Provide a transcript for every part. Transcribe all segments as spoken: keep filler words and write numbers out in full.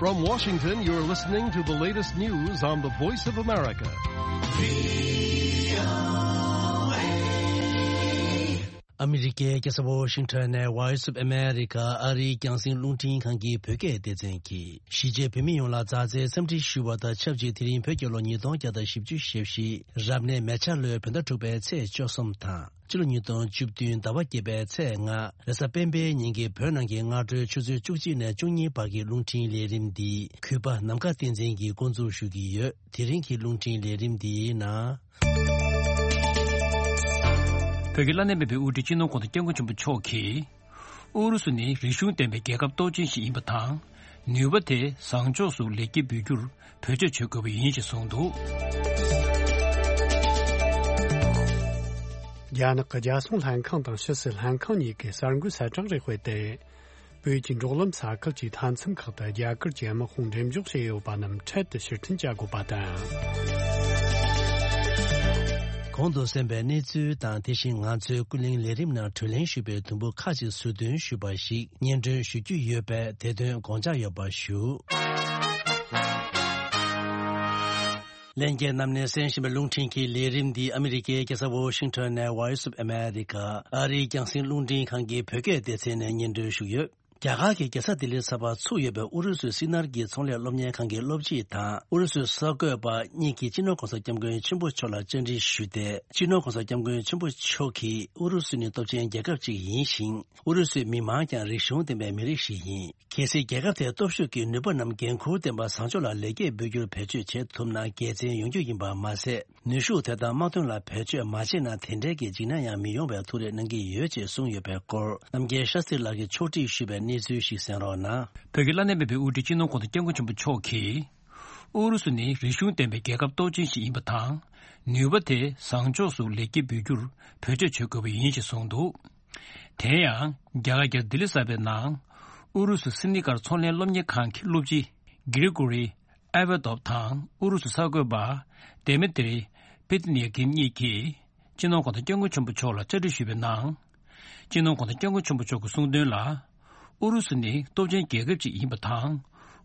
From Washington, you're listening to the latest news on the Voice of America. ཨ་མི་རི་ཀའི་རྒྱལ་ས་ཝོ་ཤིང་ཊོན་ནས་Voice of America ཨ་རིའི་རྒྱང་སྲིང་རླུང་འཕྲིན་ཁང་གི་བོད་སྐད་སྡེ་ཚན་གྱིས་གཞིས་བྱེས་བོད་མི་ཡོངས་ལ་མཛའ་བརྩེའི་འཚམས་འདྲི་ཞུ་བ་དང་ཆབས་ཅིག་དེ་རིང་བོད་རྒྱལ་ལོ་ཉིས་སྟོང་བརྒྱ་དང་བཞི་བཅུ་ཞེ་བཞི་རབ་གནས་མེ་བྱ་ལོའི་བོད་ཟླ་དྲུག་པའི་ཚེས་བཅུ་གསུམ་དང་། ཕྱི་ལོ་ཉིས་སྟོང་བཅུ་བདུན་ཟླ་བ་བརྒྱད་པའི་ཚེས་ལྔ་རེས་གཟའ་སྤེན་པའི་ཉིན་གྱི་བོད་ནང་གི་སྔ་དྲོའི་ཆུ་ཚོད་བཅུ་གཅིག་ནས་བཅུ་གཉིས་བར་གྱི་རླུང་འཕྲིན་ལས་རིམ་འདི་གུས་པ་ནམ་མཁའ་བསྟན་འཛིན་གྱིས་འགོ་འཛུགས་ཞུ་གི་ཡོད། དེ་རིང་གི་རླུང་འཕྲིན་ལས་རིམ་འདིའི་ནང་། བོད་ཀྱི་བླ་ན་མེད་པའི་དབུ་ཁྲིད་སྤྱི་ནོར་གོང་ས་སྐྱབས་མགོན་ཆེན་པོ་མཆོག་གིས། ཨུ་རུ་སུ་ནི་རིག་གཞུང་ལྡན་པའི་རྒྱལ་ཁབ་སྟོབས་ཆེན་ཞིག་ཡིན་པ་དང་། ནུས་པ་དེ་བཟང་ཕྱོགས་སུ་ལེགས་སྐྱེས་འབུལ་རྒྱུར་བེད་སྤྱོད་བྱེད་དགོས་པ་ཡིན་ཞེས་གསུངས་འདུག། རྒྱ་ནག་གི་རྒྱལ་སྲུང་ལྷན་ཁང་དང་ཕྱི་སྲིད་ལྷན་ཁང་གཉིས་ཀྱིས་གསར་འགོད་གསལ་བསྒྲགས་རེ་སྤེལ་ཏེ། བོད་ཀྱི་འབྲོག་ལམ་ས་ཁུལ་གྱི་མཐའ་མཚམས་ཁག་ཏུ་རྒྱ་གར་གྱི་དམག་དཔུང་འགྲེམས་འཇོག་བྱས་ཡོད་པ་རྣམས་འཕྲལ་དུ་ཕྱིར་འཐེན་བྱ་དགོས་པ་དང་། གོང་དུ་གསན་པའི་གནས་ཚུལ་དང་དེ་བཞིན་ང་ཚོའི་ཀུན་གླེང་ལས་རིམ་ནང་དྲིས་ལན་ཞུས་པའི་དུམ་བུ་ཁག་ཅིག་ཟུར་འདོན་ཞུས་པ་ཞིག་སྙན་སྒྲོན་ཞུ་རྒྱུ་ཡོད་པས་དེ་དོན་དགོངས་འཇགས་ཡོད་པ་ཞུ། ལྷན་རྒྱས་རྣམས་ནས་གསན་བཞིན་པའི་རླུང་འཕྲིན་གྱི་ལས་རིམ་འདི་ཨ་མི་རི་ཀའི་རྒྱལ་ས་ཝོ་ཤིང་ཊོན་ནས་Voice of America ཨ་རིའི་རྒྱང་སྲིང་རླུང་འཕྲིན་ཁང་གི་བོད་སྐད་སྡེ་ཚན་ནས་སྙན་སྒྲོན་ཞུས་ཡོད། རྒྱ་གར་གྱི་རྒྱལ་ས་ལྡི་ལི་ས་ཕར་ཚུགས་ཡོད་པའི་ཨུ་རུ་སུའི་སི་ནར་གྱི་ཚོང་ལས་སློབ་གཉེར་ཁང་གི་སློབ་སྤྱི་དང་ཨུ་རུ་སུའི་གསར་འགོད་པ་གཉིས་ཀྱིས་སྤྱི་ནོར་གོང་ས་སྐྱབས་མགོན་ཆེན་པོ་མཆོག་ལ་བཅར་འདྲི་ཞུས་ཏེ། སྤྱི་ནོར་གོང་ས་སྐྱབས་མགོན་ཆེན་པོ་མཆོག་གིས་ཨུ་རུ་སུ་ནི་སྟོབས་ཆེན་རྒྱལ་ཁབ་ཅིག་ཡིན་ཞིང་། ཨུ་རུ་སུའི་མི་མང་ཀྱང་རིག་གཞུང་ལྡན་པའི་མི་རིགས་ཤིག་ཡིན། གལ་སྲིད་རྒྱལ་ཁབ་དེའི་སྟོབས་ཤུགས་ཀྱི་ནུས་པ་རྣམས་འགན་འཁུར་ལྡན་པ་བཟང་ཕྱོགས་ལ་ལེགས་སྐྱེས་འབུལ་རྒྱུར་བེད་སྤྱོད་བྱེད་ཐུབ་ན་དགེ་མཚན་ཡོང་རྒྱུ་ཡིན་པ་མ་ཟད། ནུས་ཤུགས་དེ་དག་དམག་དོན་ལ་བེད་སྤྱོད་མ་བྱས་ན་དེ་འདྲའི་གི་འཇིགས་སྣང་ཡང་མི་ཡོང་བའི་ཐུགས་རེ་གནང་གི་ཡོད་ཅེས་གསུངས་ཡོད་པའི་སྐོར་རྣམ་རྒྱལ་ཤཱ་སྟྲི་ལགས་ཀྱིས་ཕྱོགས་སྒྲིག་ཞུས་པའི་གནས་ཚུལ་ཞིག་གསན་རོགས་གནང་། བོད་ཀྱི་བླ་ན་མེད་པའི་དབུ་ཁྲིད་སྤྱི་ནོར་གོང་ས་སྐྱབས་མགོན་ཆེན་པོ་མཆོག་གིས། ཨུ་རུ་སུ་ནི་རིག་གཞུང་ལྡན་པའི་རྒྱལ་ཁབ་སྟོབས་ཆེན་ཞིག་ཡིན་པ་དང་། ནུས་པ་དེ་བཟང་ཕྱོགས་སུ་ལེགས་སྐྱེས་འབུལ་རྒྱུར་བེད་སྤྱོད་བྱེད་དགོས་པ་ཡིན་ཞེས་གསུངས་འདུག། དེ་ཡང་རྒྱ་གར་རྒྱལ་ས་ལྡི་ལི་གསར་པའི་ནང་། ཨུ་རུ་སུ་སི་ནི་ཀར་ཚོང་ལས་སློབ་གཉེར་ཁང་གི་སློབ་སྤྱི་གྷི་རི་གོ་རི་ཨེ་ཝེ་དོབ་དང་ཨུ་རུ་སུ་གསར་འགོད་པ་དེ་མི་ཏི་རི་པི་ཏི་ནི་ཡ་གིམ་གཉིས་ཀྱིས། སྤྱི་ནོར་གོང་ས་སྐྱབས་མགོན་ཆེན་པོ་མཆོག་ལ་བཅར་འདྲི་ཞུས་པའི་ནང་། སྤྱི་ནོར་གོང་ས་སྐྱབས་མགོན་ཆེན་པོ་མཆོག་གིས་གསུངས་དོན་ལ། ཨུ་རུ་སུ་ནི་སྟོབས་ཆེན་རྒྱལ་ཁབ་ཅིག་ཡིན་པ་དང་།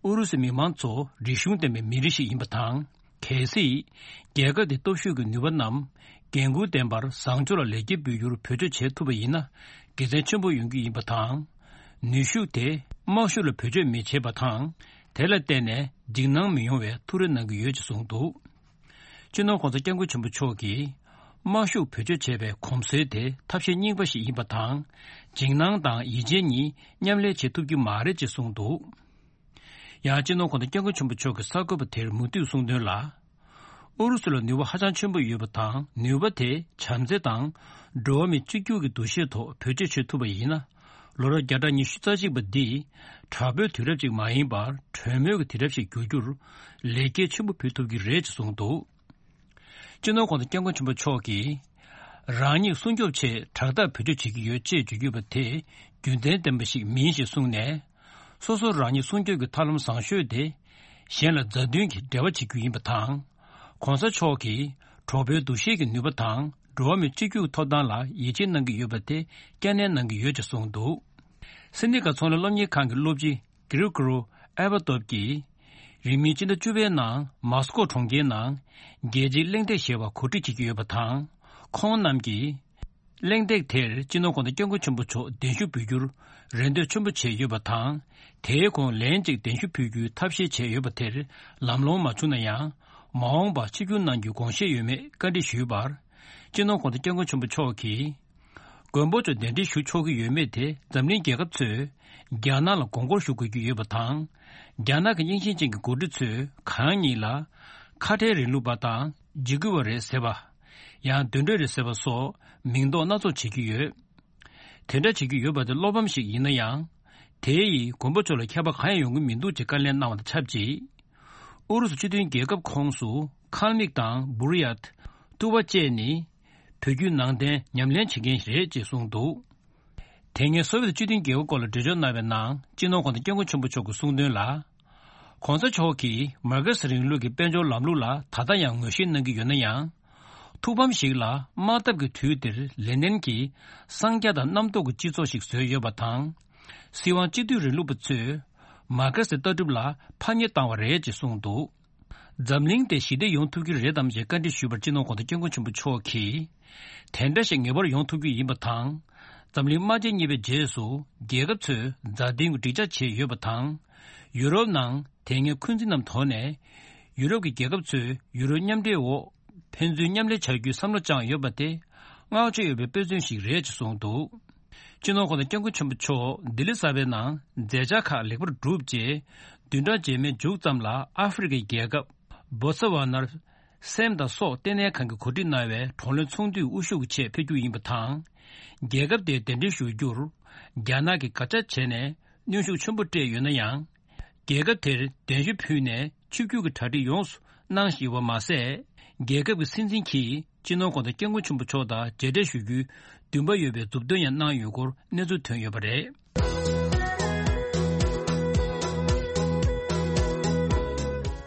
ཨུ་རུ་སུའི་མི་མང་ཚོ་རིག་གཞུང་ལྡན་པའི་མི་རིགས་ཤིག་ཡིན་པ་དང་། གལ་སྲིད། རྒྱལ་ཁབ་དེའི་སྟོབས་ཤུགས་ཀྱི་ནུས་པ་རྣམས་འགན་འཁུར་ལྡན་པར་བཟང་ཕྱོགས་ལ་ལེགས་སྐྱེས་འབུལ་རྒྱུར་བེད་སྤྱོད་བྱེད་ཐུབ་པ་ཡིན་ན། དགེ་མཚན་ཆེན་པོ་ཡོང་རྒྱུ་ཡིན་པ་དང་། ནུས་ཤུགས་དེ་དམག་ཤུགས་ལ་བེད་སྤྱོད་མི་བྱེད་པ་དང་། དེ་ལ་བརྟེན་ནས་འཇིགས་སྣང་མི་ཡོང་བའི་ཐུགས་རེ་གནང་གི་ཡོད་ཅེས་གསུངས་འདུག། སྤྱི་ནོར་གོང་ས་སྐྱབས་མགོན་ཆེན་པོ་མཆོག་གིས། དམག་ཤུགས་བེད་སྤྱོད་བྱས་པའི་གོམས་སྲོལ་དེ་ཐབས་ཤེས་རྙིང་པ་ཞིག་ཡིན་པ་དང་། འཇིགས་སྣང་དང་ཡིད་ཆེས་གཉིས་མཉམ་ལས་བྱེད་ཐུབ་ཀྱི་མ་རེད་ཅེས་གསུངས་འདུག། ཡང་སྤྱི་ནོར་གོང་ས་སྐྱབས་མགོན་ཆེན་པོ་མཆོག་གིས་གསར་འགོད་པ་དེར་མུ་མཐུད་གསུངས་དོན་ལ། ཨུ་རུ་སུ་ལ་ནུས་པ་ཧ་ཅང་ཆེན་པོ་ཡོད་པ་དང་ནུས་པ་དེ་བྱམས་བརྩེ་དང་འགྲོ་བ་མི་གཅིག་གྱུར་གྱི་འདུ་ཤེས་ཐོག་བེད་སྤྱོད་བྱེད་ཐུབ་པ་ཡིན་ན། ལོ་རབས་བརྒྱ་ཕྲག་ཉི་ཤུ་རྩ་གཅིག་པ་འདི་དྲག་པོའི་དུས་རབས་ཅིག་མ་ཡིན་པར་གྲོས་མོལ་གྱི་དུས་རབས་ཤིག་འགྱུར་རྒྱུར་ལེགས་སྐྱེས་ཆེན་པོ་ཕུལ་ཐུབ་ཀྱི་རེད་ཅེས་གསུངས་འདུག། སྤྱི་ནོར་གོང་ས་སྐྱབས་མགོན་ཆེན་པོ་མཆོག་གིས། རང་ཉིད་སྲུང་སྐྱོབ་ཆེད་དྲག་ཐག་བེད་སྤྱོད་བྱེད་ཀྱི་ཡོད་ཅེས་བརྗོད་ཀྱི་ཡོད་པ་དེ་རྒྱུན་ལྡན་ལྡན་པ་ཞིག་མིན་ཞེས་གསུངས་ནས། སོ་སོ་རང་ཉིད་སྲུང་སྐྱོབ་ཀྱི་ཐབས་ལམ་བཟང་ཤོས་དེ། གཞན་ལ་མཛའ་མཐུན་གྱི་འབྲེལ་བ་བྱེད་རྒྱུ་ཡིན་པ་དང་། གོང་ས་མཆོག་གིས་གྲོགས་པོའི་འདུ་ཤེས་ཀྱི་ནུས་པ་དང་འགྲོ་བ་མི་གཅིག་གྱུར་ཐོབ་ཐང་ལ་ཡིད་ཆེས་གནང་གི་ཡོད་པ་དེ་བསྐྱར་ནན་གནང་གི་ཡོད་ཅེས་གསུངས་འདུག། སི་ནི་ཀ་ཚོང་ལས་སློབ་གཉེར་ཁང་གི་སློབ་སྤྱི། གྷི་རི་གོ་རུ་ཨེ་ཝ་ཏོབ་ཀྱིས། རིང་མིན་སྤྱི་ཟླ་བཅུ་པའི་ནང་མོ་སི་ཀོ་གྲོང་ཁྱེར་ནང་རྒྱལ་སྤྱིའི་གླེང་སྟེགས་ཞེས་པ་གོ་སྒྲིག་བྱེད་ཀྱི་ཡོད་པ་དང་། ཁོང་རྣམས་ཀྱིས། གླེང་སྟེགས་དེར་སྤྱི་ནོར་གོང་ས་སྐྱབས་མགོན་ཆེན་པོ་མཆོག་གདན་ཞུ་འབུལ་རྒྱུར་རེ་འདོད་ཆེན་པོ་བྱས་ཡོད་པ་དང་། དེའི་གོང་ལན་གཅིག་གདན་ཞུ་འབུལ་རྒྱུའི་ཐབས་ཤེས་བྱས་ཡོད་པ་དེར་ལམ་ལྷོང་མ་བྱུང་ན་ཡང་། མ་འོངས་པར་ཆིབས་བསྒྱུར་གནང་རྒྱུའི་དགོངས་བཞེས་ཡོད་མེད་བཀའ་འདྲི་ཞུས་པར། སྤྱི་ནོར་གོང་ས་སྐྱབས་མགོན་ཆེན་པོ་མཆོག་གིས། མགོན་པོ་མཆོག་གདན་འདྲེན་ཞུ་ཆོག་གི་ཡོད་མེད་དེ་འཛམ་གླིང་རྒྱལ་ཁབ་ཚོས་རྒྱ་ནག་ལ་མགོ་སྐོར་ཞུ་དགོས་ཀྱི་ཡོད་པ་དང་། རྒྱ་ནག་གི་རྙིང་ཞེན་ཅན་གྱི་འགོ་ཁྲིད་ཚོས་གང་ཉིད་ལ་ཁ་བྲལ་རིང་ལུགས་པ་དང་འཇིགས་སྐུལ་བ་རེད་ཟེར་བ། ཡང་གདོན་འདྲེ་རེད་ཟེར་བ་སོགས་མིང་འདོགས་སྣ་ཚོགས་བྱེད་ཀྱི་ཡོད། དེ་འདྲ་བྱེད་ཀྱི་ཡོད་པ་དེ་བློ་ཕམ་ཞིག་ཡིན་ན་ཡང་། དེ་ཡིས་མགོན་པོ་མཆོག་ལ་ཁྱད་པར་གང་ཡང་ཡོང་གི་མི་འདུག་ཅེས་བཀའ་ལན་གནང་བ་དང་ཆབས་ཅིག། ཨུ་རུ་སུ་སྤྱི་མཐུན་རྒྱལ་ཁབ་ཁོངས་སུ་ཁལ་མིག་དང་བུ་རི་ཡཱཏ། ཏུ་བ་བཅས་ནི། བོད་བརྒྱུད་ནང་བསྟན་ཉམས་ལེན་བྱེད་མཁན་རེད་ཅེས་གསུངས་འདུག། དེ་སྔའི་སོ་ཝེད་སྤྱི་མཐུན་རྒྱལ་ཁབ་སྐོར་ལ་འགྲེལ་བརྗོད་གནང་བའི་ནང་སྤྱི་ནོར་གོང་ས་སྐྱབས་མགོན་ཆེན་པོ་མཆོག་གིས་གསུངས་དོན་ལ། གོང་ས་མཆོག་གིས་མར་ཁེ་སི་རིང་ལུགས་ཀྱི་དཔལ་འབྱོར་ལམ་ལུགས་ལ་ད་ལྟ་ཡང་ངོས་བཞེས་གནང་གི་ཡོད་ན་ཡང་། ཐུགས་ཕམ་ཞིག་ལ་དམག་འཐབ་ཀྱི་དུས་འདིར་ལེ་ནིན་གྱིས་གསང་རྒྱ་དང་རྣམ་རྟོག་གི་སྤྱི་ཚོགས་ཤིག་བཟོས་ཡོད་པ་དང་། སྲིད་དབང་སྤྱི་འཐུས་རིང་ལུགས་པ་ཚོས་ མར་ཁེ་སིའི་ལྟ་གྲུབ་ལ་ཕམ་ཉེས་བཏང་བ་རེད་ཅེས་གསུངས་འདུག། འཛམ་གླིང་དེ་ཞི་བདེ་ཡོང་ཐུབ་ཀྱི་རེད་དམ་ཞེས་བཀའ་འདྲི་ཞུས་པར་སྤྱི་ནོར་གོང་ས་སྐྱབས་མགོན་ཆེན་པོ་མཆོག་གིས། དེ་འདྲ་ཞིག་ངེས་པར་ཡོང་ཐུབ་རྒྱུ་ཡིན་པ་དང་། འཛམ་གླིང་དམག་ཆེན་གཉིས་པའི་རྗེས་སུ་རྒྱལ་ཁབ་ཚོས་མཛའ་མཐུན་གྱི་འགྲིག་འཇགས་བྱས་ཡོད་པ་དང་། ཡུ་རོབ་ནང་དེ་སྔའི་འཁོན་འཛིན་རྣམས་དོར་ནས། ཡུ་རོབ་ཀྱི་རྒྱལ་ཁབ་ཚོས་ཡུ་རོབ་མཉམ་འབྲེལ་འོག་ཕན་ཚུན་མཉམ་ལས་བྱ་རྒྱུའི་བསམ་བློ་བཅངས་ཡོད་པ་དེ་བསྔགས་བརྗོད་ཡོད་པའི་དཔེ་མཚོན་ཞིག་རེད་ཅེས་གསུངས་འདུག། སྤྱི་ནོར་གོང་ས་སྐྱབས་མགོན་ཆེན་པོ་མཆོག་ལྡི་ལི་གསར་པའི་ནང་མཛད་འཆར་ཁག་ལེགས་པར་གྲུབ་རྗེས། བདུན་ཕྲག་རྗེས་མའི་མཇུག་ཙམ་ལ་ཨ་ཧྥེ་རི་ཁའི་རྒྱལ་ཁབ་བོ་ཚ་ཝ་ནར། སེམས་དང་སྲོག་ལྟེ་གནས་ཁང་གིས་གོ་སྒྲིག་གནང་བའི་བགྲོ་གླེང་ཚོགས་འདུའི་དབུ་བཞུགས་ཀྱི་ཆེད་ཕེབས་རྒྱུ་ཡིན་པ་དང་། རྒྱལ་ཁབ་དེར་གདན་འདྲེན་ཞུ་རྒྱུར། རྒྱ་ནག་གིས་དགག་བྱ་བྱས་ནས་གནོན་ཤུགས་ཆེན་པོ་སྤྲད་ཡོད་ན་ཡང་། རྒྱལ་ཁབ་དེར་གདན་ཞུ་ཕུལ་ནས་ཆིབས་བསྒྱུར་གྱི་གྲ་སྒྲིག་ཡོངས་སུ་གནང་བཞིན་པ་མ་ཟད། རྒྱལ་ཁབ་ཀྱི་སྲིད་འཛིན་གྱིས་སྤྱི་ནོར་གོང་ས་སྐྱབས་མགོན་ཆེན་པོ་མཆོག་དང་མཇལ་འཕྲད་ཞུ་རྒྱུའི་འདུན་པ་ཡོད་པའི་མཛུབ་སྟོན་ཡང་གནང་ཡོད་སྐོར་གནས་ཚུལ་ཐོན་ཡོད་པ་རེད།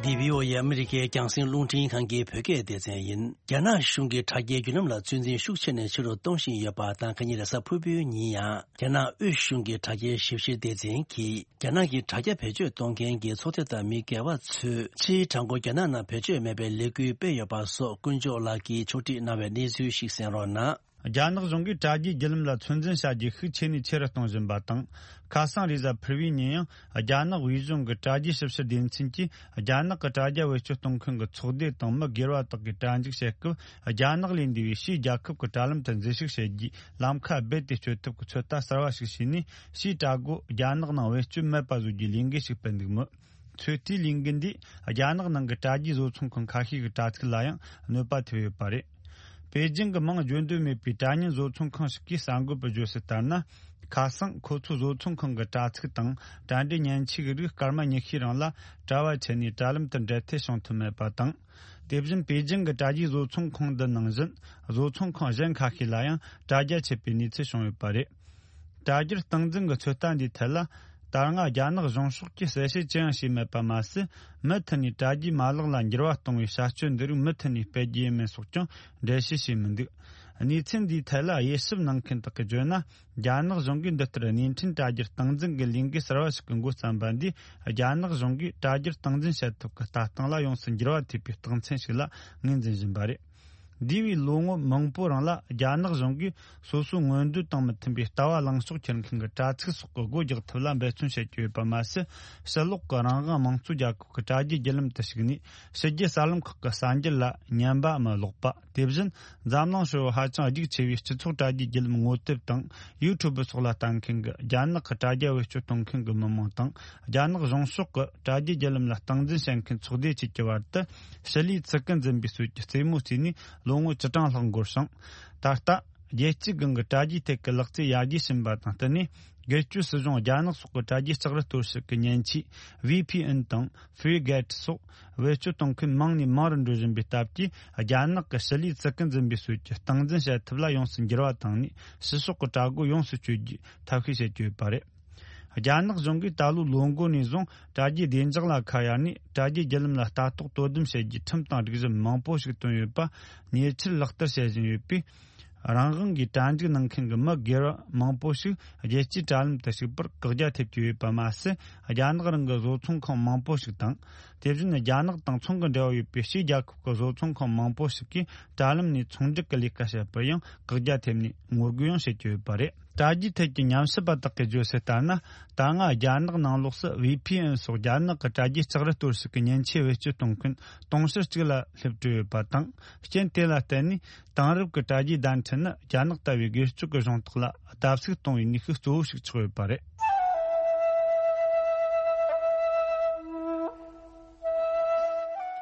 འདི་བྷི་ཨོ་ཨེ་ཨ་མི་རི་ཀའི་རྒྱང་སྲིང་རླུང་འཕྲིན་ཁང་གི་བོད་སྐད་སྡེ་ཚན་ཡིན། རྒྱ་ནག་གཞུང་གིས་དྲ་རྒྱའི་བརྒྱུད་ལམ་ལ་ཚོད་འཛིན་ཤུགས་ཆེ་ནས་ཆེ་རུ་གཏོང་བཞིན་ཡོད་པ་དང་། ཁ་ཉིན་རེས་གཟའ་ཕུར་བུའི་ཉིན་ཡང་རྒྱ་ནག་དབུས་གཞུང་གི་དྲ་རྒྱའི་ཞིབ་བཤེར་སྡེ་ཚན་གྱིས། རྒྱ་ནག་གི་དྲ་རྒྱ་བེད་སྤྱོད་གཏོང་མཁན་གྱི་ཚོགས་སྡེ་དང་མི་སྒེར་བ་ཚོས་ཕྱིའི་དྲ་འགོ་རྒྱ་ནག་ནང་བེད་སྤྱོད་མེད་པའི་ལས་འགུལ་སྤེལ་ཡོད་པ་སོགས་དཀོན་མཆོག་ལགས་ཀྱིས་ཕྱོགས་སྒྲིག་གནང་བའི་གནས་ཚུལ་ཞིག་གསན་རོགས་གནང་། རྒྱ་ནག་གཞུང་གིས་དྲ་རྒྱའི་བརྒྱུད་ལམ་ལ་ཚོད་འཛིན་བྱ་རྒྱུའི་ཤུགས་ཆེ་ནས་ཆེ་རུ་གཏོང་བཞིན་པ་དང་། ཁ་སང་རེས་གཟའ་ཕུར་བུའི་ཉིན་ཡང་རྒྱ་ནག་དབུས་གཞུང་གི་དྲ་རྒྱའི་ཞིབ་བཤེར་སྡེ་ཚན་གྱིས། རྒྱ་ནག་གི་དྲ་རྒྱ་བེད་སྤྱོད་གཏོང་མཁན་གྱི་ཚོགས་སྡེ་དང་མི་སྒེར་བ་དག་གིས་དྲ་འཇུག་བྱེད་སྐབས། རྒྱ་ནག་ལས་འདས་པའི་ཕྱིའི་རྒྱལ་ཁབ་ཀྱི་དྲ་ལམ་དུ་འཛུལ་ཞུགས་བྱེད་རྒྱུའི་ལམ་ཁ་རྦད་དེ་གཅོད་ཐབས་ཀྱི་ཚོད་ལྟ་གསར་བ་ཞིག་བྱས་ནས། ཕྱིའི་དྲ་སྒོ་རྒྱ་ནག་ནང་བེད་སྤྱོད་མེད་པ་བཟོ་རྒྱུའི་ལས་འགུལ་ཞིག་སྤེལ་འདུག་མོད། ཚོད་ལྟའི་ལས་འགུལ་འདིས་རྒྱ་ནག་ནང་གི་དྲ་རྒྱའི་བཟོ་ཚོང་ཁང་ཁ་ཤས་ཀྱི་དྲ་ཚིགས་ལ་ཡང་གནོད་པ་ཐེབས་ཡོད་པ་རེད། པེ་ཅིང་གི་མིང་བརྗོད་འདོད་མེད་པའི་དྲ་བརྙན་བཟོ་ཚོང་ཁང་ཞིག་གིས་གསར་འགོད་པར་བརྗོད་གསལ་ལྟར་ན། ཁ་སང་ཁོ་ཚོའི་བཟོ་ཚོང་ཁང་གི་དྲ་ཚིགས་དང་དྲ་འབྲེལ་མཉེན་ཆས་ཀྱི་རིགས་སྐར་མ་ཉི་ཤུའི་རིང་ལ་དྲ་བ་ཆད་ནས་དྲ་ལམ་དུ་འབྲེལ་མཐུད་བྱུང་ཐུབ་མེད་པ་དང་། དེ་བཞིན་པེ་ཅིང་གི་དྲ་རྒྱའི་བཟོ་ཚོང་ཁང་འདི་ནང་བཞིན་བཟོ་ཚོང་ཁང་གཞན་ཁ་ཤས་ལ་ཡང་དྲ་རྒྱ་ཆད་པའི་གནས་ཚུལ་བྱུང་ཡོད་པ་རེད། དྲ་རྒྱར་སྟངས་འཛིན་གྱི་ཚོད་ལྟ་འདིའི་ཐད་ལ། ད་སྔ་རྒྱ་ནག་གཞུང་ཕྱོགས་ཀྱིས་གསལ་བཤད་ཅི་ཡང་བྱས་མེད་པ་མ་ཟད། མུ་མཐུད་ནས་དྲ་རྒྱའི་མ་ལག་ལ་འགྱུར་བ་གཏོང་བའི་བྱ་སྤྱོད་འདི་རིགས་མུ་མཐུད་ནས་སྤེལ་རྒྱུ་ཡིན་མིན་སོགས་ཀྱང་འགྲེལ་བཤད་བྱས་མི་འདུག། གནས་ཚུལ་འདིའི་ཐད་ལ་དབྱེ་ཞིབ་གནང་མཁན་དག་གིས་བརྗོད་ན། རྒྱ་ནག་གཞུང་གིས་འདི་ལྟར་བརྙན་འཕྲིན་དྲ་རྒྱར་སྟངས་འཛིན་གྱི་ལས་འགུལ་གསར་བ་ཞིག་གི་འགོ་བརྩམས་པ་འདིས། རྒྱ་ནག་གཞུང་གིས་དྲ་རྒྱར་སྟངས་འཛིན་བྱེད་ཐབས་ཀྱི་ལྟ་སྟངས་ལ་ཡོངས་སུ་འགྱུར་བ་ཐེབས་པའི་རྟགས་མཚན་ཞིག་ལ་ངོས་འཛིན་བཞིན་པ་རེད། འདས་པའི་ལོ་ངོ་མང་པོའི་རིང་ལ་རྒྱ་ནག་གཞུང་གིས་སོ་སོའི་མངོན་འདོད་དང་མི་མཐུན་པའི་ལྟ་བ་ལངས་ཕྱོགས་འཁྱེར་མཁན་གྱི་དྲ་ཚིགས་སོགས་ཀྱི་སྒོ་རྒྱག་ཐབས་ལ་འབད་བརྩོན་བྱེད་ཀྱི་ཡོད་པ་མ་ཟད། ཕྱི་ལོགས་ཀྱི་རང་དབང་དམངས་གཙོ་རྒྱལ་ཁབ་ཀྱི་དྲ་རྒྱའི་བརྒྱུད་ལམ་དུ་ཞུགས་ནས། ཕྱི་རྒྱལ་གསར་ལམ་ཁག་གི་གསར་འགྱུར་ལ་ཉན་པའམ་ཀློག་པ། དེ་བཞིན་འཛམ་གླིང་ཧྲིལ་བོ་ཧ་ཅང་རྒྱུགས་ཆེ་བའི་སྤྱི་ཚོགས་དྲ་རྒྱའི་བརྒྱུད་ལམ་ངོ་དེབ་དང་ཡུ་ཊུབ་སོགས་ལ་ལྟ་མཁན་གྱི་རྒྱ་ནག་གི་དྲ་རྒྱ་བེད་སྤྱོད་གཏོང་མཁན་གྱི་མི་མང་དང་། རྒྱ་ནག་གཞུང་ཕྱོགས་ཀྱི་དྲ་རྒྱའི་བརྒྱུད་ལམ་ལ་སྟངས་འཛིན་བྱེད་མཁན་ཚོགས་སྡེ་བཅས་ཀྱི་བར་དུ་ཞི་ལུའི་ཚུལ་ཁྲིམས་འཛིན་པའི་སྲོལ་གྱི་རྩེད་མོ་རྩེས་ནས་ལོ་ངོ་བཅུ་གྲངས་ལྷག་འགོར་ཞིང་། ད་ལྟ། རྒྱལ་སྤྱིའི་སྒང་གི་དྲ་རྒྱའི་ཐད་ཀྱི་ལག་རྩལ་ཡར་རྒྱས་ཕྱིན་པ་དང་བསྟུན་ནས། སྒེར་གཅོད་སྲིད་གཞུང་རྒྱ་ནག་སོགས་ཀྱི་དྲ་རྒྱའི་ལྕགས་རི་གཏོར་བཤིག་གི་མཉེན་ཆས་བྷི་ཕི་ཨེན་དང་ཕི་རི་གེ་ཊི་སོགས་བེད་སྤྱོད་གཏོང་མཁན་མང་ནས་མང་རུ་འགྲོ་བཞིན་པའི་སྟབས་ཀྱིས། རྒྱ་ནག་གི་ཞི་ལུའི་ཚུལ་ཁྲིམས་འཛིན་པའི་སྲོལ་གྱི་སྟངས་འཛིན་བྱེད་ཐབས་ལ་ཡོངས་སུ་འགྱུར་བ་བཏང་ནས། ཕྱི་ཕྱོགས་ཀྱི་དྲ་སྒོ་ཡོངས་སུ་གཅོད་རྒྱུའི་ཐབས་ཤེས་བྱེད་ཀྱི་ཡོད་པ་རེད། རྒྱ་ནག་གཞུང་གིས་ད་ལོའི་ལོ་འགོ་ནས་བཟུང་དྲ་རྒྱའི་བདེ་འཇགས་ལ་ཁ་གཡར་ནས། དྲ་རྒྱའི་བརྒྱུད་ལམ་ལ་ལྟ་རྟོག་དོ་དམ་བྱེད་རྒྱུའི་ཁྲིམས་དང་སྒྲིག་གཞི་མང་པོ་ཞིག་བཏོན་ཡོད་པ་ཉེ་ཆར་ལག་བསྟར་བྱེད་བཞིན་ཡོད་པས། རང་དབང་གིས་གྲ་སྒྲིག་གནང་མཁན་གྱི་མི་སྒེར་མང་པོ་ཞིག་རྒྱལ་སྤྱིའི་དྲ་ལམ་དུ་ཞུགས་པར་བཀག་རྒྱ་ཐེབས་ཀྱི་ཡོད་པ་མ་ཟད། རྒྱ་ནག་རང་གི་བཟོ་ཚོང་ཁང་མང་པོ་ཞིག་དང་། དེ་བཞིན་རྒྱ་ནག་དང་ཚོང་གི་འབྲེལ་བ་ཡོད་པའི་ཕྱིའི་རྒྱལ་ཁབ་ཀྱི་བཟོ་ཚོང་ཁང་མང་པོ་ཞིག་གིས་དྲ་ལམ་ནས་ཚོང་སྒྲིག་གི་ལས་ཀ་བྱེད་པར་ཡང་བཀག་རྒྱ་ཐེབས་ནས་ངོ་རྒོལ་ཡང་བྱེད་ཀྱི་ཡོད་པ་རེད། དྲ་རྒྱའི་ཐད་ཀྱི་ཉམས་ཞིབ་པ་དག་གིས་བརྗོད་གསལ་ལྟར་ན། ད་སྔ་རྒྱ་ནག་ནང་ལོགས་སུ་བྷི་ཕི་ཨེན་སོགས་རྒྱ་ནག་གི་དྲ་རྒྱའི་ལྕགས་རི་གཏོར་བཤིག་གི་མཉེན་ཆས་བེད་སྤྱོད་གཏོང་མཁན་དུང་ཕྱུར་གཅིག་ལ་སླེབས་གྲབས་ཡོད་པ་དང་། རྐྱེན་དེ་ལ་བརྟེན་ནས་དེང་རབས་ཀྱི་དྲ་རྒྱའི་བརྡ་འཕྲིན་ནི་རྒྱ་ནག་ལྟ་བུའི་སྒེར་གཅོད་ཀྱི་གཞུང་དག་ལ་བརྡབ་གསིག་གཏོང་བའི་ནུས་ཤུགས་གཙོ་བོ་ཞིག་ཆགས་ཡོད་པ་རེད།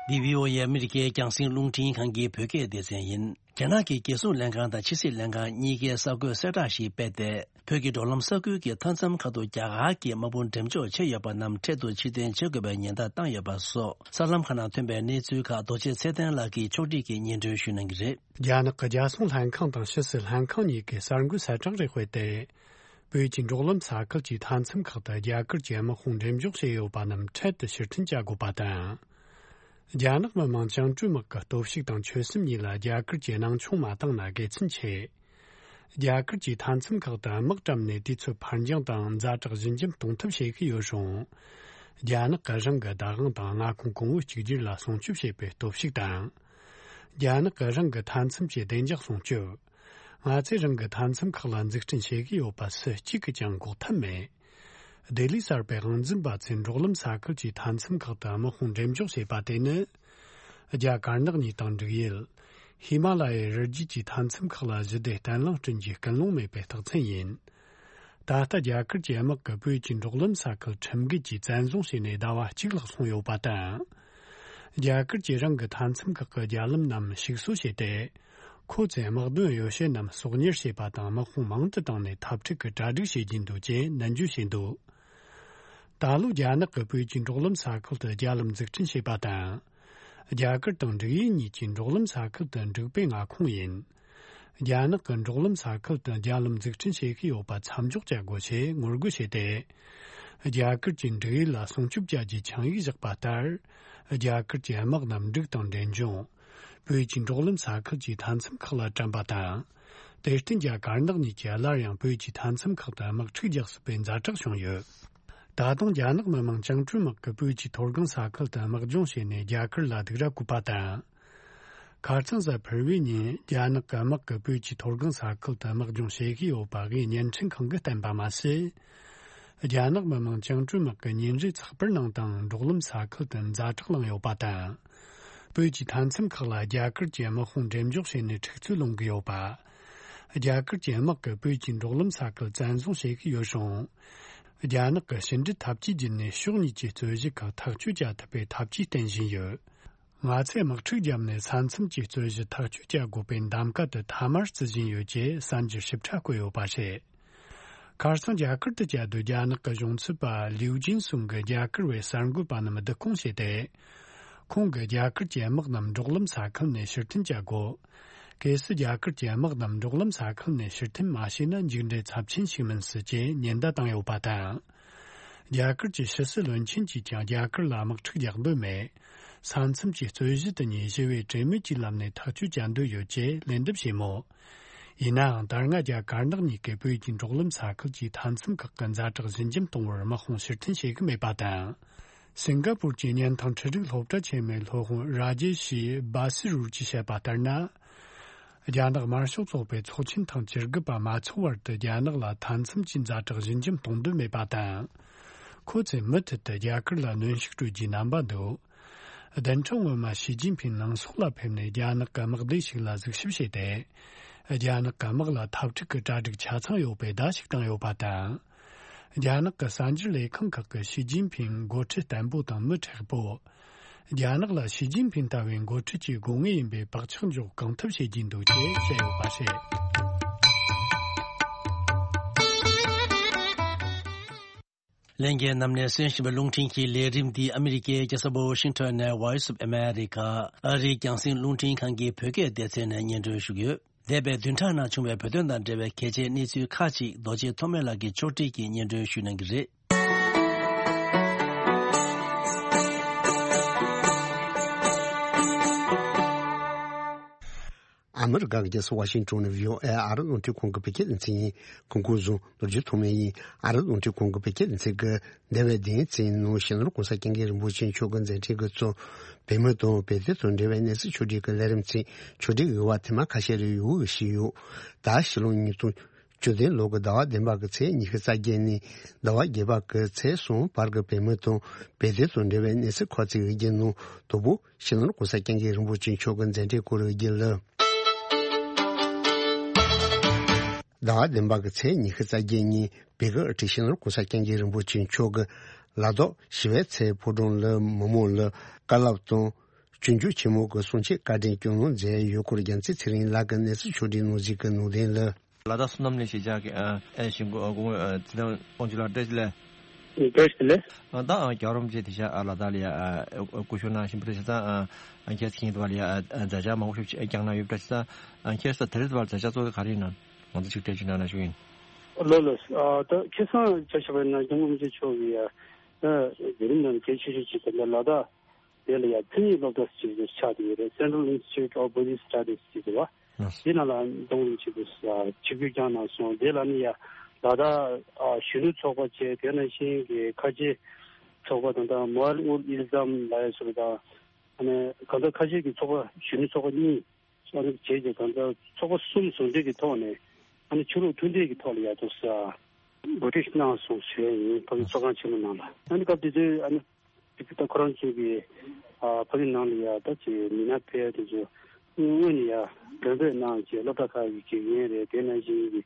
འདི་བྷི་ཨོ་ཨེ་ཨ་མི་རི་ཀའི་རྒྱང་སྲིང་རླུང་འཕྲིན་ཁང་གི་བོད་སྐད་སྡེ་ཚན་ཡིན། རྒྱ་ནག་གི་རྒྱལ་སྲུང་ལྷན་ཁང་དང་ཕྱི་སྲིད་ལྷན་ཁང་གཉིས་ཀས་གསར་འགོད་གསལ་བསྒྲགས་ཤིག་སྤེལ་ཏེ། བོད་ཀྱི་འགྲོ་ལམ་ས་ཁུལ་གྱི་མཐའ་མཚམས་ཁག་ཏུ་རྒྱ་གར་གྱི་དམག་དཔུང་འགྲེམས་འཇོག་བྱས་ཡོད་པ་རྣམས་འཕྲལ་དུ་ཕྱིར་འཐེན་བྱེད་དགོས་པའི་ཉེན་བརྡ་བཏང་ཡོད་པ་སོགས། གསར་ལམ་ཁག་ནང་ཐོན་པའི་གནས་ཚུལ་ཁག་རྡོ་རྗེ་ཚེ་བརྟན་ལགས་ཀྱིས་ཕྱོགས་སྒྲིག་གིས་སྙན་སྒྲོན་ཞུ་གནང་གི་རེད། རྒྱ་ནག་གི་རྒྱལ་སྲུང་ལྷན་ཁང་དང་ཕྱི་སྲིད་ལྷན་ཁང་གཉིས་ཀས་གསར་འགོད་གསལ་བསྒྲགས་རེ་སྤེལ་ཏེ། བོད་ཀྱི་འབྲོག་ལམ་ས་ཁུལ་གྱི་མཐའ་མཚམས་ཁག་ཏུ་རྒྱ་གར་གྱི་དམག་དཔུང་འགྲེམས་འཇོག་བྱས་ཡོད་པ་རྣམས་འཕྲལ་དུ་ཕྱིར་འཐེན་བྱ་དགོས་པ་དང་། རྒྱ་ནག་མི་དམངས་བཅིངས་འགྲོལ་དམག་གི་སྟོབས་ཤུགས་དང་ཆོད་སེམས་གཉིས་ལ་རྒྱ་གར་གྱིས་སྣང་ཆུང་མ་བཏང་ན་དགེ་མཚན་ཆེ། རྒྱ་གར་གྱིས་མཐའ་མཚམས་ཁག་ཏུ་དམག་བཀྲམ་ནས་དུས་ཚོད་ཕར་འགྱངས་དང་ཛ་དྲག་ཞི་འཇམ་གཏོང་ཐབས་བྱེད་ཀྱི་ཡོད་རུང་། རྒྱ་ནག་གིས་རང་གི་བདག་དབང་དང་མངའ་ཁོངས་གོང་བུ་གཅིག་གྱུར་ལ་སྲུང་སྐྱོབ་བྱེད་པའི་སྟོབས་ཤུགས་དང་། རྒྱ་ནག་གིས་རང་གི་མཐའ་མཚམས་ཀྱི་བདེ་འཇགས་སྲུང་སྐྱོབ། ང་ཚོས་རང་གི་མཐའ་མཚམས་ཁག་ལ་འཛུགས་སྐྲུན་བྱེད་ཀྱི་ཡོད་པ་སུ་གཅིག་གིས་ཀྱང་འགོག་ཐབས་མེད། ལྡི་ལི་གསར་པའི་དབང་འཛིན་པ་ཚོས་འབྲོག་ལམ་ས་ཁུལ་གྱི་མཐའ་མཚམས་ཁག་ཏུ་དམག་དཔུང་འགྲེམས་འཇོག་བྱས་པ་དེ་ནི། རྒྱ་དཀར་ནག་གཉིས་དང་འབྲུག་ཡུལ། ཧི་མ་ལ་ཡའི་རི་རྒྱུད་ཀྱི་མཐའ་མཚམས་ཁག་ལ་ཞི་བདེ་བརྟན་ལྷིང་བསྐྲུན་རྒྱུའི་ཀུན་སློང་མེད་པའི་རྟགས་མཚན་ཡིན། ད་ལྟ་རྒྱ་གར་གྱི་དམག་གིས་བོད་ཀྱི་འབྲོག་ལམ་ས་ཁུལ་ཁྲིམས་འགལ་གྱིས་བཙན་བཟུང་བྱས་ནས་ཟླ་བ་གཅིག་ལྷག་སོང་ཡོད་པ་དང་། རྒྱ་གར་གྱིས་རང་གི་མཐའ་མཚམས་ཁག་གི་རྒྱ་ལམ་རྣམས་ཞིག་གསོ་བྱས་ཏེ། ཁོ་ཚོས་དམག་དོན་ཡོ་བྱད་རྣམས་གསོག་ཉར་བྱས་པ་དང་དམག་དཔུང་མང་དུ་བཏང་ནས་འཐབ་འཁྲུག་གི་གྲ་སྒྲིག་བྱེད་ཀྱིན་འདུག་ཅེས་ནན་བརྗོད་བྱས་འདུག་ད་ལོ་རྒྱ་ནག་གིས་བོད་ཀྱི་འབྲོག་ལམ་ས་ཁུལ་དུ་རྒྱ་ལམ་འཛུགས་སྐྲུན་བྱས་པ་དང་། རྒྱ་གར་དང་འབྲུག་ཡུལ་གཉིས་ཀྱི་འབྲོག་ལམ་ས་ཁུལ་དུ་འབྲུག་པའི་མངའ་ཁོངས་ཡིན། རྒྱ་ནག་གིས་འབྲོག་ལམ་ས་ཁུལ་དུ་རྒྱ་ལམ་འཛུགས་སྐྲུན་བྱེད་ཀྱི་ཡོད་པ་མཚམས་འཇོག་བྱ་དགོས་ཞེས་ངོ་རྒོལ་བྱས་ཏེ། རྒྱ་གར་གྱིས་འབྲུག་ཡུལ་ལ་སྲུང་སྐྱོབ་བྱ་རྒྱུའི་ཆིངས་ཡིག་བཞག་པ་ལྟར། རྒྱ་གར་གྱི་དམག་རྣམས་འབྲུག་དང་འབྲས་ལྗོངས། བོད་ཀྱི་འབྲོག་ལམ་ས་ཁུལ་གྱི་མཐའ་མཚམས་ཁག་ལ་བཀྲམ་པ་དང་། དེར་བརྟེན་རྒྱ་དཀར་ནག་གཉིས་ཀྱིས་སླར་ཡང་བོད་ཀྱི་མཐའ་མཚམས་ཁག་ཏུ་དམག་འཁྲུག་རྒྱག་སྲིད་པའི་ཛ་དྲག་བྱུང་ཡོད། ད་དུང་རྒྱ་ནག་མི་དམངས་བཅིངས་འགྲོལ་དམག་གིས་བོད་ཀྱི་མཐོ་སྒང་ས་ཁུལ་དུ་དམག་སྦྱོང་བྱས་ནས་རྒྱ་གར་ལ་སྡིགས་ར་བསྐུལ་བ་དང་། ཁ་རྩང་གཟའ་ཕུར་བུའི་ཉིན་རྒྱ་ནག་གི་དམག་གིས་བོད་ཀྱི་མཐོ་སྒང་ས་ཁུལ་དུ་དམག་སྦྱོང་བྱེད་ཀྱི་ཡོད་པ་དབུས་བརྙན་འཕྲིན་ཁང་གིས་བསྟན་པ་མ་ཟད། རྒྱ་ནག་མི་དམངས་བཅིངས་འགྲོལ་དམག་གི་ཉིན་རེའི་ཚགས་པར་ནང་དང་འབྲོག་ལམ་ས་ཁུལ་དུ་ཛ་དྲག་བསླངས་ཡོད་པ་དང་། བོད་ཀྱི་མཐའ་མཚམས་ཁག་ལ་རྒྱ་གར་གྱི་དམག་དཔུང་འགྲེམས་འཇོག་བྱས་ནས་འཁྲུག་རྩོད་སློང་གི་ཡོད་པ། རྒྱ་གར་གྱི་དམག་གིས་བོད་ཀྱི་འབྲོག་ལམ་ས་ཁུལ་བཙན་བཟུང་བྱེད་ཀྱི་ཡོད་རུང་། རྒྱ་ནག་གིས་ཕྱི་འབྲེལ་འཐབ་ཇུས་བརྒྱུད་ནས་ཕྱོགས་གཉིས་ཀྱི་རྩོད་གཞི་ཁག་ཐག་གཅོད་བྱ་ཐུབ་པའི་འཐབ་ཇུས་བསྟེན་བཞིན་ཡོད། ང་ཚོས་དམག་འཁྲུག་བརྒྱབ་ནས་ས་མཚམས་ཀྱི་རྩོད་གཞི་ཐག་གཅོད་བྱ་དགོས་པའི་གདམ་ག་དེ་མཐའ་མར་བརྩི་བཞིན་ཡོད་ཅེས་གསར་འགྱུར་ཞིབ་ཕྲ་བཀོད་ཡོད་པ་རེད། ཁ་སང་རྒྱ་གར་དུ་བཅའ་སྡོད་རྒྱ་ནག་གི་གཞུང་ཚབ་པ་ལིའུ་ཅིན་སུང་གིས་རྒྱ་གར་བའི་གསར་འགོད་པ་རྣམས་བསྡུ་སྐོང་བྱས་ཏེ། ཁོང་གིས་རྒྱ་གར་གྱི་དམག་རྣམས་འབྲོག་ལམ་ས་ཁུལ་ནས་ཕྱིར་འཐེན་བྱ་དགོས། གལ་སྲིད་རྒྱ་གར་གྱི་དམག་རྣམས་འབྲོག་ལམ་ས་ཁུལ་ནས་ཕྱིར་འཐེན་མ་བྱས་ན་མཇུག་འབྲས་ཚབས་ཆེན་ཞིག་མིན་སྲིད་ཅེས་ཉེན་བརྡ་བཏང་ཡོད་པ་དང་། རྒྱ་གར་གྱི་ཕྱི་སྲིད་བློན་ཆེན་གྱིས་ཀྱང་རྒྱ་གར་ལ་དམག་འཁྲུག་རྒྱག་འདོད་མེད། ས་མཚམས་ཀྱི་རྩོད་གཞི་དེ་ཉིད་ཞི་བའི་གྲོས་མོལ་གྱི་ལམ་ནས་ཐག་གཅོད་བྱ་འདོད་ཡོད་ཅེས་ལན་འདེབས་བྱས་མོད། ཡིན་ནའང་ད་སྔ་རྒྱ་དཀར་ནག་གཉིས་ཀས་བོད་ཀྱི་འབྲོག་ལམ་ས་ཁུལ་གྱི་མཐའ་མཚམས་ཁག་གི་ཛ་དྲག་ཞི་འཇམ་གཏོང་བར་དམག་དཔུང་ཕྱིར་འཐེན་བྱེད་ཀྱི་མེད་པ་དང་། སིང་ག་པུར་གྱི་བརྙན་ཐུང་འཕྲུལ་རིག་སློབ་གྲྭ་ཆེན་མོའི་སློབ་དཔོན་ར་ཇེ་ཤི་བྷ་སི་རུར་གྱིས་བཤད་པ་ལྟར་ན། རྒྱ་ནག་དམར་ཤོག་ཚོགས་པའི་ཚོགས་ཆེན་དང་བཅུ་དགུ་པ་མ་ཚོགས་བར་དུ་རྒྱ་ནག་ལ་མཐའ་མཚམས་ཀྱི་ཛ་དྲག་ཞི་འཇམ་གཏོང་འདོད་མེད་པ་དང་། ཁོ་ཚོས་མུ་མཐུད་དུ་རྒྱ་གར་ལ་གནོན་ཤུགས་སྤྲོད་རྒྱུའི་རྣམ་པ་འདུག་བདུན་ཕྲག་སྔོན་མ་ཞི་ཅིན་ཕིང་ནང་སོག་ལ་ཕེབས་ནས་རྒྱ་ནག་གི་དམག་སྡེ་ཞིག་ལ་གཟིགས་ཞིབ་བྱས་ཏེ། རྒྱ་ནག་གི་དམག་ལ་འཐབ་འཁྲུག་གི་གྲ་སྒྲིག་ཆ་ཚང་ཡོད་པའི་བརྡ་ཞིག་བཏང་ཡོད་པ་དང་། རྒྱ་ནག་གི་གསར་འགྱུར་ལས་ཁང་ཁག་གིས་ཞི་ཅིན་ཕིང་འགོ་ཁྲིད་བརྟན་པོ་དང་མི་མཁྲེགས་པོ། རྒྱ་ནག་ལ་ཞི་ཅིན་ཕིང་ལྟ་བུའི་འགོ་ཁྲིད་ཀྱི་དགོས་ངེས་ཡིན་པའི་བག་ཆགས་འཇོག་གང་ཐུབ་བྱེད་ཀྱིན་འདུག་ཅེས་བཤད་ཡོད་པ་རེད། ལྷན་རྒྱས་རྣམས་ནས་གསན་བཞིན་པའི་རླུང་འཕྲིན་གྱི་ལས་རིམ་འདི་ཨ་མི་རི་ཀའི་རྒྱལ་ས་ཝ་ཤིང་ཊོན་ནས་Voice of America ཨ་རིའི་རྒྱང་སྲིང་རླུང་འཕྲིན་ཁང་གི་བོད་སྐད་སྡེ་ཚན་ནས་སྙན་སྒྲོན་ཞུ་གི་ཡོད། འདས་པའི་བདུན་ཕྲག་ནང་བྱུང་བའི་བོད་དོན་དང་འབྲེལ་བའི་གལ་ཆེའི་གནས་ཚུལ་ཁག་ཅིག་རྡོ་རྗེ་ཐོགས་མེད་ལགས་ཀྱིས་ཕྱོགས་སྒྲིག་གིས་སྙན་སྒྲོན་ཞུ་གནང་གི་རེད། ཨ་མི་རི་ཀ་གི་རྒྱལ་ས་ཝ་ཤིང་ཊོན་ནས་བྷི་ཨོ་ཨེ་ཨ་རི་རླུང་འཕྲིན་ཁང་གི་བོད་སྐད་སྡེ་ཚན་ཡིན། སྐུ་ཁམས་བཟང་། རྡོ་རྗེ་ཐོགས་མེད་ཡིན། ཨ་རི་རླུང་འཕྲིན་ཁང་གི་བོད་སྐད་སྡེ་ཚན་གྱི་འདས་པའི་བདུན་ཚན་ནང་སྤྱི་ནོར་༸གོང་ས་༸སྐྱབས་མགོན་རིན་པོ་ཆེ་མཆོག་གི་མཛད་འཕྲིན་གྱི་གཙོ། བོད་མི་དང་བོད་དོན་དང་འབྲེལ་བའི་གནས་ཚུལ་ཕྱོགས་སྒྲིག་གི་ལས་རིམ་ཚན་ཕྱོགས་སྒྲིག་ཡོད་པ་ཐེངས་མ་ཁ་ཤས་རེ་ཡོད་ཞུས་ཡོད། ད་ཕྱི་ལོ་ཉིས་སྟོང་བཅུ་བདུན་ལོ་གི་ཟླ་བ་བདུན་པ་གི་ཚེས་ཉི་ཤུ་རྩ་བརྒྱད་ནས་ཟླ་བ་བརྒྱད་པ་གི་ཚེས་གསུམ་བར་གྱི་བོད་མི་དང་བོད་དོན་དང་འབྲེལ་བའི་གནས་ཚུལ་ཁག་ཅིག་ཡོད་རྒྱུ་ནང་དང་པོ་སྤྱི་ནོར་༸གོང་ས་༸སྐྱབས་མགོན་རིན་པོ་ཆེ་མཆོག་གི་མཛད་འཕྲིན་སྐོར་ཡོད་རྒྱུ་ལ། ཟླ་བ་བདུན་པ་གི་ཚེས་ཉི་ཤུ་རྩ་བརྒྱད་ཉིན་བོད་ཀྱི་དབུ་ཁྲིད་སྤྱི་ནོར་༸གོང་ས་༸སྐྱབས་མགོན་རིན་པོ་ཆེ་མཆོག་གིས་ལ་དྭགས་ཞི་བའི་ཚལ་ཕོ་བྲང་ལ་མི་མང་ལ་བཀའ་སློབ་དང་། སྤྱོད་འཇུག་ཆེན་མོ་གི་གསུང་ཆོས་བཀའ་དྲིན་སྐྱོང་གནང་མཛད་ཡོད་སྐོར་རྒྱལ་མཚན་ཚེ་རིང་ལགས་ཀྱིས་གནས་ཚུལ་ཕྱོགས་སྒྲིག་གནང་གཞི་གི་ནང་དོན་ལ། ལ་དྭགས་བསོད་ནམས་གླིང་གཞིས་ཆགས་ཀྱི་ཨ་ཨེ་ཞིང་སྐུ་སྐུ་ངོ་ཨ་ཚེ་བརྟན་དབང་ཕྱུག་ལགས་བཀྲ་ཤིས་བདེ་ལེགས། བཀྲ་ཤིས་བདེ་ལེགས། ཨ་ད་ཨ་རྒྱལ་བ་རིན་པོ་ཆེ་དེང་སང་ཨ་ལ་དྭགས་ལ་ཡ་ཨ་སྐུ་གཤེགས་གནང་བཞིན་པ་རེད། བྱས་ཙང་ཨ་ཨ་ཁྱེད་ཚོ་གིས་དེ་བར་ལ་ཡ་ཨ་མཛད་འཆར་མང་པོ་ཞིག་བསྐྱངས་གནང་ཡོད་པ་རེད། བྱས་ཙང་ཨ་ཁྱེད་ཚོ་དེ་རིང་དེ་བར་མཛད་འཆར་གཙོ་བོ་ག་རེ་ཡིན་ན་ང་ཚོ་ཅིག་འགྲེལ་བརྗོད་གནང་ན་ཞུ་ཡིན། ལགས་ལགས། ཨ་ད་ཁ་སང་ཆ་བཞག་པ་ཡིན་ན་སྐྱབས་མགོན་རིན་པོ་ཆེ་མཆོག་གིས་ཡ་ཨ་ལས་རིམ་ནང་གལ་ཆེ་ཤོས་ཅིག་དེ་ལ་ལ་དྭགས། དེ་ལ་ཡང་མཚན་ཉིད་སློབ་གྲྭ་ཟེར་ཅིག་ཆགས་བསྡད་ཡོད་རེད། Central Institute of Buddhist Studies ཟེར་བ། ལགས། དེ་ནང་ལ་འཛོམས་རིམ་ཆེད་དུ་ཆིབས་བསྒྱུར་བསྐྱངས་གནང་སོང་། དེ་ལ་ནི་ཡང་ལ་དྭགས་ཨ་གཞོན་ནུ་ཚོགས་པ་བཅས་དེ་ནང་བཞིན་གྱི་ཁ་ཆེ་ ཚོགས་པ་དང་། ད་མོལ་ཨུལ་ཨིལ་ཛམ་ལབ་ཡ་ཚོ་དང་། ཨ་ནི་གང་ལྟར་ཁ་ཤས་ཀྱི་ཚོགས་པ་གཞོན་ནུ་ཚོགས་པ་གཉིས། ཨ་ནི་བྱས་རྗེས་གང་ལྟར་ཚོགས་པ་གསུམ་ཟུང་འབྲེལ་གྱི་ཐོག་ནས། ཨ་ནི་ཆོས་ལུགས་མཐུན་འབྲེལ་གྱི་ཐོག་ལ་ཡ་ཏོག་ཙམ་གོ་སྒྲིག་གནང་སོང་ཞུ་ཡ་ཡིན། ཕ་གི་ཚོགས་ཁང་ཆེན་མོ་ནང་ལ། ཨ་ནི་སྐབས་དེ་དུས་ཨ་ནི་ད་ཁོ་རང་ཚོ་གི་ཨ་ཕ་གི་ནང་ལ་ཡ་ད་ཅིག་མི་སྣ་ཕལ་དེ་ཚོ་སྔོན་ནས་ཡ་མགྲོན་འབོད་གནང་བྱས། སློབ་གྲྭ་ཁག་གི་དགེ་རྒན་རེད། དེ་ནང་བཞིན་གྱི་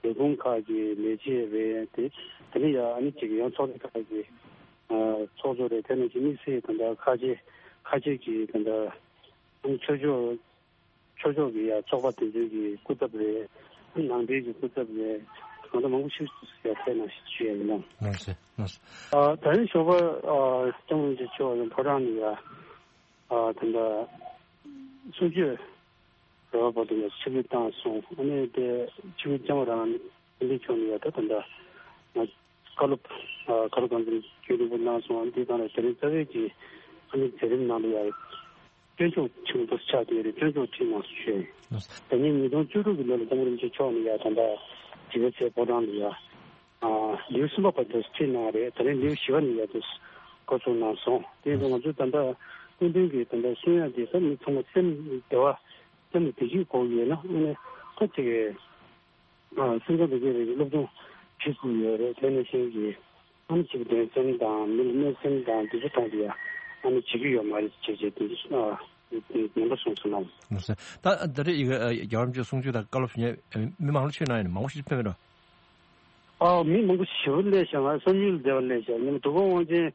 ལས་ཁུངས་ཁག་གི་ལས་བྱེད་རེད། དེ་དེ་ནས་ཡ་ཨ་ནི་ཅིག་ཡང་ཚོགས་སྡེ་ཁག་གི་ཚོགས་གཙོ་རེད། དེ་ནང་བཞིན་དམིགས་བསལ་ད་ལྟ་ཁ་ཆེ་ཁ་ཆེ་གི་ད་ལྟ་ཆོས་ཕྱོགས་ཆོས་ཕྱོགས་ཀྱི་ཡ་ཚོགས་པ་དེ་ཚོའི་གི་སྐུ་ཚབ་རེད། ནང་པའི་གི་སྐུ་ཚབ་རེད། གང་ལྟར་མང་པོ་ཞིག་ཡ་ཕེབས་གནང་ཞེས་ཞུ་ཡ་ཡིན། ལགས་སོ། ལགས་སོ། ཨ་ད་རིང་ཞོགས་པ་ཨ་སྐྱབས་མགོན་རིན་པོ་ཆེ་མཆོག་ཡང་ཕོ་བྲང་ནས་ཡ་ཨ་ད་ལྟ་གསུང་ཆོས་རོལ་པ་བར་དུ་ཡ་ཆིབས་བསྒྱུར་བཏང་སོང་། ཨ་ནི་དེ་ཆིབས་བསྒྱུར་བསྐྱངས་པ་རང་ནས་འདི་ཕྱོགས་ནས་ཡ་ད་ད་ལྟ་ང་བཀའ་སློབ་ཨ་བཀའ་སློབ་སྒང་འཛིན་རྒྱུན་རིང་པོ་གནང་སོང་། འདི་དང་ལ་དེ་རིང་རྩ་བའི་གི་ཨ་ནི་མཛད་རིམ་ནང་ལ་ཡ་སྤྱོད་འཇུག་ཆེན་པོ་ཆགས་བསྡད་རེད། སྤྱོད་འཇུག་ཁྲིད་གནང་སོང་ཞུས། ད་ཉིན་ཉིས་སྟོང་བཅུ་དྲུག་གི་ལོ་ལ་སྐྱབས་མགོན་རིན་པོ་ཆེ་མཆོག་ནས་ཡ་ད་ལྟ་ཞི་བའི་ཚལ་ཕོ་བྲང་ལ་ཡ་ཨ་ལེའུ་གསུམ་པ་བར་དུ་ཁྲིད་གནང་བ་རེད། ད་རིང་ལེའུ་བཞི་པ་ནས་ཡ་དུ་འགོ་ཚུགས་གནང་སོང་། དེ་ཡིན་དུས་ང་ཚོ་ད་ལྟ་སྐུ་མདུན་གྱི་ད་ལྟ་གསུང་ཡ་དེ་ས་མི་ཚང་མ་སེམས་བདེ་བ་སེམས་ལ་བདེ་སྐྱིད་དགོས་ཡོད་ན། ཨ་ནི་ཁ་ཅིག་གི་ཨ་སེམས་ཁམས་བདེ་སྐྱིད་རེད། སློབ་སྦྱོང་བྱེད་དགོས་ཡོད་རེད། དེ་ནང་བཞིན་གྱི་ཨ་ནི་ཅིག་དོན་ཚན་དང་མི་ལ་གནོད་སེམས་དང་འདི་ཚོ་གཏོང་དེ་ཡ་ཨ་ནི་བྱེད་ཀྱི་ཡོད་མ་རེད་ཅེས་བྱས་དེ་ཨ་ནན་པོ་གསུངས་སོང་ལགས། ད་ད་རེས་ཡི་གེ་རྒྱལ་བ་རིན་པོ་ཆེ་གསུང་ཆོས་དང་བཀའ་སློབ་ཞུ་མཁན་མི་མང་ལ་ཆོས་གནང་ཡ་ནི་མང་པོ་ཞིག་ཕེབས་མེད་འགྲོ། ཨ་མི་མང་པོ་ཞེ་པོ་སླེབས་ཤག་ང་བསམ་ཡུལ་བདེ་བ་སླེབས་ཤག་ཉི་མ་དུས་འཁོར་དབང་ཆེན་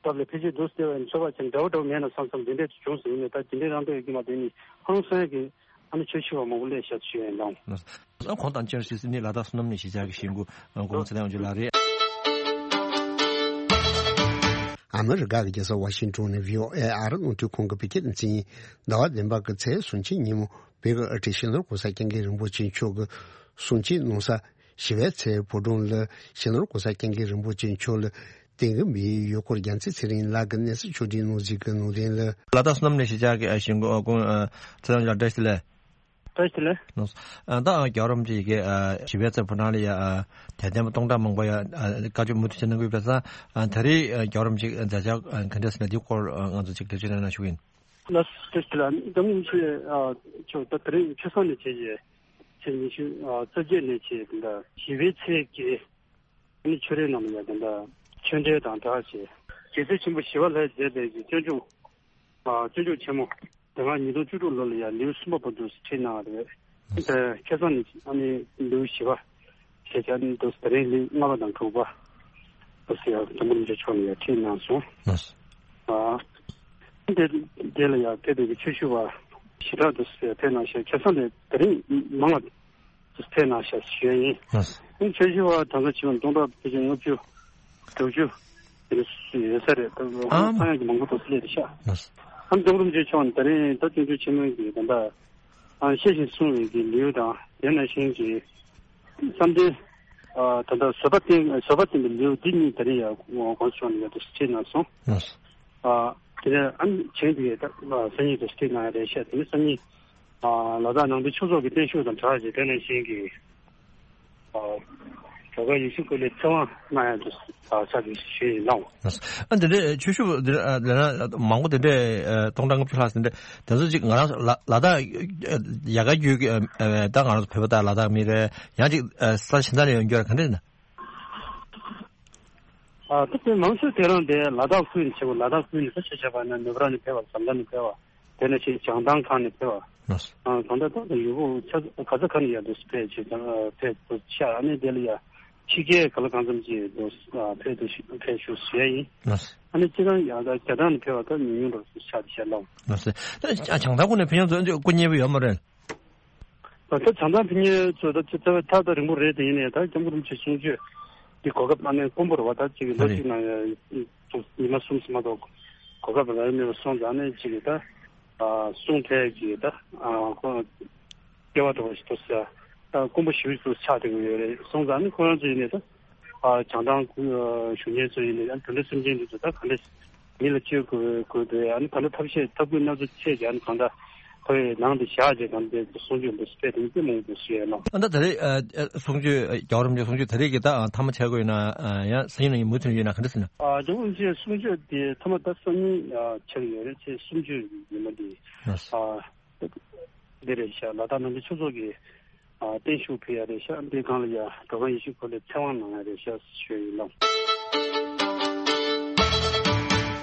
སྐབས་ལ་ཕལ་ཆེར་འདུག་སྟེ་བ་ཡིན། ཚོར་བ་ཅན་འདྲ་བོ་འདྲ་བོ་མེད་ན་བསམ་བསམ་འདི་འདྲས་དུ་བྱུང་སོང་། ཡིན་ནའི་ད་འདི་འདྲས་རང་འདོད་ཡོད་ཀྱི་མ་དེ་ནི་ཧང་སང་གི་ཨ་ནི་ཆོས་ཞུ་བ་མང་པོ་སླེབས་ཤག་ཞུ་ཡ་ཡིན་ལགས། ཨ་ཁོང་དང་བཅར་སྲིད་སིད་ནི་ལ་དྭགས་བསོད་ནམས་གླིང་གཞིས་ཆགས་ཀྱི་གཞིས་འགོ་སྐུ་ངོ་ཚེ་བརྟན་དབང་ཕྱུག་ལགས་རེད། ཨ་མི་རི་ཀ་གི་རྒྱལ་ས་ཝ་ཤིང་ཊོན་ནས་ཝི་ཨོ་ཨེ་ཨ་རི་རླུང་འཕྲིན་ཁང་གི་བོད་སྐད་སྡེ་ཚན་ཡིན། ཟླ་བ་བདུན་པ་གི་ཚེས་སུམ་ཅུ་ཉིན་མོ་བོད་ཀྱི་ཨ་ཁྲིད་གཞིས་ནོར་གོང་ས་སྐྱབས་མགོན་རིན་པོ་ཆེ་མཆོག་གི་གསུང་ཆོས་གནང་ས་ཞི་བའི་ཚལ་ཕོ་བྲང་ལ་གཞིས་ནོར་གོང་ས་སྐྱབས་མགོན་རིན་པོ་ཆེ་མཆོག་ལ་དེང་གི་མིའི་ཡུལ་སྐོར་རྒྱལ་མཚན་ཚེ་རིང་ལགས་ཀྱིས་གནས་ཚུལ་ཕྱོགས་སྒྲིག་གནང་གཟིགས་ཀྱི་གནང་དོན་ལ། ལ་དྭགས་བསོད་ནམས་གླིང་གཞིས་ཆགས་ཀྱི་གཞིས་འགོ་སྐུ་ཚེ་དབང་ལགས་བཀྲ་ཤིས་བདེ་ལེགས། བཀྲ་ཤིས་བདེ་ལེགས། ལགས་སོ། ད་རྒྱལ་བ་རིན་པོ་ཆེ་ཡི་གེ་ཞི་བའི་ཚལ་ཕོ་བྲང་ལ་ཡ་དད་ལྡན་པ་སྟོང་ཕྲག་མང་པོ་ཡ་བཀའ་ཆོས་མུ་མཐུད་བྱས་གནང་གི་ཡོད་པས་ཙང་། ད་རེས་རྒྱལ་བ་རིན་པོ་ཆེ་མཛད་འཆར་ག་འདྲས་ཟེར་ན་འདིའི་སྐོར་ང་ཚོ་ཅིག་འགྲེལ་བརྗོད་གནང་ན་ཞུ་གི་ཡིན། ལགས་སོ། བཀྲ་ཤིས་བདེ་ལེགས། སྐྱབས་མགོན་རིན་པོ་ཆེ་མཆོག་ད་དེ་རིང་ཆུ་སྲང་ནས་བྱས་རྗེས་ཚེས་ཉི་ཤུ་རྩ་བརྒྱད་ནས་བྱས་ད་ལྟ་ཞི་བའི་ཚལ་གྱི་ཨ་ནི་ཆོས་རའི་ནང་ལ་ཡ་ད་ལྟ་ཆོས་འབྲེལ་དང་སྦྲགས་བྱས་རྒྱལ་སྲས་ཆེན་པོ་ཞི་བ་ལྷས་མཛད་པའི་གི་སྤྱོད་འཇུག་ཨ་སྤྱོད་འཇུག་ཆེན་མོ་དེ་སྔ་ཉིས་སྟོང་བཅུ་དྲུག་ལོ་ལ་ཡ་ལེའུ་གསུམ་པ་བར་དུ་ཁྲིད་གནང་བ་རེད། དེ་ཁ་སང་ནས་ཨ་ནི་ལེའུ་བཞི་པ་ཞེས་བྱ་ནི་འདུག་དེ་རིང་ལེའུ་ལྔ་པ་དང་དྲུག་པ་འདུག་ཟེར་ཡ་སྐྱབས་མགོན་རིན་པོ་ཆེ་མཆོག་ནས་ཡ་ཁྲིད་གནང་སོང་། ལགས་སོ། ཨ་དེ་དེ་ལ་ཡ་ཕེབས་པའི་གི་ཆོས་ཞུ་བ་ཞེ་དྲག་འདུག་ཟེར་ཕེབས་གནང་ཤག་ཁ་སང་ནས་དེ་རིང་མང་བ་ཕེབས་གནང་ཤག་ཞུ་ཡ་ཡིན། ལགས་སོ། ཨ་ནི་ཆོས་ཞུ་བ་གྲངས་ཀ་བྱེ་བ་སྟོང་ཕྲག་ཕལ་ཆེར་ལྔ་བཅུ་དྲུག་ཅུ་དེ་འདྲ་ཡོད་ས་རེད། ད་ཨ་ཚང་ཡག་གི་མང་པོ་འདུག་སླེབས་རེད་ཤག་ལགས་སོ། ཨ་ནི་སྐྱབས་མགོན་རིན་པོ་ཆེ་མཆོག་ནས་དེ་རིང་ད་སྤྱོད་འཇུག་ཆེན་མོའི་གི་ད་ལྟ་ཨ་བཤད་ཅིང་གསུང་བའི་གི་ལེའུ་དང་དེ་ནང་བཞིན་གྱི་བསམ་གཏན་ཨ་ད་ལྟ་བཟོད་པ་བསྟེན་བཟོད་པ་བསྟེན་པའི་ལེའུ་འདི་གཉིས་དེ་རིང་ཡང་གོང་ས་མཆོག་ནས་ཡང་དུ་ཁྲིད་གནང་སོང་། ལགས་སོ། ཨ་དེ་ནས་ཨ་ནི་བྱས་འདུག་ད་སང་ཉིན་དུ་ཁྲིད་གནང་ཡ་རེད་ཤག་དེ་ནས་སང་ཉིན་ཨ་ལ་དྭགས་ནང་པའི་ཆོས་ཚོགས་ཀྱི་བརྟན་བཞུགས་དང་སྦྲགས་བྱས་དེ་ནང་བཞིན་གྱི་ཨ་གྲོགས་ཁ་ཡེ་ཤེས་སྐུ་ལས་ཚེ་དབང་གནང་ཡ་དུ་ཨ་ཕྱག་དེ་ཞུས་ཡིན་ལགས། ཨ་འདི་འདྲའི་ཆོས་ཞུ་འདི་ཨ་ལས་ན་མང་པོ་འདི་འདྲའི་ཨ་སྟོང་ཕྲག་ལྔ་བཅུ་ལྷག་འདི་འདྲའི་དེ་ཚོ་ཅིག་ང་རང་ཚོ་ལ་ལ་དྭགས་ཨ་ཡལ་ག་བརྒྱུད་ཀྱི་ཨ་ཨ་ད་ང་རང་ཚོ་བོད་པ་དང་ལ་དྭགས་མི་རེད། ཡང་ཅིག་ཨ་ས་གཞན་དག་ནས་ཡོང་རྒྱུ་རེད། ག་འདྲ་ཡིན་ན། ཨ་ད་དེ་མང་ཤོས་དེ་རང་དེ་ལ་དྭགས་ཁུལ་ནས་བྱེད་དགོས། ལ་དྭགས་ཁུལ་ནས་ད་ཆ་བཞག་པ་ན་ནུབ་ར་ནས་ཕེབས་པ། འཛམ་ཐང་ནས་ཕེབས་པ། དེ་ནས་ཆེས་བྱང་ཐང་ཁག་ནས་ཕེབས་པ། ལགས་སོ། ཨ་གང་ལྟར་ད་ཡུལ་ཁོངས་ཆ་ག་ས་ག་ནས་ཡང་འདུག་ཕེབས་བྱས་ཀྱང་ཕེབས་འདུག་ཤག་ཨ་ནི་དེ་ལ་ཡང་ཕྱི་རྒྱལ་ག་ལ་གང་འཚམ་ཅིག་འདུག་ཕེབས་འདུག་ཕེབས་བཞུགས་བཟོས་ཡིན། ལགས་སོ། ཨ་ནི་སྤྱིར་བཏང་ཡང་ད་རྒྱ་ཐང་ནས་ཕེབས་པ་ད་ཉུང་ཉུང་འདྲ་བོ་ཆགས་བསྡད་ཤག་ལགས། ལགས་སོ། ད་བྱང་ཐང་ཁུལ་ནས་ཕེབས་མཁན་ཚོ་སྐུ་མཉེལ་པོ་ཡོད་མ་རེད། ད་ལྟ་བྱང་ཐང་ཕེབས་མཁན་ཚོ་ད་ཅི་རྩ་བའི་ཐག་ད་རིང་པོ་རེད། དེ་ཡིན་ནའི་ད་སྐྱབས་མགོན་རིན་པོ་ཆེ་གསུང་ཆོས་འདི་གོ་སྐབས་ཨ་ནི་དཀོན་པོ་རེད་བ། ད་ཅིག་ལོ་གཅིག་ནང་ཡང་ཉི་མ་གསུམ་ཙམ་མ་གཏོགས་གོ་སྐབས་རག་མེད་པ་སོང་ཙང་ནས་ཅིག་ད་གསུང་ཐད་ཀྱི་ད་ཁོ་སྐལ་བ་འདྲ་བོ་ཞིག་འདུག་ཟེར། ད་དཀོན་པོ་ཞེ་པོ་ཅིག་ཆགས་བསྡད་ཀྱི་ཡོད་རེད། སོང་ཙང་ནི་ཁོ་རང་ཚོ་ཡིན་ནའི་ད་བྱང་ཐང་བཞུགས་མཁན་ཚོ་ཡིན་ནའི་ད་དེ་འདྲ་སེམས་ཅན་འདི་ཚོ་ད་ག་འདྲ་མི་ལ་བཅོལ་དགོས་དགོས་འདུག་ཨ་ནི་ག་འདྲ་ཐབས་ཤེས་ཐབས་བཀོད་སྣ་ཚོགས་བྱས་ཀྱི་ཨ་ནི་གང་ལྟར་ ཁོའི་ནང་དུ་བཞག་བྱས་དང་དེ་གསུང་ཆོས་འདུག་སྤེལ་དེ་ནི་དེ་མང་པོ་ཞིག་ཡོད་ལ། ཨ་ད་ད་རེས་གསུང་ཆོས་རྒྱལ་བ་རིན་པོ་ཆེ་གསུང་ཆོས་ད་རེས་ཀྱི་ད་མཐའ་མ་ཆགས་དགོས་ཡོད་ན་ཡང་སེམས་ནང་མུ་མཐུད་ཡོད་ན་ག་འདྲ་ཟེར་ན། རྒྱལ་བ་རིན་པོ་ཆེ་གསུང་ཆོས་དེ་མཐའ་མ་ད་སང་ཉིན་ཆགས་ཡོད་རེད། ཚེས་སུམ་ཅུ་ཉི་མ་དེ་འདི་རེད་ཤག་ལ་དྭགས་ནང་པའི་ཆོས་ཚོགས་ཀྱི་བརྟན་བཞུགས་ཕུལ་ཡ་རེད་ཤག་འདི་སྒང་ལ་ཡ་འགྲོ་ཁང་ཡེ་ཤུ་ཁོ་ལས་ཚེ་དབང་གནང་ཡ་རེད་ཤག་ཞུ་ཡིན་ལགས།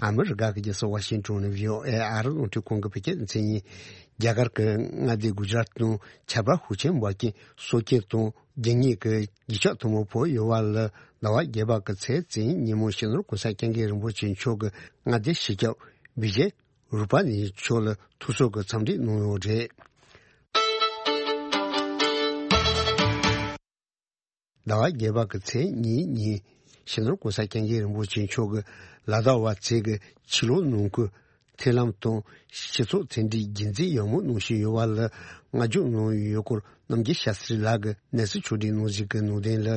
ཨ་མི་རི་ཀ་གི་རྒྱལ་ས་ཝ་ཤིང་ཏོན་ནས་བྷི་ཨོ་ཨེ་ཨ་རི་རླུང་འཕྲིན་ཁང་གི་བོད་སྐད་སྡེ་ཚན་ཡིན། རྒྱ་གར་གྱི་མངའ་སྡེ་གུ་ཇ་རཱཏ་ནང་ཆབ་ར་ཤུགས་ཆེན་འབབ་རྐྱེན་སྲོག་སྐྱོན་དང་རྒྱུ་ངན་གྱི་རྒུད་ཤགས་ཐོག་མ་ཕོག་ཡོད་པ་ལ། ཟླ་བ་བརྒྱད་པ་གི་ཚེས་བཙུན་ཉིན་མོ་སྤྱི་ནོར་གོང་ས་སྐྱབས་མགོན་རིན་པོ་ཆེ་མཆོག་གི་མངའ་སྡེ་སྤྱི་ཁྱབ་བི་ཇེ་རུ་པ་ནི་མཆོག་ལ་ཐུགས་གསོ་གི་འཚམས་འདྲི་གནང་ཡོད་རེད། ཟླ་བ་བརྒྱད་པ་གི་ཚེས་གཉིས་ཉིན་སྤྱི་ནོར་གོང་ས་སྐྱབས་མགོན་རིན་པོ་ཆེ་མཆོག་གིས་ལ་དྭགས་པ་ཚོས་ཀྱི་ཕྱི་ལོགས་ནང་ཁུལ་མཐུན་ལམ་དང་སྤྱི་ཚོགས་མཐུན་སྒྲིལ་རྒྱུན་འཛིན་ཡག་མོ་གནང་བཞིན་ཡོད་པ་ལ་བསྔགས་བརྗོད་གནང་ཡོད་སྐོར་རྣམ་རྒྱལ་ཤཱ་སྟྲི་ལགས་ཀྱིས་གནས་ཚུལ་ཕྱོགས་སྒྲིག་གནང་ཞིག་གི་ནང་དོན་ལ།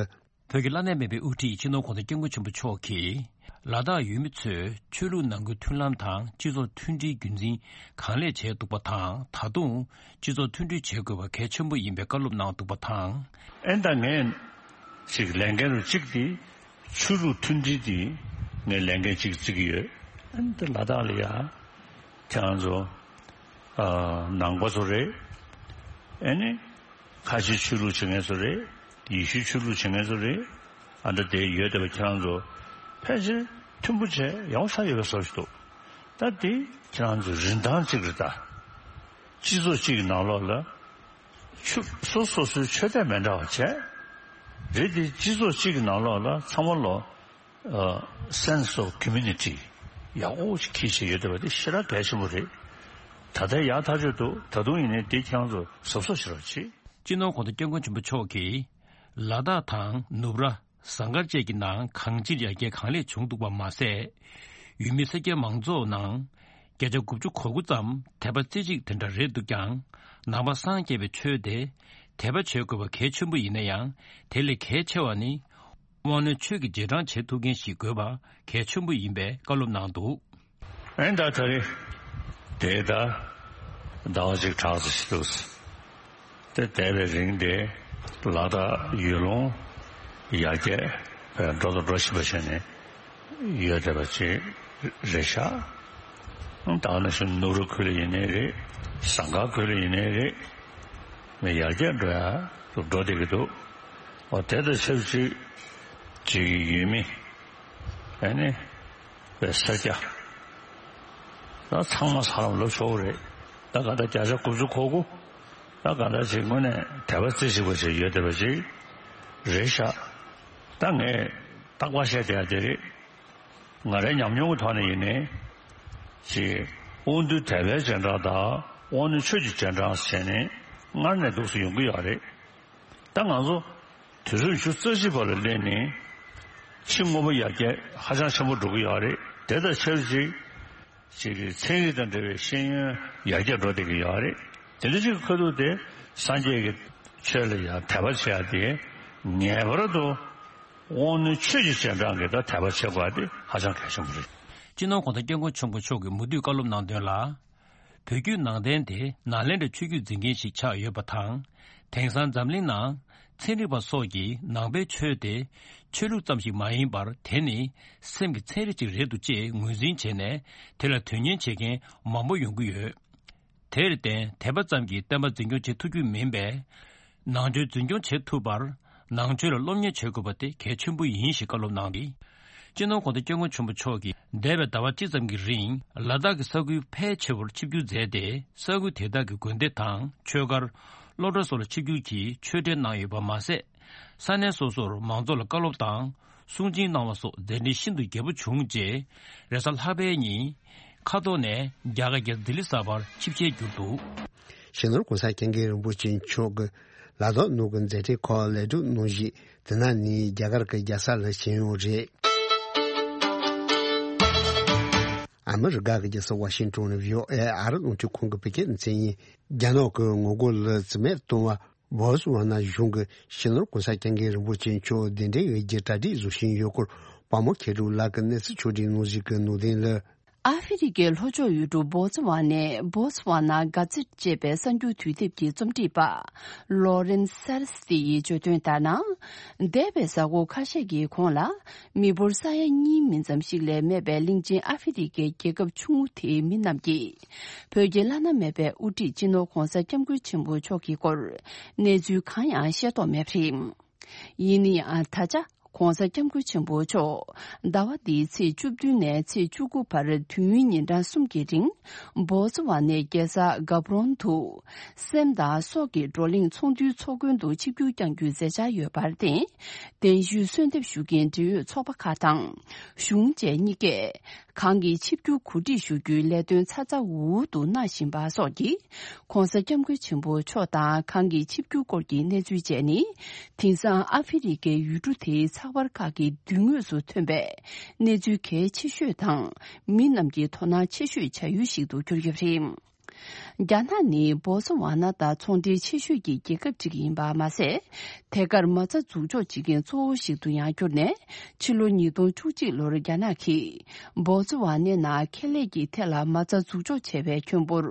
བོད་ཀྱི་བླ་ན་མེད་པའི་དབུ་ཁྲིད་སྤྱི་ནོར་གོང་ས་སྐྱབས་མགོན་ཆེན་པོ་མཆོག་གིས་ལ་དྭགས་ཡུལ་མི་ཚོས་ཆོས་ལུགས་ནང་ཁུལ་མཐུན་ལམ་དང་སྤྱི་ཚོགས་མཐུན་སྒྲིལ་རྒྱུན་འཛིན་གང་ལེགས་བྱས་འདུག་པ་དང་། ད་དུང་སྤྱི་ཚོགས་མཐུན་སྒྲིལ་བྱེད་དགོས་པ་གལ་ཆེན་པོ་ཡིན་པའི་བཀའ་སློབ་གནང་འདུག་པ་དང་། ཨེ་ད་ངས་ཅིག་ལས་འགན་རུ་གཅིག་དེ་ཆོས་ལུགས་མཐུན་སྒྲིལ་དེ་ངས་ལས་འགན་གཅིག་བརྩི་གི་ཡོད། ཨེ་ད་ལ་དྭགས་ལ་ཡ་ཁྱེད་རང་ཚོ་ནང་པ་ཚོ་རེད། ཨེ་ནི། ཁ་ཆེ་ཆོས་ལུགས་བྱེད་མཁན་ཚོ་རེད། ཡེ་ཤུའི་ཆོས་ལུགས་བྱེད་མཁན་ཚོ་རེད། ཨ་འདྲ་དེ་ཡོད་བསྡད་པ་ཁྱེད་རང་ཚོ་ཕལ་ཆེར་མཐུན་པོ་བྱས་ཡག་པོ་ཆགས་ཡོད་པའི་བཟོ་ཞིག་འདུག་ད་དེ་ཁྱེད་རང་ཚོ་རིན་ཐང་གཅིག་རེད་ད། སྤྱི་ཚོགས་གཅིག་གི་ནང་ལོགས་ལ་ཆོས་སོ་སོ་སོའི་ཆོས་དད་མི་འདྲ་བ་བྱས། རེད་དེ་སྤྱི་ཚོགས་གཅིག་གི་ནང་ལོགས་ལ་ཚང་མ་ལོ། ཨ། sense of community ཡག་པོ་ཞིག་འཁྱེར་བཞིན་ཡོད་བསྡད་པ་དེ་ཞེ་དྲག་གལ་ཆེན་པོ་རེད། ད་ལྟའི་ཡག་ཐག་ཆོད་འདུག་ད་དུང་ཡིན་ནའི་དེ་ཁྱེད་རང་ཚོ་གཟབ་གཟབ་བྱེད་རོགས་གྱིས། སྤྱི་ནོར་གོང་ས་སྐྱབས་མགོན་ཆེན་པོ་མཆོག་གིས་ལ་དྭགས་དང་ནུབ་ར། ཟངས་དཀར་བཅས་ཀྱི་ནང་གང་ཅིར་ཡར་རྒྱས་གང་ལེགས་བྱུང་འདུག་པ་མ་ཟད། ཡུལ་མི་ས་སྐྱའི་མང་ཚོགས་ནང་བརྒྱ་ཆ་དགུ་བཅུ་གོ་དགུ་ཙམ་དད་པ་རྩེ་གཅིག་དེ་འདྲ་རེད་འདུག་ཀྱང་། ནང་པ་སངས་རྒྱས་པའི་ཆོས་དེ་དད་པ་བྱེད་དགོས་པ་གལ་ཆེན་པོ་ཡིན་ན་ཡང་། དེ་ལས་གལ་ཆེ་བ་ནི། དབང་རྣོན་ཆོས་ཀྱི་རྗེས་འབྲང་བྱེད་ཐུབ་མཁན་ཞིག་དགོས་པ་གལ་ཆེན་པོ་ཡིན་པའི་བཀའ་སློབ་གནང་འདུག་ཨེ་ད་ད་རེས་དེ་ད་ཟླ་བ་གཅིག་གྲགས་ཙམ་ཞིག་འདུག་དེ་འདས་པའི་རིང་དེ་ལ་དྭགས་ཡུལ་ལུང་ཡར་རྒྱས་འགྲོ་དང་འགྲོ་བཞིན་པ་བྱས་ནས་ཡོད་བསྡད་པ་ཅིག་རེད་ཤག་ད་ནང་བཞིན་ནུབ་ར་ཁུལ་ལ་ཡིན་ནའི་རེད། ཟངས་དཀར་ཁུལ་ལ་ཡིན་ནའི་རེད། མི་ཡར་རྒྱས་འགྲོ་ཡ་འགྲོ་བསྡད་ཀྱི་འདུག་འོ་དེ་དང་ཆབས་ཅིག་ཅིག་ཡུལ་མི་ཨ་ནི་པའི་ས་སྐྱ་ད་ཚང་མ་ས་ལམ་ལབ་ཆོག་གི་རེད། ད་ག་ད་བརྒྱ་ཆ་དགུ་བཅུ་གོ་དགུ་ད་ག་ད་ཅིག་དངོས་གནས་དད་པ་རྩེ་གཅིག་པ་ཅིག་ཡོད་བསྡད་པ་ཅིག་རེད་ཤག་ད་ངས་རྟག་པར་བཤད་བསྡད་ཡ་དེ་རེད། ང་རའི་ཉམས་མྱོང་གི་ཐོག་ནས་ཡིན་ནའི། ཅིག་དབང་རྟུལ་དད་པའི་རྗེས་འབྲང་དང་དབང་རྣོན་ཆོས་ཀྱི་རྗེས་འབྲང་ཟེར་ནས་སྔར་ནས་འདུག་སེ་ཡོང་གི་ཡོད་རེད། ད་ང་ཚོ་དུས་རབས་ཉི་ཤུ་རྩ་གཅིག་པ་ལ་སླེབས་ནས་ཕྱི་དངོས་པོ་ཡར་རྒྱས་ཧ་ཅང་ཆེན་པོ་འགྲོ་གི་ཡོད་རེད། དེ་དང་ཆབས་ཅིག་ཅིག་གི་ཚན་རིག་དང་འབྲེལ་བའི་ཤེས་ཡོན་ཡར་རྒྱས་འགྲོ་བསྡད་ཀྱི་ཡོད་རེད། དེ་འདྲ་ཅིག་གི་ཁ་ཐུག་དེ་སངས་རྒྱས་ཀྱི་ཆོས་ལ་ཡང་དད་པ་བྱེད་ཡ་དེ་ངེས་པར་དུ། དབང་རྣོན་ཆོས་ཀྱི་རྗེས་འབྲང་གི་ད་དད་པ་བྱེད་དགོས་པ་དེ་ཧ་ཅང་གལ་ཆེན་པོ་རེད། སྤྱི་ནོར་གོང་ས་སྐྱབས་མགོན་ཆེན་པོ་མཆོག་གིས་མུ་མཐུད་བཀའ་སློབ་གནང་དོན་ལ། བོད་བརྒྱུད་ནང་བསྟན་དེ་ནཱ་ལེནྡྲའི་ཆོས་བརྒྱུད་འཛིན་མཁན་ཞིག་ཆགས་ཡོད་པ་དང་། དེང་སང་འཛམ་གླིང་ནང་ཚན་རིག་པ་སོགས་ཀྱིས་ནང་པའི་ཆོས་དེ་ཆོས་ལུགས་ཙམ་ཞིག་མ་ཡིན་པར། དེ་ནི་སེམས་ཀྱི་ཚན་རིག་ཅིག་རེད་འདུག་ཅེས་ངོས་འཛིན་བྱས་ནས། དེ་ལ་དོན་གཉེར་བྱེད་མཁན་མང་པོ་ཡོང་གི་ཡོད། དེར་བརྟེན་དད་པ་ཙམ་གྱིས་བསྟན་པ་འཛིན་སྐྱོང་བྱེད་ཐུབ་རྒྱུ་མིན་པས། ནང་ཆོས་འཛིན་སྐྱོང་བྱེད་ཐུབ་པར། ནང་ཆོས་ལ་སློབ་གཉེར་བྱེད་དགོས་པ་དེ་གལ་ཆེན་པོ་ཡིན་ཞེས་བཀའ་སློབ་གནང་སྟེ། སྤྱི་ནོར་གོང་ས་སྐྱབས་མགོན་ཆེན་པོ་མཆོག་གིས་འདས་པའི་ཟླ་བ་གཅིག་ཙམ་གྱི་རིང་ལ་དྭགས་ཀྱི་ས་ཁུལ་ཕལ་ཆེ་བར་ཆིབས་བསྒྱུར་མཛད་དེ། ས་ཁུལ་དེ་དག་གི་དགོན་སྡེ་དང་ཆོས་སྒར། སློབ་གྲྭ་སོགས་ལ་ཆིབས་བསྒྱུར་གྱིས་ཆོས་འབྲེལ་གནང་ཡོད་པ་མ་ཟད། ས་གནས་སོ་སོར་མང་ཚོགས་ལ་བཀའ་སློབ་དང་། གསུང་ཆོས་གནང་བ་སོགས་མཛད་འཕྲིན་ཤིན་ཏུ་རྒྱས་པོ་བྱུང་རྗེས། རེས་གཟའ་ལྷག་པའི་ཉིན། མཁའ་ཐོག་ནས་རྒྱ་གར་རྒྱལ་ས་ལྡི་ལི་གསར་པར་ཆིབས་ཞལ་བསྒྱུར་འདུག་སྤྱི་ནོར་གོང་ས་སྐྱབས་མགོན་རིན་པོ་ཆེ་མཆོག་གིས་ལ་དྭགས་ནང་གི་མཛད་འཕྲིན་ཁག་ལེགས་གྲུབ་གནང་བཞིན། དེ་ནང་ནས་རྒྱ་གར་གྱི་རྒྱལ་ས་ལ་ཕྱིན་ཡོད་རེད། ཨ་མི་རི་ཀ་གི་རྒྱལ་ས་ཝ་ཤིང་ཏོན་ནས་བྷི་ཨོ་ཨེ་ཨ་རི་རླུང་འཕྲིན་ཁང་གི་བོད་སྐད་སྡེ་ཚན་ཡིན། རྒྱ་ནག་གི་ངོ་རྒོལ་ལ་རྩིས་མེད་གཏོང་བ། བོ་སི་ཝ་ན་གཞུང་གིས་སྤྱི་ནོར་གོང་ས་སྐྱབས་མགོན་རིན་པོ་ཆེ་མཆོག་གདན་འདྲེན་འོས་བསྡུའི་གྲ་སྒྲིག་བཟོ་བཞིན་ཡོད་སྐོར། དཔའ་མོ་མཁས་གྲུབ་ལགས་ཀྱིས་གནས་ཚུལ་ཕྱོགས་སྒྲིག་གནང་བཞིན་གྱི་ནང་དོན་ལ། ཨ་ཧྥེ་རི་ཁའི་ལྷོ་ཕྱོགས་ཡུལ་གྲུ་བོ་ཙི་ཝ་ནའི་Botswana Gazette ཅེས་པའི་གསར་འགྱུར་དུས་དེབ་ཀྱི་རྩོམ་སྒྲིག་པ་Lauren Sarsfield ཡིས་བརྗོད་དོན་ལྟར་ན། འདས་པའི་གཟའ་འཁོར་ཁ་ཤས་ཀྱི་གོང་ལ། མི་འབོར་ས་ཡ་གཉིས་མིན་ཙམ་ཞིག་ལས་མེད་པའི་གླིང་ཆེན་ཨ་ཧྥེ་རི་ཁའི་རྒྱལ་ཁབ་ཆུང་ངུ་དེའི་མི་རྣམས་ཀྱིས། བོད་ཀྱི་བླ་ན་མེད་པའི་དབུ་ཁྲིད་སྤྱི་ནོར་༧གོང་ས་༧སྐྱབས་མགོན་ཆེན་པོ་མཆོག་གི་སྐོར་གནས་ཚུལ་གང་ཡང་ཤེས་རྟོགས་མེད་པ་རེད། ཡིན་ན་ཡང་ད་ཆ་༧གོང་ས་༧སྐྱབས་མགོན་ཆེན་པོ་མཆོག་ཟླ་བ་འདིའི་ཚེས་བཅུ་བདུན་ནས་ཚེས་བཅུ་དགུ་བར་དུས་ཡུན་ཉིན་གྲངས་གསུམ་གྱི་རིང་། བོ་ཙི་ཝ་ནའི་རྒྱལ་ས་གྷབ་རོན་དུ། སེམས་དང་སྲོག་གི་བགྲོ་གླེང་ཚོགས་འདུའི་ཚོགས་མགོན་དུ་ཆིབས་བསྒྱུར་བསྐྱང་རྒྱུའི་མཛད་འཆར་ཡོད་པར་བརྟེན། གདན་ཞུའི་གསོལ་འདེབས་ཞུ་མཁན་འབྲེལ་ཡོད་ཚོགས་པ་ཁག་དང་། གཞུང་བཅས་གཉིས་ཀས། གང་གི་ཆིབས་བསྒྱུར་གོ་སྒྲིག་ཞུ་རྒྱུའི་ལས་དོན་ཚ་ཚ་འུར་འུར་དུ་གནང་བཞིན་པ་སོགས་ཀྱིས། ༸གོང་ས་༸སྐྱབས་མགོན་ཆེན་པོ་མཆོག་དང་གང་གི་ཆིབས་བསྒྱུར་སྐོར་གྱི་གནས་ཚུལ་བཅས་ནི། དེང་སང་ཨ་ཧྥེ་རི་ཁའི་ཡུལ་གྲུ་དེའི་ཚགས་པར་ཁག་གི་མདུན་ངོས་སུ་ཐོན་པའི་གནས་ཚུལ་གལ་ཆེ་ཤོས་དང་། མི་རྣམས་ཀྱི་དོ་སྣང་ཆེ་ཤོས་བྱ་ཡུལ་ཞིག་ཏུ་གྱུར་ཡོད་པ་རེད། རྒྱ་ནག་ནི་བོ་སི་ཝ་ན་དང་ཚོང་འབྲེལ་ཆེ་ཤོས་ཀྱི་རྒྱལ་ཁབ་ཅིག་ཡིན་པ་མ་ཟད། ཐད་ཀར་མ་རྩ་འཛུགས་འཇོག་བྱེད་མཁན་གཙོ་བོ་ཞིག་ཏུ་ཡང་གྱུར་ནས། ཕྱི་ལོ་ཉིས་སྟོང་བཅུ་གཅིག་ལོར་རྒྱ་ནག་གིས་བོ་སི་ཝ་ནའི་ནང་ཁེ་ལས་ཀྱི་ཐད་ལ་མ་རྩ་འཛུགས་འཇོག་བྱས་པའི་ཁྱོན་འབོར་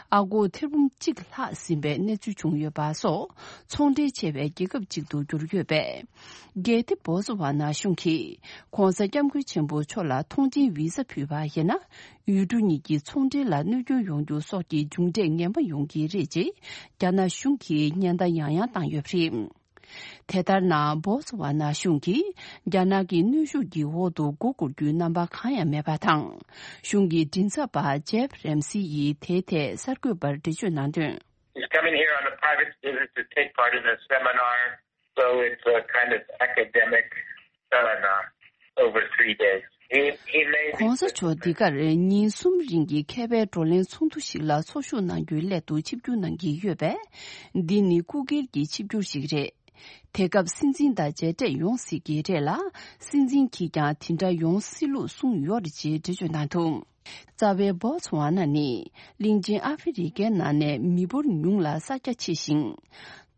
ཨ་སྒོར་ཐེར་འབུམ་གཅིག་ལྷག་ཟིན་པའི་གནས་ཚུལ་བྱུང་ཡོད་པ་སོགས་ཚོང་འབྲེལ་ཆེ་བའི་རྒྱལ་ཁབ་ཅིག་ཏུ་གྱུར་ཡོད་པས། གལ་ཏེ་བོ་སི་ཝ་ན་གཞུང་གིས་༸གོང་ས་༸སྐྱབས་མགོན་ཆེན་པོ་མཆོག་ལ་ཐོངས་མཆན་བི་ཟ་ཕུལ་བ་ཡིན་ན། ཡུལ་གྲུ་གཉིས་ཀྱི་ཚོང་འབྲེལ་ལ་གནོད་སྐྱོན་ཡོང་རྒྱུ་སོགས་ཀྱི་མཇུག་འབྲས་ངན་པ་ཡོང་གི་རེད་ཅེས་རྒྱ་ནག་གཞུང་གིས་སྙན་སེང་ཡང་ཡང་བཏང་ཡོད་པ་རེད། དེ་ལྟར་ན་བོ་སི་ཝ་ན་གཞུང་གིས་རྒྱ་ནག་གི་གནོན་ཤུགས་ཀྱི་འོག་ཏུ་མགོ་སྒུར་རྒྱུའི་རྣམ་པ་གང་ཡང་མེད་པ་དང་། གཞུང་གི་མགྲིན་ཚབ་པ་ཇེབ་རེམ་སི་ཡིས་དེའི་ཐད་གསར་འགོད་པར་འགྲེལ་བརྗོད་གནང་དོན། He's coming here on a private visit to take part in a seminar, so it's a kind of academic seminar over three days. He, he may be ༸གོང་ས་མཆོག་འདི་གར་ཉིན་གསུམ་རིང་གི་མཁས་པའི་བགྲོ་གླེང་ཚོགས་འདུ་ཞིག་ལ་ཚོགས་ཞུགས་གནང་རྒྱུའི་སླད་དུ་ཆིབས་བསྒྱུར་གནང་གི་ཡོད་པས། འདི་ནི་སྐུ་སྒེར་གྱི་ཆིབས་བསྒྱུར་ཞིག་རེད། དེ་སྐབས་སྲིད་འཛིན་དང་མཇལ་འཕྲད་ཡོང་སྲིད་ཀྱི་རེད་ལ། སྲིད་འཛིན་གྱིས་ཀྱང་དེ་འདྲ་ཡོང་སྲིད་ལུགས་གསུངས་ཡོད་རེད་ཅེས་འགྲེལ་བརྗོད་གནང་འདུག། རྩ་བའི་བོ་ཚུ་ཝ་ན་ནི་གླིང་ཆེན་ཨ་ཧྥེ་རི་ཁའི་ནང་ནས་མི་འབོར་ཉུང་ལ་ས་རྒྱ་ཆེ་ཞིང་།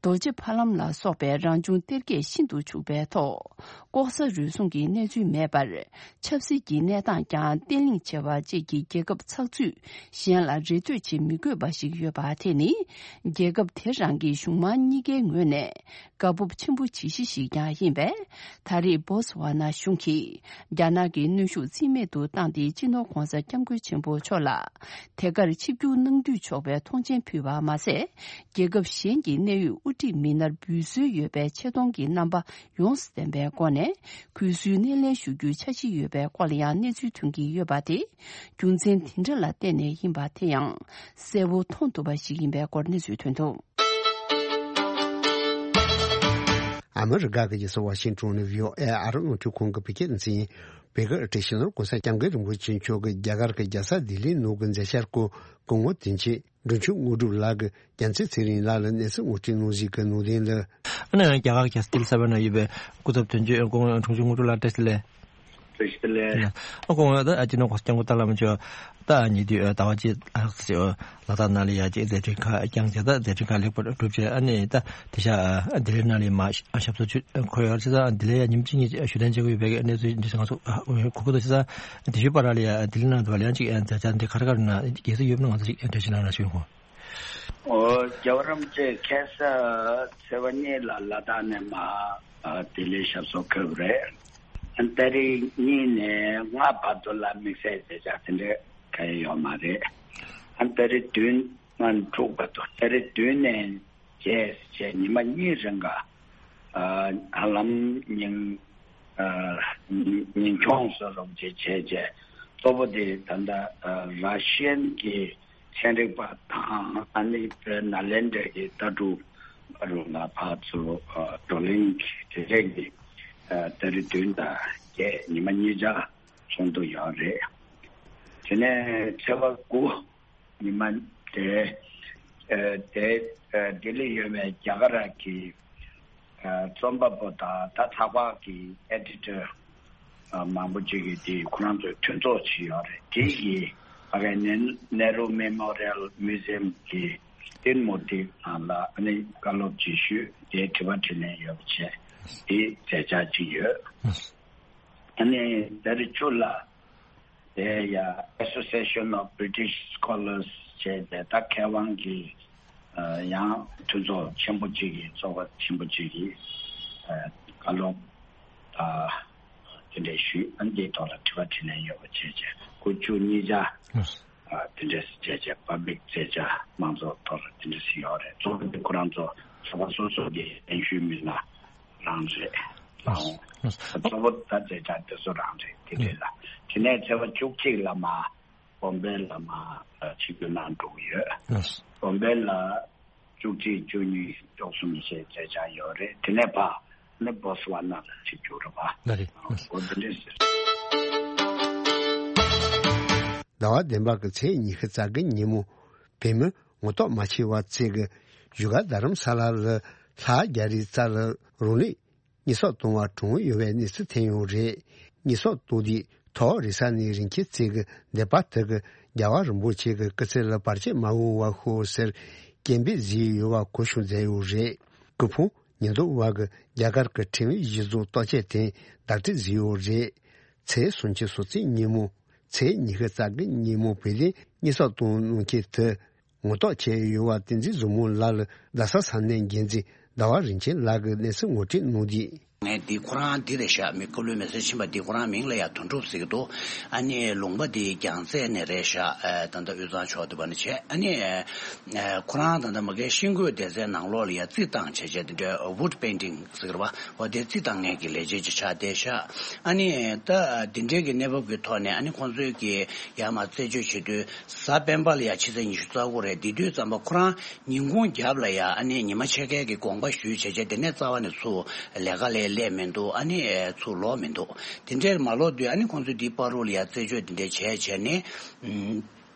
རྡོ་རྗེ་ཕ་ལམ་ལ་སོགས་པའི་རང་བྱུང་གཏེར་ཁས་ཤིན་ཏུ་ཕྱུག་པའི་ཐོག་ལྐོག་ཟ་རུལ་སུངས་ཀྱི་གནས་ཚུལ་མེད་པར། ཆབ་སྲིད་ཀྱི་གནས་སྟངས་ཀྱང་བརྟན་ལྷིང་ཆེ་བ་བཅས་ཀྱི་རྒྱལ་ཁབ་ཚགས་ཚུད་གཞན་ལ་རེ་ལྟོས་བྱེད་མི་དགོས་པ་ཞིག་ཡོད་པ་དེ་ནི། རྒྱལ་ཁབ་དེ་རང་གི་གཞུང་མང་གཉིས་ཀའི་ངོས་ནས། དགའ་སྤོབས་ཆེན་པོ་བྱེད་གཞི་ཞིག་ཀྱང་ཡིན་པས། ད་རེས་བོ་སི་ཝ་ན་གཞུང་གིས་རྒྱ་ནག་གི་གནོན་ཤུགས་རྩིས་མེད་དུ་བཏང་སྟེ། སྤྱི་ནོར་༸གོང་ས་༸སྐྱབས་མགོན་ཆེན་པོ་མཆོག་ལ་དེ་གར་ཆིབས་བསྒྱུར་གནང་འདོད་ཆོག་པའི་ཐོངས་མཆན་ཕུལ་བ་མ་ཟད། རྒྱལ་ཁབ་གཞན་གྱི་གནད་ཡོད་དབུ་ཁྲིད་མི་སྣར་འབུལ་སྲོལ་ཡོད་པའི་ཆེ་མཐོང་གི་རྣམ་པ་ཡོངས་སུ་ལྡན་པའི་སྒོ་ནས་གུས་བསུའི་སྣེ་ལེན་ཞུ་རྒྱུའི་འཆར་གཞི་ཡོད་པའི་སྐོར་ལ་ཡང་གནས་ཚུལ་ཐོན་གྱི་ཡོད་པ་དེ་རྒྱུ་མཚན་དེ་འདྲ་ལ་བརྟེན་ནས་ཡིན་པ་དེ་ཡང་གསལ་བོ་མཐོང་ཐུབ་པ་ཞིག་ཡིན་པའི་སྐོར་གནས་ཚུལ་ཐོན་འདུག། ཨ་མི་རི་ཀ་གི་རྒྱལ་ས་ཝ་ཤིང་ཊོན་ནས་བྷི་ཨོ་ཨེ་ཨ་རི་རླུང་འཕྲིན་ཁང་གི་བོད་སྐད་སྡེ་ཚན་ཡིན། བོད་སྐད་བཀྲ་ཤིས་ལོར་༸གོང་ས་༸སྐྱབས་མགོན་རིན་པོ་ཆེ་མཆོག་གིས་རྒྱ་གར་གྱི་རྒྱལ་ས་ལྡི་ལིའི་ནང་གི་མཛད་འཆར་སྐོར་སྐུ་ངོ་དོན་གཅོད་འབྲོང་ཆུང་དངོས་གྲུབ་ལགས་ཀྱིས་རྒྱལ་མཚན་ཚེ་རིང་ལགས་ལ་གནས་ཚུལ་ངོ་སྤྲོད་གནང་གཟིགས་ཀྱི་ནང་དོན་ལ། ཨ་ནི་རྒྱ་གར་རྒྱལ་ས་ལྡི་ལི་གསར་པའི་ནང་ཡོད་པའི་སྐུ་ཚབ་དོན་གཅོད་སྐུ་ངོ་འབྲོང་ཆུང་དངོས་གྲུབ་ལགས་བཀྲ་ཤིས་བདེ་ལེགས། བཀྲ་ཤིས་བདེ་ལེགས། ཨ་ཁོང་ད་ཨ་ཅི་ནོ་གོ་སྐྱབས་མགོན་ཏཱ་བླ་མ་མཆོག་ད་ཉེ་དུས་ཟླ་བ་གཅིག་ལྷག་ཙམ་ལ་དྭགས་ནང་ལ་ཡ་ཅིག་མཛད་འཕྲིན་ཁག་བསྐྱངས་བྱས། ད་མཛད་འཕྲིན་ཁག་ལེགས་པར་གྲུབ་བྱས། ཨ་ནི་ད་དེ་ཤ་ལྡི་ལི་ནང་ལ་མར་ཞབས་སོར་འཁོད་ཡོད་རེད། ད་ལྡི་ལི་ཡ་ཉིན་གཅིག་གཉིས་ཞུ་གཏན་བྱེད་དགོས་ཡོད་པའི་གནས་ཚུལ་འདི་ང་ཚོ་གོ་གི་འདུག། བྱས་ཙང་དེ་ཤུལ་བར་ལ་ཡ་ལྡི་ལི་ནང་དུ་ལ་ཡང་ཅིག་མཛད་འཆར་འདི་ག་རེ་ག་རེ་ན་རྒྱལ་སྲིད་ཡོད་ན་ང་ཚོ་ཅིག་འགྲེལ་བཤད་གནང་རོགས་ཞུ། ཨོ། རྒྱལ་བ་རིན་པོ་ཆེ་ཁ་སང་ཚེས་པ་གཉིས་ལ་ལ་དྭགས་ནས་མར་ལྡི་ལི་ཞབས་སོར་འཁོད་པ་རེད། ཨ་ནི་ཏ་རིག་གཉིས་ནས་ལྔ་བར་དུ་ལ་དམིགས་བསལ་མཛད་འཆར་དེ་འདྲ་གང་ཡང་ཡོད་མ་རེད། ཨ་ནི་ཏ་རིག་བདུན་ནས་དྲུག་བར་དུ། ཏ་རིག་བདུན་ནས་བརྒྱད་བྱས་ཉི་མ་གཉིས་རིང་ག་ཨ་ཧ་ལམ་ཉིན་ཨ་ཉིན་ཉིན་གྱོང་བཟོ་རོགས་བྱེད་བྱས་བྱས། གཙོ་བོ་དེ་ད་ལྟ་ཨ་ར་ཤི་ཡན་གྱི་ཚན་རིག་པ་དང་། ཨ་ནི་བོད་ནཱ་ལེནྡྲ་གི་ལྟ་གྲུབ་པ་རུ་ལ་ཕར་ཚུར་ཨ་བགྲོ་གླེང་གི་དེ་རིགས་ཀྱི་ཨ་ཏ་རིག་བདུན་དང་བརྒྱད་ཉི་མ་གཉིས་ཆ་ཚོགས་འདུ་ཡོད་རེད། དེ་ནས་ཚེས་པ་དགུ་ཉི་མ་དེ་ཨ་དེ་ཨ་ལྡི་ལི་ཡོད་པའི་རྒྱ་གར་གྱི་ཨ་རྩོམ་པ་པོ་དང་ད་ཚགས་པར་གྱི་ཨེ་ཌི་ཊར་ཨ་མང་པོ་ཅིག་གིས་དེ་ཁོ་རང་ཚོའི་མཐུན་ཚོགས་ཅིག་ཡོད་རེད། དེ་ཡིས་ཕ་གིའི་ནེ་ནེ་རུ་མེ་མོ་རི་ཡལ་མིའུ་ཛི་ཡམ་གྱི་ཏིན་མུར་ཏི་ནང་ལ་ཨ་ནི་བཀའ་སློབ་ཅིག་ཞུས། དེའི་དྲི་བ་དྲིས་ལན་ཡོད་པ་བྱས། དེ་མཛད་འཆར་ཅིག་ཡོད། ཨ་ནི་ཏ་རིག་བཅུ་ལ་ དེ་ཡ་Association of British Scholars ཞེས་བྱས་ད་མཁས་དབང་གི་ཡང་མཐུན་ཚོགས་ཆེན་པོ་གཅིག་གི་ཚོགས་པ་ཆེན་པོ་གཅིག་གིས་བཀའ་སློབ་དེ་འདྲ་ཞུས། ཨ་ནི་དེའི་ཐོག་ལ་དྲི་བ་དྲིས་ལན་ཡོད་པ་བྱས་བྱས་དགུ་བཅུ་གཉིས་ཆ་དེ་འདྲ་བྱས་བྱས་པབ་ལིག་བྱས་བྱས་མང་ཚོགས་ཐོག་ལ་དེ་འདྲ་ཞིག་ཡོད་རེད། གཙོ་བོ་དེ་ཁོ་རང་ཚོ་ཚོགས་པ་སོ་སོ་གི་གདན་ཞུས་མི་སྣ་རང་རེད། ལགས་སོ། གཙོ་བོ་ད་མཛད་བྱ་དེ་ཚོ་རང་རེད། དེ་རེད་ལ། དེ་ནས་ཚེས་པ་བཅུ་གཅིག་ལ་མ་བོམ་པེ་ལ་མ་ཆིབས་བསྒྱུར་གནང་འགྲོ་གི་ཡོད། ལགས་སོ། བོམ་པེ་ལ་བཅུ་གཅིག་བཅུ་གཉིས་བཅུ་གསུམ་ཞེས་མཛད་བྱ་ཡོད་རེད། དེ་ནས་ཕ་ནི་བོ་སི་ཝ་ན་ལ་ཆིབས་བསྒྱུར་རེད་པ། ལགས་རེད། འོ་དེ་འདྲས་ཟེར། ཟླ་བ་བདུན་པ་གི་ཚེས་ཉི་ཤུ་རྩ་དགུ་ཉིན་མོ་བོད་མི་ངོ་ཐོག་མ་ཆེ་བ་བཅས་ཀྱི་བཞུགས་སྒར་རྡ་རམ་ས་ལ་ལ་ལྷག་རྒྱ་རི་རྩ་ལ་རང་ལུས་ཉེས་གསོག་གཏོང་བར་གྲོངས་ཡོད་པའི་གནས་ཚུལ་ཐོན་ཡོད་རེད། ཉེས་གསོག་གཏོང་དུས་ཐོག་རེས་གཟའ་ནས་རིན་ཆེན་རྩེ་གི་སྡེ་པ་དག་གི་རྒྱལ་བ་རིན་པོ་ཆེ་གི་སྐུ་ཚེ་ལ་བར་ཆད་མ་འོང་བ་ཤོག་ཟེར་སྐད་འབོད་བཟོས་ཡོད་པ་གོ་བྱུང་མཛད་ཡོད་རེད། སྐུ་ཕུང་ཉེན་རྟོག་པ་གི་རྒྱ་གར་གྱི་ཁྲིམས་ཡིག་གཞི་བཟུང་བརྟག་དཔྱད་དེ་བདག་སྤྲོད་བཟོས་ཡོད་རེད། ཚེས་སུམ་ཅུ་སོ་གཅིག་ཉིན་མོ་ཚེས་ཉི་ཤུ་རྩ་དགུ་ཉིན་མོ་བོད་དོན་ཉེས་གསོག་གཏོང་གནང་མཁན་དེ། ངོ་ཐོག་བྱས་ཡོད་པ་བསྟན་འཛིན་བཟང་མོ་ལགས་ལ་རྡ་ས་ས་གནས་འགན་འཛིན་ཟླ་བ་རིན་ཆེན་ལགས་ཀྱིས་གནས་ཚུལ་ངོ་སྤྲོད་གནང་དུས། ངས་འདི་ཁོ་རང་འདི་རེད་ཤག་མི་སྐུ་ལུས་མེ་སྲེག་ཕྱིན་པ་འདི་ཁོ་རང་མིང་ལ་ཡ་དོན་གྲུབ་ཟེར་གྱི་འདུག་ཨ་ནི་ལུང་པ་འདི་རྒྱལ་རྩེ་ནས་རེད་ཤག་ཨ་ད་ལྟ་དབུས་གཙང་ཕྱོགས་དེ་བ་ནས་བྱས། ཨ་ནི་ཨ་ཁོ་རང་ད་ལྟ་མ་གིའི་ཤིང་བརྐོས་སྡེ་ཚན་ནང་ལོགས་ལ་ཡ་རྩི་བཏང་བྱས་བྱས་དེ་འདྲའི་wood painting ཟེར་གྱི་རེད་པ། འོ་དེ་རྩི་བཏང་མཁན་གྱི་ལས་བྱེད་ཅིག་ཆགས་བསྡད་ཤག་ཨ་ནི་ད་འདི་འདྲའི་གི་གནས་བབ་ཀྱི་ཐོག་ནས་ཨ་ནི་ཁོང་ཚོས་ཀྱི་ཡར་མར་རྩད་གཅོད་བྱེད་དུས། གཟའ་སྤེན་པ་ལ་ཡ་ཕྱི་ཚེས་ཉི་ཤུ་རྩ་དགུ་རེད། དེ་དུས་ཙམ་པ་ཁོ་རང་ཉིན་གུང་རྒྱབ་ལ་ཡ་ཨ་ནི་ཉི་མ་ཕྱེད་ཀའི་གི་དགོངས་པ་ཞུས་བྱས་བྱས་དེ་ནས་རྩ་བ་ནས་ཚུར་ལས་ཀ་ལས་སླེབས་མི་འདུག་ཨ་ནི་ཚུར་ལོག་མི་འདུག་དེ་འདྲས་མ་ལོག་དུས་ཨ་ནི་ཁོང་ཚོས་འདི་བར་དུ་ལ་ཡ་རྩད་གཅོད་དེ་འདྲས་བྱས་བྱས་ནས་ཨུམ།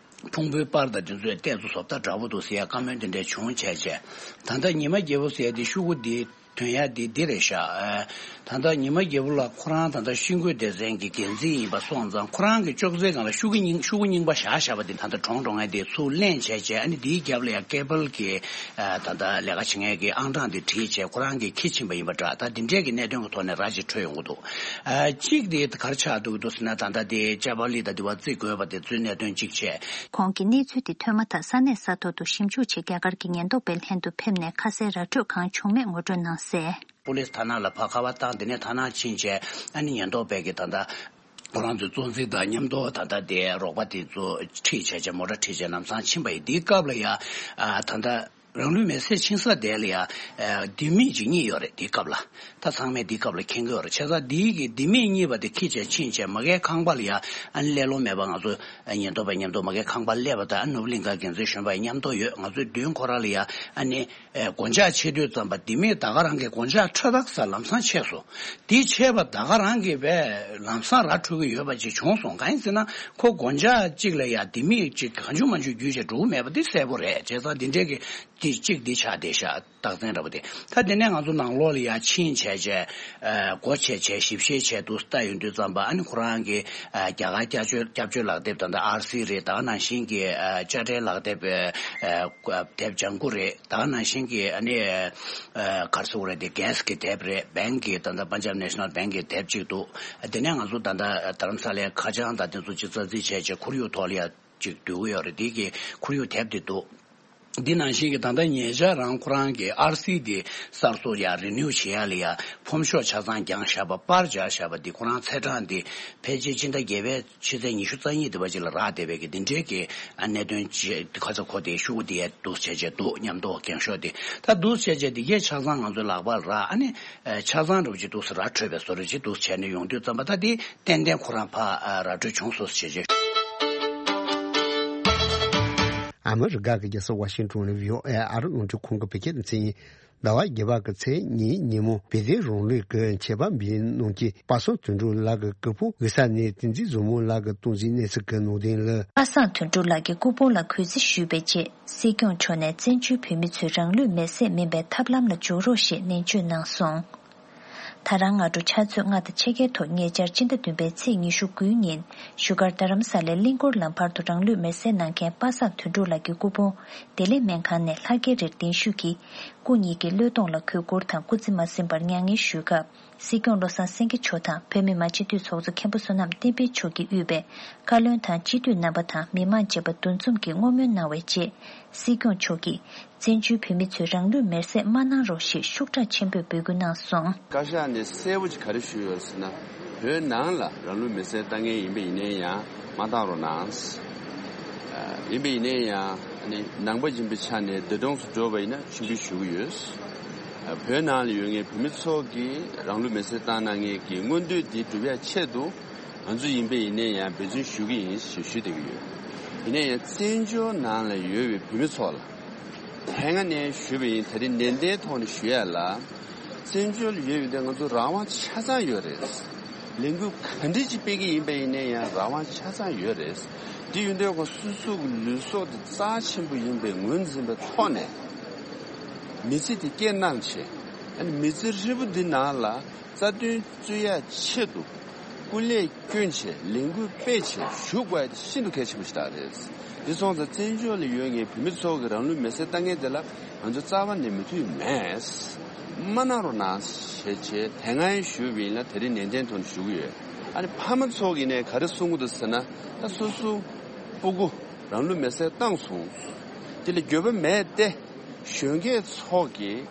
ཕུང་པོའི་པར་དང་དེ་ཚོའི་ལྟས་ཚོ་བཟོ་ལྟ་འདྲ་པོ་འདུག་ཟེར་ཡ་བཀའ་མོལ་དེ་འདྲས་བྱུང་བྱས་བྱས། ད་ལྟ་ཉི་མ་རྒྱལ་པོ་ཟེར་ཡ་དེ་ཤོག་གུ་འདི་ཐོན་ཡ་འདི་འདི་རེད་ཤག་ཨ། ད་ལྟ་ཉི་མ་རྒྱལ་པོ་ལགས་ཁོ་རང་ད་ལྟ་ཤིང་བརྐོས་སྡེ་ཚན་གྱི་འགན་འཛིན་ཡིན་པ་སོང་ཙང་ཁོ་རང་གི་ཅོག་ཙེའི་སྒང་ལ་ཤོག་གུ་རྙིང་ཤོག་གུ་རྙིང་པ་བཞག་བཞག་པ་དེ་ད་ལྟ་གྲོངས་འགྲོ་མཁན་དེ་ཚུར་ལེན་བྱས་བྱས། ཨ་ནི་འདིའི་རྒྱབ་ལ་ཡང་ཀེ་བལ་གྱི་ཨ་ད་ལྟ་ལས་ཀ་བྱེད་མཁན་གྱི་ཨང་གྲངས་དེ་བྲིས་བྱས་ཁོ་རང་གིས་འཁྱེར་ཕྱིན་པ་ཡིན་པ་འདྲ། ད་འདི་འདྲས་ཀྱི་གནད་དོན་གྱི་ཐོག་ནས་ར་ཅིག་འཕྲོད་ཡོང་གི་འདུག་ཨ་གཅིག་དེ་ག་རེ་ཆགས་འདུག་འདུག་ཟེར་ན། ད་ལྟ་དེ་ཅ་པ་ལི་དང་དེ་བ་རྩིས་དགོས་པ་དེ་ཚོའི་གནད་དོན་གཅིག་བྱས། ཁོང་གིས་གནས་ཚུལ་དེ་ཐོས་མ་ཐག་ས་གནས་ས་ཐོག་ཏུ་ཞིབ་འཇུག་ཆེད་རྒྱ་གར་གྱི་ཉེན་རྟོག་པའི་ལྷན་དུ་ཕེབས་ནས་ཁ་གསལ་ར་འཕྲོད་གང་བྱུང་མེད་ངོ་སྤྲོད་གནང་གསལ། པུ་ལིས་ཐ་ན་ལ་ཕར་ཁ་པར་བཏང་། དེ་ནས་ཐ་ན་ཕྱིན་བྱས་ཨ་ནི་ཉེན་རྟོག་པའི་གི་ད་ལྟ་ཁོ་རང་ཚོའི་གཙོ་འཛིན་དང་མཉམ་དུ་ད་ལྟ་དེ་རོགས་པ་དེ་ཚོ་ཁྲིད་བྱས་བྱས་མོ་ཊ་ཁྲིད་བྱས་ལམ་སང་ཕྱིན་པ་ཡིན། དེའི་སྐབས་ལ་ཡ་ཨ་ད་ལྟ། རང་ལུས་མེར་སྲེག་ཕྱིན་ས་དེ་ལ་ཡ། ཨ་ལྡེ་མིག་ཅིག་རྙེད་ཡོད་རེད། དེའི་སྐབས་ལ། ད་ཚང་མས་དེའི་སྐབས་ལ་མཁྱེན་གྱི་ཡོད་རེད། བྱས་ཙང་དེའི་གི་ལྡེ་མིག་རྙེད་པ་དེ་འཁྱེར་བྱས་ཕྱིན་བྱས་མ་གིའི་ཁང་པ་ལ་ཡ། ཨ་ནི་སླེབས་ལོང་མེད་པར་ང་ཚོ་ཉེན་རྟོག་པ་མཉམ་དུ་མ་གིའི་ཁང་པ་སླེབས་པ་དང་། ཨ་ནུབ་གླིང་ག་འགན་འཛིན་གཞོན་པ་མཉམ་དུ་ཡོད། ང་ཚོའི་མདུན་ཁོ་ར་ལ་ཡ་ཨ་ནི་ཨེ་སྒོ་ལྕགས་ཕྱེ་དུས་ཙམ་པ་ལྡེ་མིག་ད་ག་རང་གི་སྒོ་ལྕགས་ཕྲ་དག་ས་ལམ་སང་ཆད་སོང་། དེ་ཆད་པ་ད་ག་རང་གི་བས་ལམ་སང་ར་འཕྲོད་ཀྱི་ཡོད་པ་ཅིག་བྱུང་སོང་། གང་ཡིན་ཟེར་ན་ཁོ་སྒོ་ལྕགས་གཅིག་ལ་ཡ་ལྡེ་མིག་ཅིག་གང་བྱུང་མང་བྱུང་བརྒྱུད་བྱས་འགྲོ་གི་མེད་པ་དེ་གསལ་པོ་རེད། བྱས་ཙང་དེ་འདྲའི་གི་དེ་གཅིག་འདི་ཆགས་བསྡད་ཤག་རྟགས་མཚན་འདྲ་པོ་དེ། ད་དེ་ནས་ང་ཚོ་ནང་ལོགས་ལ་ཡ་ཕྱིན་བྱས་བྱས་ཨ་སྒོ་ཕྱེ་བྱས་ཞིབ་བཤེར་བྱས་འདུག་ལྟ་ཡོང་དུས་ཙམ་པ། ཨ་ནི་ཁོ་རང་གི་ཨ་རྒྱ་གར་སྐྱབས་བཅོལ་སྐྱབས་བཅོལ་ལག་དེབ་ད་ལྟ་ཨར་སི་རེད། ད་ག་ནང་བཞིན་གྱི་ཨ་དཔྱ་ཁྲལ་ལག་དེབ་ཨ་དེབ་ལྗང་གུ་རེད། ད་ག་ནང་བཞིན་གྱི་ཨ་ནི་ཨ་ག་རེ་ཟེར་དགོས་རེད། དེ་གྷེ་སི་གི་དེབ་རེད། བེང་གི་ད་ལྟ་པན་ཇབ་ནེ་ཤ་ནལ་བེང་གི་དེབ་གཅིག་འདུག་དེ་ནས་ང་ཚོ་ད་ལྟ་རྡ་རམ་ས་ལའི་ཁ་བྱང་དང་དེ་ཚོ་ཅིག་རྩ་རྩིས་བྱས་བྱས་ཁོར་ཡུག་ཐོག་ལ་ཡ་ཅིག་བསྡུ་གི་ཡོད་རེད། དེ་གི་ཁོར་ཡུག་དེབ་དེ་འདུག་འདི་ནང་བཞིན་གྱི་ད་ལྟ་ཉེ་ཆར་རང་ཁོ་རང་གི་ཨར་སི་དེ་གསར་བཟོ་ཡ་རི་ནིའུ་བྱེད་ཡ་ལ་ཡ་ཕོམ་ཤོག་ཆ་ཚང་བརྒྱངས་བཞག་པ། པར་རྒྱག་བཞག་པ་འདི་ཁོ་རང་ཚེས་གྲངས་འདི་ཕལ་ཆེར་སྤྱི་ཟླ་བརྒྱད་པའི་ཕྱི་ཚེས་ཉི་ཤུ་རྩ་གཉིས་དེ་བ་ཅིག་ལ་རག་བསྡད་པའི་གི་འདི་འདྲའི་གི་ཨ་གནད་དོན་ཅིག་ཁ་ཚ་ཁོ་དེ་ཤོག་གུ་དེ་ཡ་འདུག་བྱས་བྱས་འདུག་མཉམ་དུ་འགེངས་ཤོག་དེ་ད་འདུག་བྱས་བྱས་འདི་གས་ཆ་ཚང་ང་ཚོའི་ལག་པར་རག་ཨ་ནི་ཆ་ཚང་འདྲ་པོ་ཅིག་འདུག་སེ་ར་འཕྲོད་པའི་བཟོ་འདྲ་ཅིག་འདུག་བྱས་ནས་ཡོང་དུས་ཙམ་པ་ད་དེ་ཏན་ཏན་ཁོ་རང་ཕ་ཨ་ར་འཕྲོད་བྱུང་སོང་ཟེར་བྱས། ཨ་མི་རི་ཀ་གི་རྒྱལ་ས་ཝ་ཤིང་ཏོན་ནས་བྷི་ཨོ་ཨེ་ཨ་རི་རླུང་འཕྲིན་ཁང་གི་བོད་སྐད་སྡེ་ཚན་ཡིན། ཟླ་བ་བརྒྱད་པ་གི་ཚེས་གཉིས་ཉིན་མོ་བོད་དོན་རང་ལུས་ཀྱི་ཆེད་ཕམ་པའི་ནང་གི་པ་སངས་དོན་གྲུབ་ལགས་ཀྱི་སྐུ་ཕུང་དབུས་ས་ནས་བསྟན་འཛིན་བཟང་མོ་ལགས་ཀྱི་སྟངས་འཛིན་གནས་ཚུལ་གྱི་ནང་དོན་ལ། པ་སངས་དོན་གྲུབ་ལགས་ཀྱི་སྐུ་ཕུང་ལ་གུས་བརྩི་ཞུས་པའི་རྗེས། སྲིད་སྐྱོང་མཆོག་ནས་བཙན་བྱོལ་བོད་མི་ཚོས་རང་ལུས་མེར་སྲེག་མིན་པའི་ཐབས་ལམ་ལ་འཇུག་རོགས་ཞེས་ནན་བརྗོད་གནང་སོང་། ད་རང་སྔ་དྲོ་ཆུ་ཚོད་ལྔ་དང་ཕྱེད་ཀའི་ཐོག་ཉེ་ཆར་སྤྱི་ཟླ་བདུན་པའི་ཚེས་ཉི་ཤུ་དགུའི་ཉིན་བཞུགས་སྒར་རྡ་རམ་ས་ལའི་གླིང་སྐོར་ལམ་བར་དུ་རང་ལུས་མེར་སྲེག་གནང་མཁན་པ་སངས་དོན་གྲུབ་ལགས་ཀྱི་སྐུ་ཕུང་བདེ་ལེགས་སྨན་ཁང་ནས་ལྷ་རྒྱལ་རིར་གདན་ཞུས་ཀྱིས་སྐུ་ཉིད་ཀྱི་བློས་གཏོང་ལ་གུས་བཀུར་དང་སྐུ་ཚེ་མ་ཟིན་པར་མྱ་ངན་ཞུས་སྐབས། སྲིད་སྐྱོང་བློ་བཟང་སེང་གེ་མཆོག་དང་བོད་མི་མང་སྤྱི་འཐུས་ཚོགས་གཙོ་མཁན་པོ་བསོད་ནམས་བསྟན་འཕེལ་མཆོག་གིས་དབུས་པའི་བཀའ་བློན་དང་སྤྱི་འཐུས་རྣམ་པ་དང་མི་མང་བཅས་པ་འདུ་འཛོམས་ཀྱིས་བསྔོ་སྨོན་གནང་བའི་རྗེས། སྲིད་སྐྱོང་མཆོག་གིས་བཙན་བྱོལ་བོད་མི་ཚོས་རང་ལུས་མེར་སྲེག་མ་གནང་རོགས་ཞེས་ཤུགས་དྲག་ཆེན་པོས་འབོད་སྐུལ་གནང་སོང་། བཀའ་ཤག་ནས་གསལ་པོ་ཅིག་ག་རེ་ཞུས་ཡོད་ཟེར་ན། བོད་ནང་ལ་རང་ལུས་མེར་སྲེག་བཏང་མཁན་ཡིན་པ་ཡིན་ནའི་ཡང་མ་བཏང་རོགས་གནང་། ཡིན་པ་ཡིན་ནའི་ཡང་ནི་ནང་པ་ཡིན་པའི་ཆ་ནས་འདས་གྲོངས་སུ་འགྲོ་བ་ཡིན་ན་མཆོད་འབུལ་ཞུ་གི་ཡོད། བོད་ནང་ལ་ཡོད་མཁན་བོད་མི་ཚོ་གིས་རང་ལུས་མེར་སྲེག་བཏང་གནང་མཁན་གྱི་མངོན་འདོད་འདི་སྒྲུབ་ཡ་ཆེད་དུ། ང་ཚོ་ཡིན་པ་ཡིན་ནའི་ཡང་འབད་བརྩོན་ཞུ་གི་ཡིན་ཞེས་ཞུ་བསྡད་ཀྱི་ཡོད། ཡིན་ནའི་ཡང་བཙན་བྱོལ་ནང་ལ་ཡོད་པའི་བོད་མི་ཚོ་ལ་དེ་སྔ་ནས་ཞུས་པ་ཡིན། ད་རེས་ནན་ཏན་ཐོག་ནས་ཞུ་ཡ་ལ། བཙན་བྱོལ་ལ་ཡོད་པའི་འདི་ང་ཚོ་རང་དབང་ཆ་ཚང་ཡོད་རེད། ལས་འགུལ་ག་འདྲ་ཅིག་སྤེལ་གྱི་ཡིན་པ་ཡིན་ནའི་ཡང་རང་དབང་ཆ་ཚང་ཡོད་རེད། འདི་ཡོད་དུས་ཁོ་སོ་སོ་གི་ལུས་སྲོག་དེ་རྩ་ཆེན་པོ་ཡིན་པའི་ངོས་འཛིན་པའི་ཐོག་ནས་མི་ཚེ་དེ་སྐྱེལ་གནང་བྱས། ཨ་ནི་མི་ཚེ་ཧྲིལ་པོ་འདི་ནང་ལ་རྩ་དོན་རྩོད་ཡ་ཆེད་དུ་སྐུ་ལས་བསྐྱོན་བྱས་ལས་འགུལ་སྤེལ་བྱས་ཞུགས་དགོས་ཡ་དེ་ཤིན་ཏུ་གལ་ཆེན་པོ་ཞིག་རེད། འདི་སོང་ཙང་བཙན་བྱོལ་ལ་ཡོད་མཁན་བོད་མི་ཚོ་གི་རང་ལུས་མེར་སྲེག་བཏང་མཁན་དེ་ལ་ང་ཚོ་རྩ་བ་ནས་མོས་མཐུན་མེད། མ་གནང་རོགས་གནང་ཞེས་བྱས་དེ་སྔ་ཞུས་པ་ཡིན་ལ་དེ་རིང་ནན་ཏན་ཐོག་ནས་ཞུ་གི་ཡོད། ཨ་ནི་ཕ་མ་ཚོ་གིས་ནས་ག་རེ་གསུང་གི་འདུག་ཟེར་ན། ད་སོ་སོ་སྤུ་གུ་རང་ལུས་མེར་སྲེག་བཏང་སོང་། དེ་ལ་འགྱོད་པ་མེད་དེ། གཞོན་སྐྱེས་ཚོ་གིས་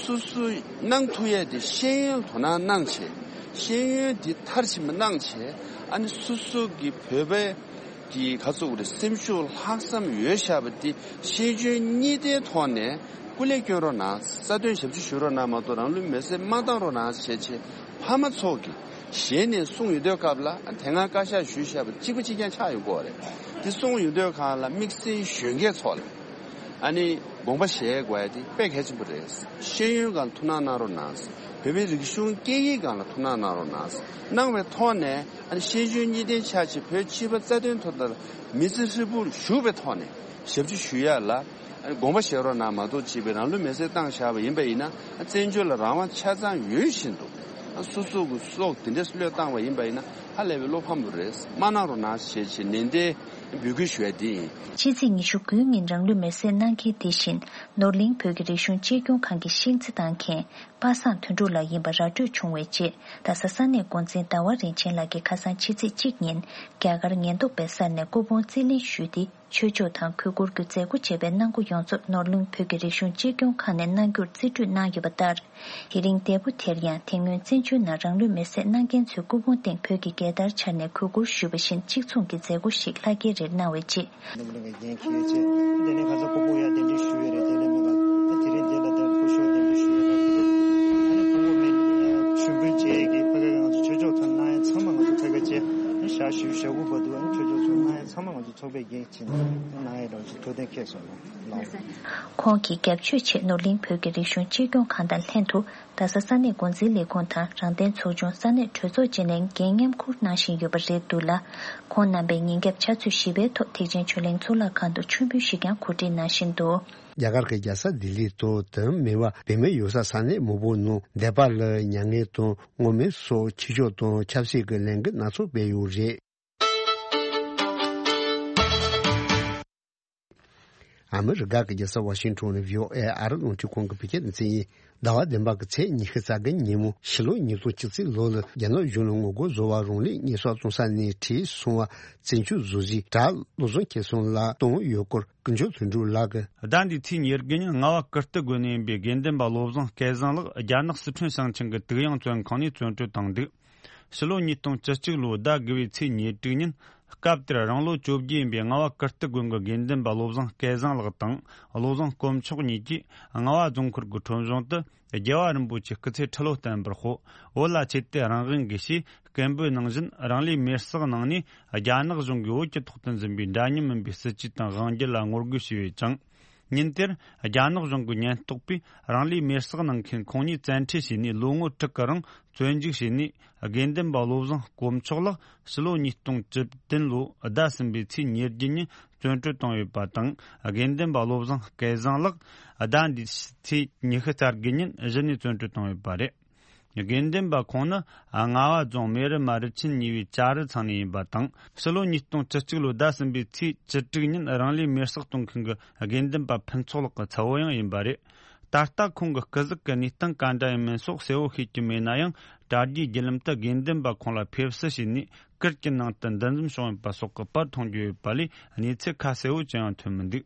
སོ་སོ་གནང་ཐུབ་ཡས་དེ་ཤེས་ཡོན་དོ་སྣང་གནང་བྱས། ཤེས་ཡོན་དེ་མཐར་ཕྱིན་པ་གནང་བྱས། ཨ་ནི་སོ་སོ་གི་བོད་པའི་གི་ག་ཚོད་རེད། སེམས་ཤུགས་ལྷག་བསམ་ཡོད་བཞག་པ་དེ་ཤེས་འཇོན་གཉིས་ལྡན་ཐོག་ནས་སྐུ་ལས་བསྐྱོན་རོགས་གནང་། རྩ་དོན་ཞབས་ཕྱི་ཞུ་རོགས་གནང་མ་གཏོགས་རང་ལུས་མེར་སྲེག་མ་བཏང་རོགས་གནང་ཞེས་བྱས་ཕ་མ་ཚོ་གིས་ཞལ་ནས་གསུངས་ཡོད་དུས་སྐབས་ལ། ཨ་དེ་སྔ་བཀའ་ཤག་ཞུས་བཞག་པ་གཅིག་པ་གཅིག་རྐྱང་ཆགས་ཡོང་གི་རེད། དེ་གསུངས་ཡོང་དུས་སྒང་ལ་དམིགས་བསལ་གཞོན་སྐྱེས་ཚོ་ལ་ཨ་ནི་དགོངས་པ་བཞེས་དགོས་ཡ་དེ་དཔེ་གལ་ཆེན་པོ་རེད། ཤེས་ཡོན་སྒང་ཐུགས་སྣང་གནང་རོགས་གནང་། བོད་པའི་རིག་གཞུང་སྐད་ཡིག་སྒང་ལ་ཐུགས་སྣང་གནང་རོགས་གནང་། གནང་བའི་ཐོག་ནས་ཨ་ནི་ཤེས་འཇོན་གཉིས་ལྡན་ཆགས་བྱས་བོད་སྤྱི་པ་རྩ་དོན་ཐོག་ལ་མི་ཚེ་ཧྲིལ་པོར་ཞུགས་པའི་ཐོག་ནས་ཞབས་ཕྱི་ཞུ་ཡ་ལ་ཨ་ནི་དགོངས་པ་བཞེས་རོགས་གནང་མ་གཏོགས་བྱས་པའི་རང་ལུས་མེར་སྲེག་བཏང་བཞག་པ་ཡིན་པ་ཡིན་ན། ཨ་བཙན་བྱོལ་ལ་རང་དབང་ཆ་ཚང་ཡོད་བཞིན་དུ་ཨ་སོ་སོ་གི་སྲོག་དེ་འདྲས་བློས་བཏང་བ་ཡིན་པ་ཡིན་ན་ཧ་ལས་པའི་བློ་ཕམ་པོ་རེད། མ་གནང་རོགས་གནང་ཞེས་བྱས་ནན་ཏན་འབོད་སྐུལ་ཞུ་ཡ་འདི་ཡིན། ཕྱི་ཚེས་ཉི་ཤུ་དགུའི་ཉིན་རང་ལུས་མེར་སྲེག་གནང་མཁན་དེ་བཞིན་ནོར་གླིང་བོད་ཀྱི་རིག་གཞུང་གཅེས་སྐྱོང་ཁང་གི་ཤིང་རྩི་བཏང་མཁན་པ་སངས་དོན་གྲུབ་ལགས་ཡིན་པ་ར་སྤྲོད་བྱུང་བའི་རྗེས། རྡ་ས་ས་གནས་འགོ་འཛིན་ཟླ་བ་རིན་ཆེན་ལགས་ཀྱིས་ཁ་སང་ཕྱི་ཚེས་གཅིག་ཉིན་རྒྱ་གར་ཉེན་རྟོག་པའི་སར་ནས་སྐུ་ཕུང་རྩིས་ལེན་ཞུས་ཏེ། ཆོས་ཕྱོགས་དང་གུས་བཀུར་གྱི་མཛད་སྒོ་བྱས་པའི་གནང་སྒོ་ཡོངས་རྫོགས་ནོར་གླིང་བོད་ཀྱི་རིག་གཞུང་གཅེས་སྐྱོང་ཁང་ནས་གནང་རྒྱུར་རྩིས་སྤྲོད་གནང་ཡོད་པ་ལྟར། དེ་རིང་འདས་པོ་དེར་ཡང་དེ་སྔོན་བཙན་བྱོལ་ནང་རང་ལུས་མེར་སྲེག་གནང་མཁན་ཚོའི་སྐུ་ཕུང་སྟེང་བོད་ཀྱི་རྒྱལ་དར་འཕྱར་ནས་གུས་བཀུར་ཞུས་པ་བཞིན་གཅིག་མཚུངས་ཀྱི་མཛད་སྒོ་ཞིག་ལྷ་རྒྱལ་རིར་གནང་བའི་རྗེས། ནོར་གླིང་གི་འགན་འཁྱེར་བྱས། དེ་ནས་ཁ་སང་སྐུ་ཕུང་ཡར་གདན་འདྲེན་ཞུས་ཡོད་རེད། དེ་ལས་མི་འགའ་དེ་རིང་འདི་ལ་དར་སྐུ་ཞབས་གདན་འདྲེན་ཞུས་ཡོད་རེད། ཨ་ནི་སྐུ་ཕུང་མེ་མཆོད་འབུལ་བྱས་ཀྱི་ཕ་གི་ང་ཚོ་ཆོས་ཕྱོགས་ཚོ་གནང་ཡ་ཚང་མ་ང་ཚོ་ཕ་གི་བྱས། ཨ་ནི་ཞག་བཞི་བཅུ་ཞེ་དགུ་བར་དུ་ཨ་ནི་ཆོས་ཕྱོགས་ཚོ་གནང་ཡ་ཚང་མ་ང་ཚོ་ཚོགས་པའི་འགན་བྱས་ནས་གནང་ཡ་རང་བཞིན་ཐུགས་གཏན་འཁེལ་སོང་ལ། ཁོང་གིས་རྒྱབ་ཆོས་ཆེད་ནོར་གླིང་བོད་ཀྱི་རིག་གཞུང་གཅེས་སྐྱོང་ཁང་དང་ལྷན་དུ་རྡ་ས་ས་གནས་འགོ་འཛིན་ལས་ཁུངས་དང་རང་བདེན་ཚོགས་ཆུང་ས་གནས་གྲོས་ཚོགས་བཅས་ནས་འགན་མཉམ་འཁུར་གནང་བཞིན་ཡོད་པ་རེད་འདུག་ལ། ཁོང་རྣམ་པས་ཉིན་རྒྱབ་ཕྱག་ཚོད་བཞི་པའི་ཐོག་ཐེག་ཆེན་ཆོས་གླིང་གཙུག་ལག་ཁང་དུ་མཆོད་འབུལ་ཞིག་ཀྱང་གོ་སྒྲིག་གནང་བཞིན་འདུག། རྒྱ་གར་གྱི་རྒྱལ་ས་ལྡི་ལི་དང་དེ་མིན་པ་བོད་མི་ཡོད་ས་ས་གནས་མང་པོའི་ནང་འདས་པ་ལ་མྱ་ངན་དང་བསྔོ་སྨོན་སོགས་ཆོས་ཕྱོགས་དང་ཆབ་སྲིད་ཀྱི་ལས་འགུལ་སྣ་ཚོགས་སྤེལ་ཡོད་རེད། ཨ་མི་རི་ཀ་གི་རྒྱལ་ས་ཝ་ཤིང་ཊོན་ནས་བྷི་ཨོ་ཨེ་ཨ་རི་རླུང་འཕྲིན་ཁང་གི་བོད་སྐད་སྡེ་ཚན་ཡིན། ཟླ་བ་བདུན་པ་གི་ཚེས་ཉི་ཤུ་རྩ་དགུ་ཉིན་མོ་ཕྱི་ལོ་ཉིས་སྟོང་བཅུ་གཅིག་ལོ་ལ་རྒྱ་ནག་གཞུང་ལ་ངོ་རྒོལ་བཟོ་བར་རང་ལུས་མེར་སྲེག་བཏང་ས་ནས་བྲོས་སོང་བ་བཙན་བྱོལ་བཟོ་གཞིས་གྲྭ་བློ་བཟང་ཁེ་བཟང་ལགས་བཏང་ཡོད་སྐོར་ཀུན་མཆོག་དོན་གྲུབ་ལགས་ཀྱིས། ཟླ་འདིའི་ཚེས་ཉེར་དགུ་ཉིན་རྔ་བ་ཀིརྟི་དགོན་ནས་ཡིན་པའི་དགེ་འདུན་པ་བློ་བཟང་སྐལ་བཟང་ལགས་རྒྱ་ནག་སི་ཁྲོན་ཞིང་ཆེན་གྱི་དུག་ཡང་བཙོན་ཁང་ནས་བཙོན་གྲོལ་བཏང་འདུག། ཕྱི་ལོ་ཉིས་སྟོང་བཅུ་གཅིག་ལོའི་ཟླ་དགུ་བའི་ཚེས་ཉེར་དྲུག་ཉིན། སྐབས་དེར་རང་ལོ་བཅོ་བརྒྱད་ཡིན་པའི་རྔ་བ་ཀིརྟི་དགོན་གྱི་དགེ་འདུན་པ་བློ་བཟང་སྐལ་བཟང་ལགས་དང་བློ་བཟང་དཀོན་མཆོག་གཉིས་ཀྱིས་རྔ་བ་རྫོང་ཁུལ་གྱི་ཁྲོམ་གཞུང་དུ་རྒྱལ་བ་རིན་པོ་ཆེའི་སྐུ་ཚེ་ཁྲི་ལོ་བརྟན་པར་ཤོག། བོད་ལ་ཆེད་དུ་རང་དབང་གིས་ཞེས་སྐད་འབོད་ནང་བཞིན་རང་ལུས་མེར་སྲེག་གནང་ནས་རྒྱ་ནག་གཞུང་གིས་བོད་ཀྱི་ཐོག་ཏུ་འཛིན་པའི་འདྲ་མཉམ་མིན་པའི་སྲིད་ཇུས་དང་དབང་སྒྱུར་ལ་ངོ་རྒོལ་བྱས་ཡོད་ཅིང་། ཉིན་དེར་རྒྱ་ནག་གཞུང་གི་ཉེན་རྟོག་པས་རང་ལུས་མེར་སྲེག་གནང་མཁན་ཁོང་གཉིས་བཙན་ཁྲིད་བྱས་ནས་ལོ་ངོ་དྲུག་གི་རིང་བཙོན་འཇུག་བྱས་ནས། དགེ་འདུན་པ་བློ་བཟང་དཀོན་མཆོག་ལགས་ཕྱི་ལོ་ཉིས་སྟོང་བཅུ་བདུན་ལོའི་ཟླ་གསུམ་པའི་ཚེས་ཉེར་བརྒྱད་ཉིན་བཙོན་གྲོལ་བཏང་ཡོད་པ་དང་། དགེ་འདུན་པ་བློ་བཟང་སྐལ་བཟང་ལགས་ཟླ་འདིའི་ཚེས་ཉི་ཤུ་རྩ་དགུ་ཉིན་གཞི་ནས་བཙོན་གྲོལ་བཏང་ཡོད་པ་རེད། དགེ་འདུན་པ་ཁོང་ནི་རྔ་བ་རྫོང་མེ་རི་མ་རི་ཆེན་གཉིས་པའི་ལྕགས་རི་ཚང་ནས་ཡིན་པ་དང་། ཕྱི་ལོ་ཉིས་སྟོང་བཅུ་གཅིག་ལོའི་ཟླ་གསུམ་པའི་ཚེས་བཅུ་དྲུག་ཉིན་རང་ལུས་མེར་སྲེག་གཏོང་མཁན་གྱི་དགེ་འདུན་པ་ཕུན་ཚོགས་ལགས་ཀྱི་ཚ་བོ་ཡང་ཡིན་པ་རེད། ད་ལྟ་ཁོང་གི་སྐུ་གཟུགས་ཀྱི་གནས་སྟངས་ག་འདྲ་ཡིན་མིན་སོགས་གསལ་བོ་ཤེས་ཀྱི་མེད་ན་ཡང་ དྲ་རྒྱའི་བརྒྱུད་ལམ་དུ་དགེ་འདུན་པ་ཁོང་ལ་ཕེབས་བསུ་བྱས་ནས་ཀིརྟ་གྱི་ནང་དུ་འདུ་འཛོམས་བྱུང་ཡོད་པ་སོགས་ཀྱི་པར་མཐོང་རྒྱུ་ཡོད་པ་ལས་གནས་ཚུལ་ཁ་གསལ་བོ་ཅི་ཡང་ཐོན་མི་འདུག་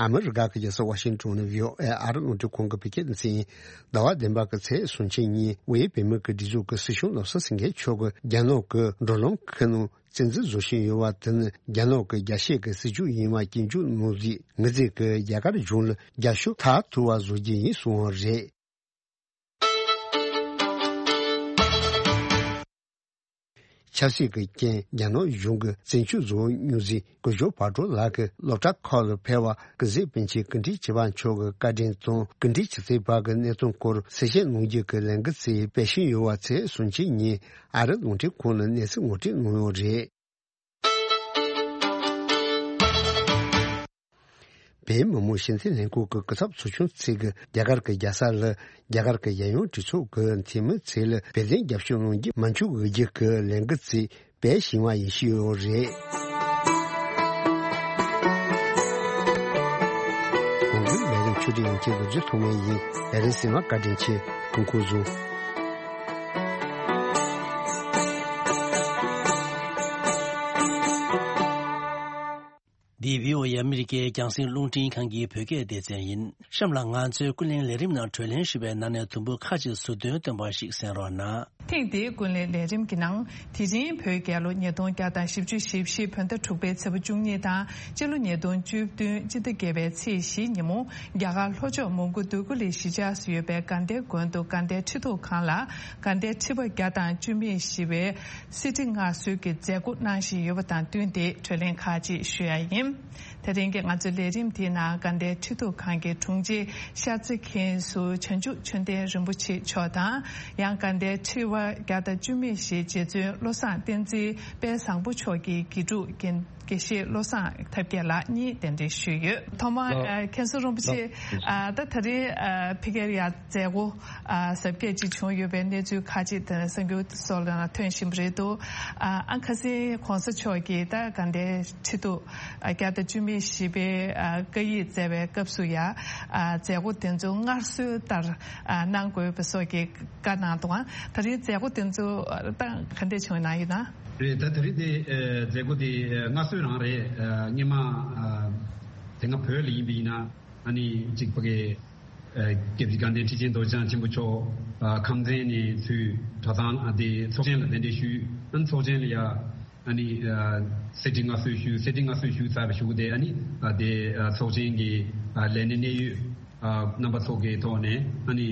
ཨ་མི་རི་ཀ་གི་རྒྱལ་ས་ཝ་ཤིང་ཏོན་ནས་བྷི་ཨོ་ཨེ་ཨ་རི་རླུང་འཕྲིན་ཁང་གི་བོད་སྐད་སྡེ་ཚན་ཡིན། ཟླ་བ་བདུན་པ་གི་ཚེས་སུམ་ཅུ་ཉིན་དབུས་བོད་མི་གི་སྒྲིག་འཛུགས་ཀྱི་སྲིད་སྐྱོང་བློ་བཟང་སེང་གེ་མཆོག་གིས་རྒྱ་ནག་གི་འགྲོ་ལམ་ཁུལ་ནང་བཙན་འཛུལ་བཟོ་བཞིན་ཡོད་པ་དེ་ནི་རྒྱ་ནག་གི་རྒྱལ་སྤྱི་གི་སྲིད་ཇུས་ཡིན་པ་སྐྱོན་བརྗོད་གནང་རྗེས་ངེད་ཚོས་ཀྱི་རྒྱ་གར་གཞུང་ལ་རྒྱབ་སྐྱོར་མཐར་ཐུག་པ་བཟོ་རྒྱུ་ཡིན་གསུངས་པ་རེད། ཆབ་སྲིད་ཀྱི་རྐྱེན་རྒྱ་ནག་གཞུང་གིས་བཙན་བྱོལ་བཟོ་མྱོང་རྗེས་སྐུ་ཞབས་བག་གྲོ་ལགས་ཀྱིས་སློབ་གྲྭ་ཁག་ལ་ཕེབས་པར་སྐུ་ཚེ་པཎ་ཆེན་སྐུ་ཕྲེང་བཅུ་པ་མཆོག་གི་བཀའ་དྲིན་དང་སྐུ་ཕྲེང་བཅུ་གསུམ་པ་གི་གནས་སྟངས་སྐོར་གསལ་བཤད་གནང་རྒྱུ་གི་ལས་འགུལ་ཞིག་སྤེལ་བཞིན་ཡོད་པ་ཚེས་སུམ་ཅུ་ཉིན་ཨ་རི་རླུང་འཕྲིན་ཁང་ལ་གནས་ཚུལ་ངོ་སྤྲོད་གནང་ཡོད་རེད། བོད་མི་མང་སྤྱི་འཐུས་ལྷན་ཁང་གི་སྐུ་ཚབ་ཚོགས་ཆུང་ཚོས་ཀྱི་རྒྱ་གར་གྱི་རྒྱལ་ས་ལ་རྒྱ་གར་གྱི་རྒྱལ་ཡོངས་གྲོས་ཚོགས་ཀྱི་འཐུས་མི་ཚོ་ལ་བོད་དོན་རྒྱབ་སྐྱོར་གནང་རྒྱུ་མ་འཇུག་དགོས་རྒྱུ་གི་ལས་འགུལ་ཞིག་སྤེལ་བཞིན་པ་ཡིན་ཞུས་ཡོད་རེད། གོང་གི་ལས་རིམ་ཆུ་སྒྲིག་ཡོང་ཆེད་དུ་རྒྱུ་ཐུག་མེད་ཡིན། ལས་རིམ་ཟིན་མ་བཀའ་དྲིན་ཆེ། སྐུ་འཁོར་བཟུང་། འདི་བྷི་ཨོ་ཨེ་ཨ་མི་རི་ཀའི་རྒྱང་སྲིང་རླུང་འཕྲིན་ཁང་གི་བོད་སྐད་སྡེ་ཚན་ཡིན། གཤམ་ལ་ང་ཚོའི་ཀུན་གླེང་ལས་རིམ་ནང་གྲོས་གླེང་ཞུས་པའི་ནང་ནས་དུམ་བུ་ཁ་ཅིག་ཟུར་འདོན་བཏོན་པ་ཞིག་གསན་རོགས་གནང་། ཐེངས་འདིའི་ཀུན་གླེང་ལས་རིམ་གྱི་ནང་དེ་རིང་བོད་རྒྱལ་ལོ་ཉིས་སྟོང་བརྒྱ་དང་བཞི་བཅུ་ཞེ་བཞི་བོད་ཟླ་དྲུག་པའི་ཚེས་པ་བཅུ་གཉིས་དང་སྤྱི་ལོ་ཉིས་སྟོང་བཅུ་བདུན་སྤྱི་ཟླ་བརྒྱད་པའི་ཚེས་བཞི་ཉིན་མོ་རྒྱ་གར་ལྷོ་ཕྱོགས་མོན་གྷོ་འདོད་རྒུ་གླིང་གཞིས་ཆགས་སུ་ཡོད་པའི་དགའ་ལྡན་དགོན་དུ་དགའ་ལྡན་ཁྲི་ཐོག་ཁང་ལ་དགའ་ལྡན་ཁྲི་པ་བརྒྱ་དང་བཅུ་མེད་བཞི་པའི་གསེར་ཁྲི་མངའ་གསོལ་གྱི་མཛད་སྒོ་གནང་བཞིན་ཡོད་པ་དང་བསྟུན་ཏེ་གྲོས་གླེང་ཁག་ཅིག་ཞུ་ཡ་ཡིན། དེ་རིང་གི་ང་ཚོའི་ལས་རིམ་དེའི་ནང་དགའ་ལྡན་ཁྲི་ཐོག་ཁང་གི་དྲུང་ཆེ་ཤར་རྩེ་མཁན་ཟུར་བྱང་ཆུབ་ཆོས་ལྡན་རིན་པོ་ཆེ་མཆོག་དང་ཡང་དགའ་ལྡན་ཁྲི་པ་བརྒྱ་དང་བཅུ་མེད་བཞི་རྗེ་བཙུན་བློ་བཟང་བསྟན་འཛིན་དཔལ་བཟང་པོ་མཆོག་གི་དགེ་ཕྲུག་རྒན་དགེ་བཤེས་བློ་བཟང་ཐབས་མཁས་ལགས་གཉིས་གདན་འདྲེན་ཞུས་ཡོད། ཐོག་མར་ལགས། ཨ་མཁན་ཟུར་རིན་པོ་ཆེ། ལགས། ཨ་ད་ད་རེས་ཨ་ཕ་གིར་ཡ་མཛད་སྒོ་ཨ་གཟབ་རྒྱས་ཅིག་བྱུང་ཡོད་པའི་གནས་ཚུལ་ཁག་ཅིག་དེ་གསར་འགྱུར་སོགས་ལ་ཐོན་བཞིན་པ་རེད་འདུག་ཨ་ཨ་ཁ་སང་གོང་ས་མཆོག་གིས་ད་དགའ་ལྡན་ཁྲི་ཐོག་ཨ་བརྒྱ་དང་བཅུ་མེད་བཞི་པའི་ཨ་བཀའ་ཡིག་སྩལ་བའི་སྐབས་སུ་ཡ་ཨ་མཛད་སྒོ་དེ་ཚོ་སྔར་སྲོལ་ལྟར་ཨ་གནང་དགོས་པ་སོགས་ཀྱི་བཀའ་གནང་འདུག་ཨ་ད་རེས་མཛད་སྒོ་དེ་ཚོ་ད་ག་འདྲས་བྱུང་ཡོད་ན་ཡིན་ན། རེད། ད་དེ་རིང་དེ་ཨ་མཛད་སྒོ་དེ་ཨ་སྔར་སྲོལ་རང་རེད། ཨ་སྔོན་མ་ཨ་དེ་སྔ་བོད་ལ་ཡིན་པ་ཡིན་ན་ཨ་ནི་གཅིག་ཕ་གི་ཨ་སྐྱབས་རྗེ་དགའ་ལྡན་ཁྲི་ཆེན་རྡོ་རྗེ་འཆང་ཆེན་པོ་མཆོག་ཨ་ཁམས་ཚན་ནས་ཚུར་གྲྭ་ཚང་ཨ་དེ་ཚོགས་ཆེན་ལ་གདན་འདྲེན་ཞུས། ཨ་ནི་ཚོགས་ཆེན་ལ་ཡ་ཨ་ནི་ཨ་གསེར་ཁྲི་མངའ་གསོལ་ཞུས། གསེར་ཁྲི་མངའ་གསོལ་ཞུས་ཚར་བའི་གཞུག་དེ་ཨ་ནི་ཨ་དེ་ཨ་ཚོགས་ཆེན་གྱི་ཨ་ལས་སྣེ་གནད་ཡོད་ཨ་རྣམ་པ་ཚོ་གི་ཐོག་ནས་ཨ་ནི་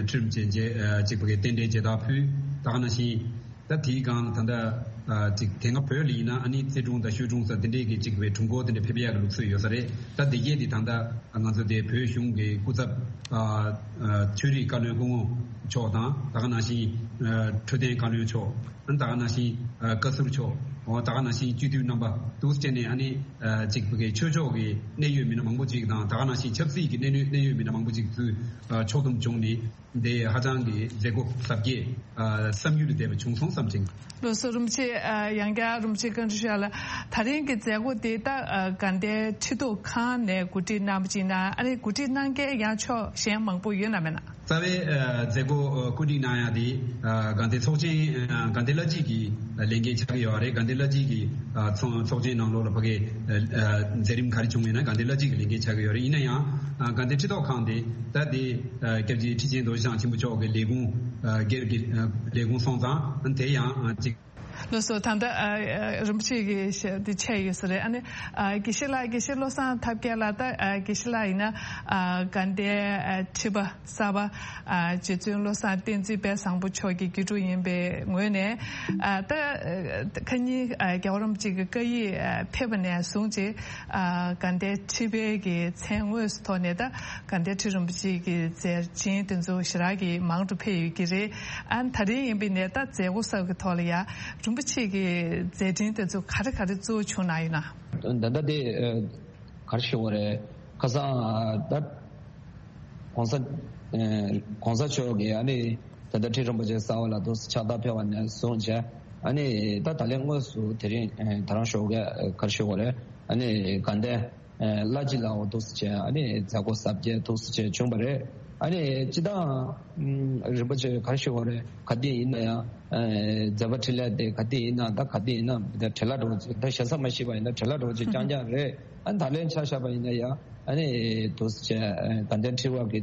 ཁྲི་རིན་པོ་ཆེ་མཇལ་ཨ་གཅིག་པ་གི་རྟེན་འབྲེལ་མཇལ་དར་ཕུལ། ད་ག་ནང་བཞིན་ད་དེའི་སྒང་ད་ལྟ་ཨ་གཅིག་དེ་སྔ་བོད་ལ་ཡིན་ན་ཨ་ནི་རྩེ་དྲུང་དང་ཤོད་དྲུང་ས་དེ་འདྲས་ཀྱི་གཅིག་པའི་དྲུང་འཁོར་དེ་འདྲས་ཕེབས་ཡག་གི་ལུགས་སྲོལ་ཡོད་ས་རེད། ད་དེ་གས་དེ་ད་ལྟ་ང་ཚོ་དེ་བོད་གཞུང་གི་སྐུ་ཚབ་ཨ་ཨ་ཆོས་རིག་བཀའ་བློན་སྐུ་ངོ་མཆོག་དང་ད་ག་ནང་བཞིན་ཨ་འཕྲོད་བསྟེན་བཀའ་བློན་མཆོག་ཨ་ནི་ད་ག་ནང་བཞིན་ཨ་བཀའ་ཟུར་མཆོག་ཨོ་ད་ག་ནང་བཞིན་སྤྱི་འཐུས་རྣམ་པ་འདུག་སེ་བྱས་ནས་ཨ་ནི་ཨ་གཅིག་པ་གི་ཆོས་ཕྱོགས་ཀྱི་གནད་ཡོད་མི་སྣ་མང་པོ་ཅིག་དང་ད་ག་ནང་བཞིན་ཆབ་སྲིད་ཀྱི་གནད་ཡོད་གནད་ཡོད་མི་སྣ་མང་པོ་ཅིག་ཚུར་ཨ་ཕྱོགས་བསྡོམས་བྱུང་ནས་འདི་ཧ་ཅང་གི་མཛད་སྒོ་གཟབ་རྒྱས་ཨ་བསམ་ཡུལ་ལས་འདས་པ་བྱུང་སོང་བསམ་ཅིང་། ལགས་སོ། རིན་པོ་ཆེ་ཨ་ཡང་བསྐྱར་རིན་པོ་ཆེ་བཀའ་འདྲི་ཞུ་ཡ་ལ། ད་རིང་གི་མཛད་སྒོ་འདི་ད་ཨ་དགའ་ལྡན་ཁྲི་ཐོག་ཁང་ནས་གོ་སྒྲིག་གནང་བ་ཅིག་ན་ཨ་ནི་གོ་སྒྲིག་གནང་མཁན་ཡང་ཕྱོགས་གཞན་མང་པོ་ཡོད་ན་མེད་ན། རྩ་བའི་ཨ་མཛད་སྒོ་ཨ་གོ་སྒྲིག་གནང་ཡ་དེ་ཨ་དགའ་ལྡན་ཚོགས་ཆེན་ཨ་དགའ་ལྡན་བླ་སྤྱི་གི་ལས་འགན་ཆགས་ཀྱི་ཡོད་རེད། དགའ་ལྡན་བླ་སྤྱི་གི་ཨ་ཚོགས་ཚོགས་ཆེན་ནང་ལོགས་ལ་ཕ་གི་ཨ་མཛད་རིམ་ག་རེ་བྱུང་ཡོད་ན་དགའ་ལྡན་བླ་སྤྱི་གི་ལས་འགན་ཆགས་ཀྱི་ཡོད་རེད། ཡིན་ན་ཡང་ཨ་དགའ་ལྡན་ཁྲི་ཐོག་ཁང་དེ་ད་དེ་ཨ་སྐྱབས་རྗེ་ཁྲི་ཆེན་རྡོ་རྗེ་འཆང་ཆེན་པོ་མཆོག་གི་ལས་ཁུངས་ཨ་སྒེར་གྱི་ཨ་ལས་ཁུངས་སོང་ཙང་ཨ་དེ་ཡང་ཨ་ཅིག་ལགས་སོ། ད་ལྟ་ཨ་ཨ་རིན་པོ་ཆེ་གི་ཞལ་འདི་ཆད་ཡོད་ས་རེད། ཨ་ནི་ཨ་དགེ་བཤེས་ལགས། དགེ་བཤེས་བློ་བཟང་ཐབས་མཁས་ལགས། ད་ཨ་དགེ་བཤེས་ལགས་ཡིན་ན་ཨ་དགའ་ལྡན་ཨ་ཁྲི་པ་གསར་པ་ཨ་རྗེ་བཙུན་བློ་བཟང་བསྟན་འཛིན་དཔལ་བཟང་པོ་མཆོག་གི་དགེ་ཕྲུག་ཡིན་པའི་ངོས་ནས་ཨ་ད་ཨ་ཁ་ཉིན་ཨ་རྒྱལ་བ་རིན་པོ་ཆེ་གི་བཀའ་ཡིག་ཨ་ཕེབས་པ་ནས་བཟུང་བྱས་ཨ་དགའ་ལྡན་ཁྲི་པའི་གི་མཚན་དངོས་སུ་ཐོག་ནས་ད་དགའ་ལྡན་ཁྲི་རིན་པོ་ཆེ་གི་མཛད་འཕྲིན་དེ་ཚོ་ཞེ་དྲག་གི་མང་དུ་ཕེབས་ཡོད་ཀྱི་རེད། ཨ་ད་རིང་ཡིན་པའི་ནས་ད་མཛད་སྒོ་གསར་གྱི་ཐོག་ལ་ཡ་རིན་པོ་ཆེ་གི་མཛད་འཕྲིན་དེ་ཚོ་ག་རེ་ག་རེ་གཙོ་བོ་བྱུང་གནང་ཡོད་ན། ད་ལྟ་དེ་ཨ་ག་རེ་ཞུ་དགོས་རེད། ཁ་སང་ཨ་ད་གོང་ས་ཨ་གོང་ས་མཆོག་གིས་ཨ་ནི་ད་ལྟ་ཁྲི་རིན་པོ་ཆེ་གསར་པ་ལ་དུ་ཕྱག་རྟགས་ཕེབས་པ་ནས་བཟུང་བྱས་ཨ་ནི་ད་ད་ལན་དངོས་སུ་དེ་རིང་ཨ་ད་རང་ཞོགས་ཀས་ག་རེ་ཞུ་དགོས་རེད། ཨ་ནི་དགའ་ལྡན་ཨ་བླ་སྤྱི་ལའོ་འདུག་སེ་བྱས་ཨ་ནི་མཛད་སྒོ་གཟབ་རྒྱས་འདུག་སེ་བྱས་བྱུང་བ་རེད། ཨ་ནི་སྤྱིར་བཏང་རིན་པོ་ཆེ་ག་རེ་ཞུ་དགོས་རེད། ག་དུས་ཡིན་ན་ཡང་མཛད་པ་འཕྲིན་ལས་དེ་ག་དུས་ཡིན་ན་ད་ག་དུས་ཡིན་ན་ད་བྲེལ་བ་འགྲོ་ཅིག་ད་ཞེ་ས་མ་ཤེས་པ་ཡིན་ན་བྲེལ་བ་འགྲོ་ཅིག་རྐྱང་རྐྱང་རེད། ཨ་ནི་ད་ལན་ཆ་བཞག་པ་ཡིན་ན་ཡང་ཨ་ནི་དུས་ཚོད་དགའ་ལྡན་ཁྲི་པ་གི་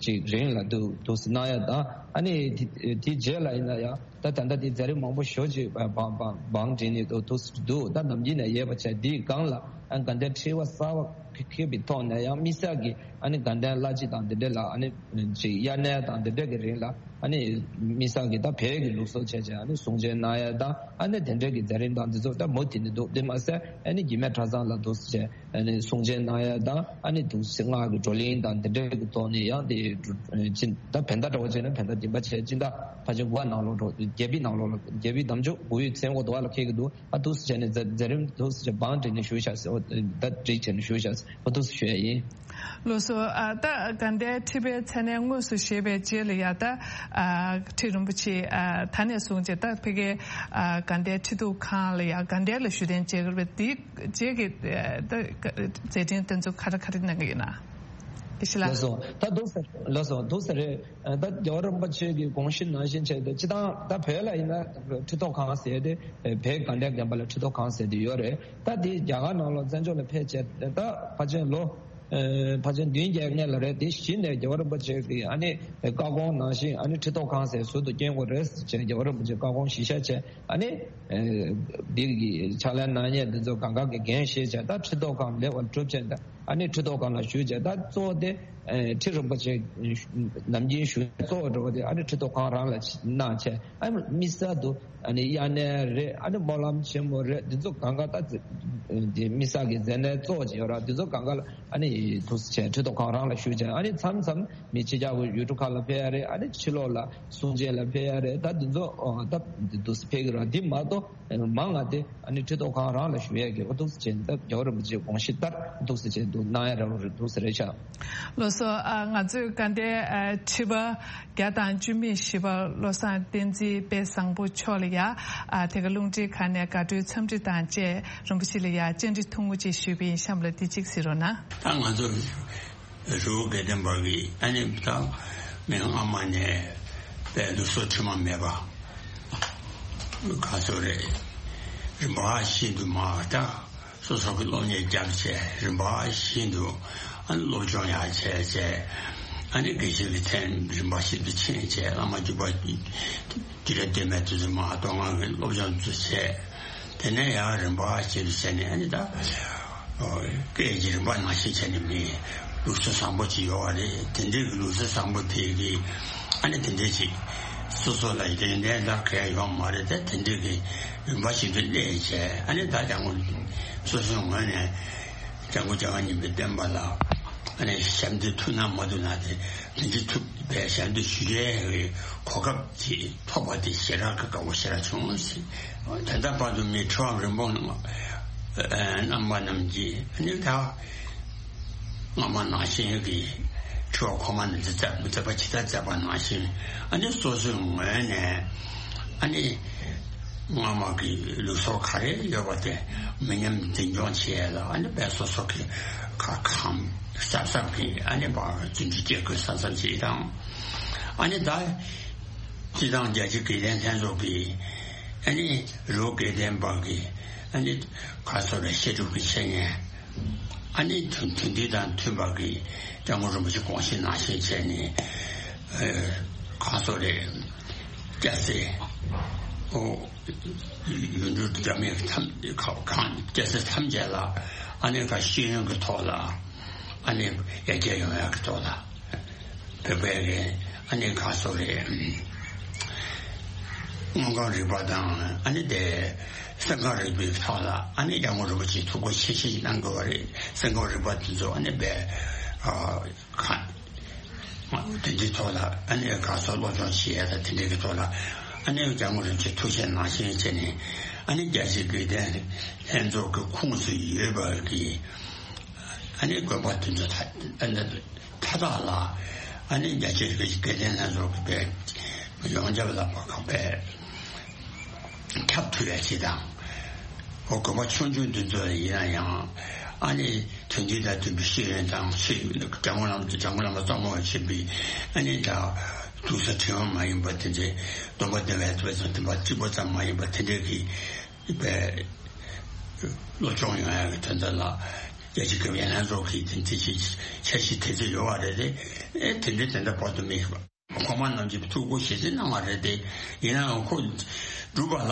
ཅིག་རིང་ལ་འདུག་འདུག་སེ་གནང་ཡ་དང་ཨ་ནི་དེ་དེ་རྗེས་ལ་ཡིན་ན་ཡང་། ད་ད་ལྟ་དེ་མཛད་རིམ་མང་པོ་ཞེ་ཅིག་བང་བང་བང་བསྒྲིགས་ནས་འདུག་འདུག་ད་ནམ་རྒྱུན་ནས་ཡོད་པ་བྱས་དེའི་སྒང་ལ་ཨ་དགའ་ལྡན་ཁྲི་པ་གསར་པ་ཁེ་ཁེ་པའི་ཐོག་ནས་ཡང་དམིགས་བསལ་གྱི་ཨ་ནི་དགའ་ལྡན་བླ་སྤྱི་དང་དེ་འདྲ་ལ་ཨ་ནི་ཅིག་དབྱར་གནས་དང་དེ་འདྲ་གི་རིང་ལ་ཨ་ནི་དམིགས་བསལ་གྱི་ད་བོད་ཀྱི་ལུགས་སྲོལ་བྱས་བྱས་ཨ་ནི་གསུང་ཆོས་གནང་ཡ་དང་ཨ་ནི་དེ་འདྲ་གི་མཛད་རིམ་དང་འདི་ཚོ་ད་མུ་མཐུད་ནས་འདུག་དེ་མ་ཟད་ཨ་ནི་རྒྱུད་སྨད་གྲྭ་ཚང་ལ་འདུག་སེ་བྱས། ཨ་ནི་གསུང་ཆོས་གནང་ཡ་དང་ཨ་ནི་འདུག་སེ་སྔགས་ཀྱི་བགྲོ་གླེང་དང་འདི་འདྲའི་གི་ཐོག་ནས་ཡང་དེ་ཅི་ད་བོད་ཟླ་འདྲ་བོ་བྱས་ན་བོད་ཟླ་བདུན་པ་བྱས་སྤྱི་ཟླ་ཕལ་ཆེར་དགུ་པ་ནང་ལོགས་འགྲོ་རྒྱལ་པོའི་ནང་ལོགས་ལ་རྒྱལ་པོའི་འདམ་ཆུ་དགུ་ཡོས་མཚན་འགོ་དུ་བ་ལ་འཁེལ་གི་འདུག་ཨ་འདུག་སེ་བྱས་ནས་མཛད་མཛད་རིམ་འདུག་སེ་བྱས་བང་བསྒྲིགས་ནས་ཞུ་བྱ་ཟེར་ཨོ་ད་བསྒྲིགས་བྱས་ནས་ཞུ་བྱ་ཟེར་ཨོ་འདུག་སེ་ཞུ་ཡ་ཡིན། ལགས་སོ། ཨ་ད་དགའ་ལྡན་ཁྲི་པའི་མཚན་གནས་དངོས་སུ་བཞེས་པའི་རྗེས་ལ་ཡ་ད་ཨ་ཁྲི་རིན་པོ་ཆེ་ཨ་ད་ནས་བཟུང་བྱས་ད་ཕ་གིའི་ཨ་དགའ་ལྡན་ཁྲི་ཐོག་ཁང་ལ་ཡ་དགའ་ལྡན་ལ་བཞུགས་གདན་འཇགས་ཀྱི་རེད་པས། དེའི་རྗེས་ཀྱི་ཨ་ད་མཛད་འཕྲིན་དེ་ཚོ་ག་རེ་ག་རེ་གནང་གི་ཡོད་ན། ཨེ་ཤི་ལ། ལགས་སོ། ད་འདུག་སེ་ལགས་སོ་འདུག་སེ་རེད། ད་རྒྱལ་བ་རིན་པོ་ཆེ་གི་དགོངས་གཞི་ནང་བཞིན་བྱས་ཏེ་སྤྱིར་བཏང་ད་བོད་ལ་ཡིན་ན་ཁྲི་ཐོག་ཁང་ཟེར་ཏེ་བོད་དགའ་ལྡན་དགོན་པ་ལ་ཁྲི་ཐོག་ཁང་ཟེར་ཏེ་ཡོད་རེད། ད་དེ་རྒྱ་གར་ནང་ལ་བཙན་བྱོལ་ལ་ཕེབས་བྱས་ད་ཕལ་ཆེར་ལོ་ཕལ་ཆེར་བདུན་བརྒྱད་སྔོན་ལ་རེད། དེ་གཞི་ནས་རྒྱལ་བ་རིན་པོ་ཆེ་གི་ཨ་ནི་བཀའ་དགོངས་ནང་བཞིན་ཨ་ནི་ཁྲི་ཐོག་ཁང་ཟེར་ཟུར་དུ་བསྐྱོན་དགོས་རེད་ཟེར་བྱས་རྒྱལ་བ་རིན་པོ་ཆེ་བཀའ་དགོངས་གཞིར་བཞག་བྱས་ཨ་ནི་འདི་གི་ཕྱག་ལེན་གནང་མཁན་འདི་ཚོ་གང་ག་གི་འགན་བཞེས་བྱས་ད་ཁྲི་ཐོག་ཁང་ལེགས་པར་གྲུབ་བྱས་ད་ཨ་ནི་ཁྲི་ཐོག་ཁང་ལ་བཞུགས་བྱས་ད་གཙོ་བོ་དེ་ཁྲི་རིན་པོ་ཆེ་ནམ་རྒྱུན་བཞུགས་གཙོ་བོ་འགྲོ་བ་དེ་ཨ་ནི་ཁྲི་ཐོག་ཁང་རང་ལ་གནང་བྱས་ཨ་ནི་དམིགས་བསལ་དུ། ཨ་ནི་དབྱར་གནས་རེད། ཨ་ནི་སྨོན་ལམ་ཆེན་མོ་རེད། འདི་ཚོ་གང་ག་ད་དེ་དམིགས་བསལ་གྱི་མཛད་གནས་གཙོ་བོ་ཅིག་ཡོད་ར། འདི་ཚོ་གང་ག་ལ་ཨ་ནི་འདུག་སེ་བྱས་ཁྲི་ཐོག་ཁང་རང་ལ་བཞུགས་བྱས་ཨ་ནི་མཚམས་མཚམས་མི་ཕྱི་རྒྱལ་གྱི་ཡུལ་གྲུ་ཁག་ལ་ཕེབས་ཡ་རེད། ཨ་ནི་ཕྱི་ལོགས་ལ་གསུང་ཆོས་ལ་ཕེབས་ཡ་རེད། ད་འདི་ཚོ་ཨོ་ད་འདུག་སེ་ཕེབས་ཀྱི་ར། འདི་མ་གཏོགས་མང་ང་དེ་ཨ་ནི་ཁྲི་ཐོག་ཁང་རང་ལ་བཞུགས་ཡ་གི་འོ་འདུག་སེ་བྱས་ད་རྒྱལ་བ་རིན་པོ་ཆེའི་དགོངས་གཞི་ལྟར་འདུག་སེ་བྱས་འདུག་གནང་ཡ་ར་འདུག་སེ་རེད་ཤག་ལགས་སོ། ཨ་ང་ཚོས་དགའ་ལྡན་ཨ་ཁྲི་པ་བརྒྱ་དང་བཅུ་མེད་བཞི་པ་བློ་བཟང་བསྟན་འཛིན་དཔལ་བཟང་པོ་མཆོག་ལ་ཡ་ཨ་དེ་ག་རླུང་འཕྲིན་ཁང་ནས་དགའ་སྤྲོའི་འཚམས་འདྲི་དང་བཅས་རིན་པོ་ཆེ་ལ་ཡ་བཅར་འདྲི་ཐུང་ངུ་ཅིག་ཞུས་པ་ཡིན། གཤམ་ལ་འདི་གཅིག་གཟིགས་རོགས་གནང་། ད་ང་ཚོ་རི་བོ་དགའ་ལྡན་པ་གི་ཨ་ནི་ད་མི་སྔ་མ་ནས་དཔལ་ལུགས་སྲོལ་དྲི་མ་མེད་པ་ག་ཚོད་རེད། རིམ་པ་བཞིན་དུ་མ་ད། སོ་སོ་གི་སློབ་གཉེར་བརྒྱབ་བྱས་རིམ་པ་བཞིན་དུ་ཨ་ནི་སློབ་སྦྱོང་ཡང་བྱས་བྱས་ཨ་ནི་དགེ་བཤེས་ཀྱི་མཚན་རིམ་པ་བཞིན་དུ་ཕྱིན་བྱས་བླ་མ་བརྒྱུད་པ་དུས་རབས་སྟོད་སྨད་དུ་མ་གཏོང་ང་གི་སློབ་སྦྱོང་དུ་བྱས། དེ་ནས་ཡང་རིམ་པ་བཞིན་དུ་བྱས་ནས་ཨ་ནི་ད་སྐད་ཀྱི་རིམ་པ་ནང་བཞིན་བྱས་ནས་མི་ལུགས་སྲོལ་བཟང་པོ་ཅིག་ཡོད་པ་རེད། དེ་འདྲའི་གི་ལུགས་སྲོལ་བཟང་པོ་དེ་གི་ཨ་ནི་དེ་འདྲའི་ཅིག་སོ་སོ་ལ་ཡོན་ཏན་ལ་གལ་ཡོད་མ་རེད་དེ་དེ་འདྲའི་གི་རིམ་པ་བཞིན་དུ་གནས་བྱས་ཨ་ནི་ད་ལྟ་ངོ་སོ་སོའི་ངོས་ནས་སྐྱབས་མགོན་རྒྱལ་བ་ཉིད་པའི་བསྟན་པ་ལ་ཨ་ནི་ཞབས་འདེགས་ཐུབ་ན་མ་ཐུབ་ན་དེ་དེ་འདྲའི་ཐུབ་པའི་ཞབས་འདེགས་ཞུ་ཡས་གི་གོ་སྐབས་ཅིག་ཐོབ་པ་དེ་ཞེ་དྲག་གི་དགའ་བོ་ཞེ་དྲག་བྱུང་ཟེར། ད་ལྟ་བར་དུ་མི་ཁྲི་པ་རིན་སྤུངས་རྣམ་པ་རྣམས་ཀྱིས་ཨ་ནི་ད། སྔ་མ་ནང་བཞིན་གྱི་ཁྲི་པ་ཁོ་མ་ནས་མཛད་མཛད་པ་ཇི་ལྟར་མཛད་པ་ནང་བཞིན་ཨ་ནི་སོ་སོའི་ངོས་ནས་ཨ་ནི་སྔ་མ་གི་ལུགས་སྲོལ་ག་རེ་ཡོད་པ་དེ་མི་ཉམས་འཛིན་སྐྱོང་བྱེད་ཡས་ལ་ཨ་ནི་དཔེ་སོ་སོ་གི་ཁ་ཁམས་གཟབ་གཟབ་གི་ཨ་ནི་བར་རྫུ་འཕྲུལ་སྐྱེ་དགོས་གཟབ་གཟབ་བྱེད་དང་ཨ་ནི་ད་སྤྱི་བཏང་རྒྱལ་སྤྱིའི་དགེ་ལྡན་ལྷན་ཚོགས་ཀྱི་ཨ་ནི་རི་བོ་དགེ་ལྡན་པ་གི་ཨ་ནི་ག་ཚོད་རེ་བཤད་སྒྲུབ་ཀྱི་བྱེད་མཁན། ཨ་ནི་དོན་དོན་འདི་དང་མཐུན་པ་གི་སྐྱབས་མགོན་རིན་པོ་ཆེ་དགོངས་གཞི་ནང་བཞིན་བྱས་ནས་ཨེ་གང་སོགས་རེད། སྐྱ་སེར་ཨོ་ཡུལ་གྲུ་འདྲ་མིན་ཐམས་གང་སྐྱ་སེར་ཐམས་ཅད་ལ་ཨ་ནི་ག་ཤེས་ཡོན་གྱི་ཐོག་ལ་ཨ་ནི་ཡར་རྒྱས་ཡོང་ཡག་གི་ཐོག་ལ། བོད་པའི་གི་ཨ་ནི་ག་སོགས་རེད། དངོས་ཁམས་རིག་པ་དང་ཨ་ནི་དེ་སེམས་ཁམས་རིག་པའི་ཐོག་ལ་ཨ་ནི་སྐྱབས་མགོན་རིན་པོ་ཆེས་ཐུགས་ཁུར་ཆེ་ཆེ་གནང་དགོས་པ་རེད། སེམས་ཁམས་རིག་པ་དེ་ཚོ་ཨ་ནི་བས་ཨ་ག་དེ་འདྲའི་ཐོག་ལ་ཨ་ནི་ག་སོགས་སློབ་སྦྱོང་བྱེད་ཡ་དང་དེ་འདྲའི་གི་ཐོག་ལ་ཨ་ནི་སྐྱབས་མགོན་རིན་པོ་ཆེས་ཐུགས་བཞེད་གནང་བཞིན་བྱས་ནས་ཨ་ནི་རྒྱལ་སྤྱིའི་དགེ་ལྡན་ལྷན་ཚོགས་ཀྱི་ཁོངས་སུ་ཡོད་པ་གི་ཨ་ནི་དགོན་པ་དེ་ཚོ་ད་ཨ་ནི། མཐའ་དག་ལ་ཨ་ནི་རྒྱལ་སྤྱིའི་དགེ་ལྡན་ལྷན་ཚོགས་ཀྱི་དཔེ་ཡོངས་ཁྱབ་ལ་བར་ཁ་དཔེ་ཁྱབ་ཐུབ་ཡ་ཅིག་དང་། འོ་དགོན་པ་ཆུང་ཆུང་འདི་ཚོ་ཡིན་ན་ཡང་ཨ་ནི་ དོན་འདི་དང་མཐུན་པའི་ཤེས་ཡོན་དང་ཤེས་ཡོན་འཇམ་མགོན་བླ་མ་འཇམ་མགོན་བླ་མ་རྩ་བ་ཆེན་པོའི་ཨ་ནི་ད་དུང་ས་ཕྲེང་བ་མ་ཡིན་པ་དེ་འདྲའི་སྟོན་པ་བདེ་བའི་ཐོབ་པའི་ཚོ་དེ་པ་གཅིག་པ་ཙམ་མ་ཡིན་པ་དེ་འདྲའི་གི་པའི་སློབ་སྦྱོང་ཡོང་ཡག་གི་དོན་དག་ལ་རྒྱལ་སྤྱི་སྐབས་ཡན་ལག་ཚོགས་ཀྱི་དེ་འདྲའི་ཅིག་འཆར་གཞི་དེ་ཚོ་ཡོད་པ་རེད་དེ། ཨེ་དེ་འདྲའི་དེ་འདྲ་བར་དུ་མེད་པ། གོང་མ་རྣམས་ཀྱིས་ཐུགས་ཁུར་བཞེས་ཏེ་གནང་བ་རེད་དེ། ཡིན་ནའང་ཁོ་སྒྲུབ་པ་ལ་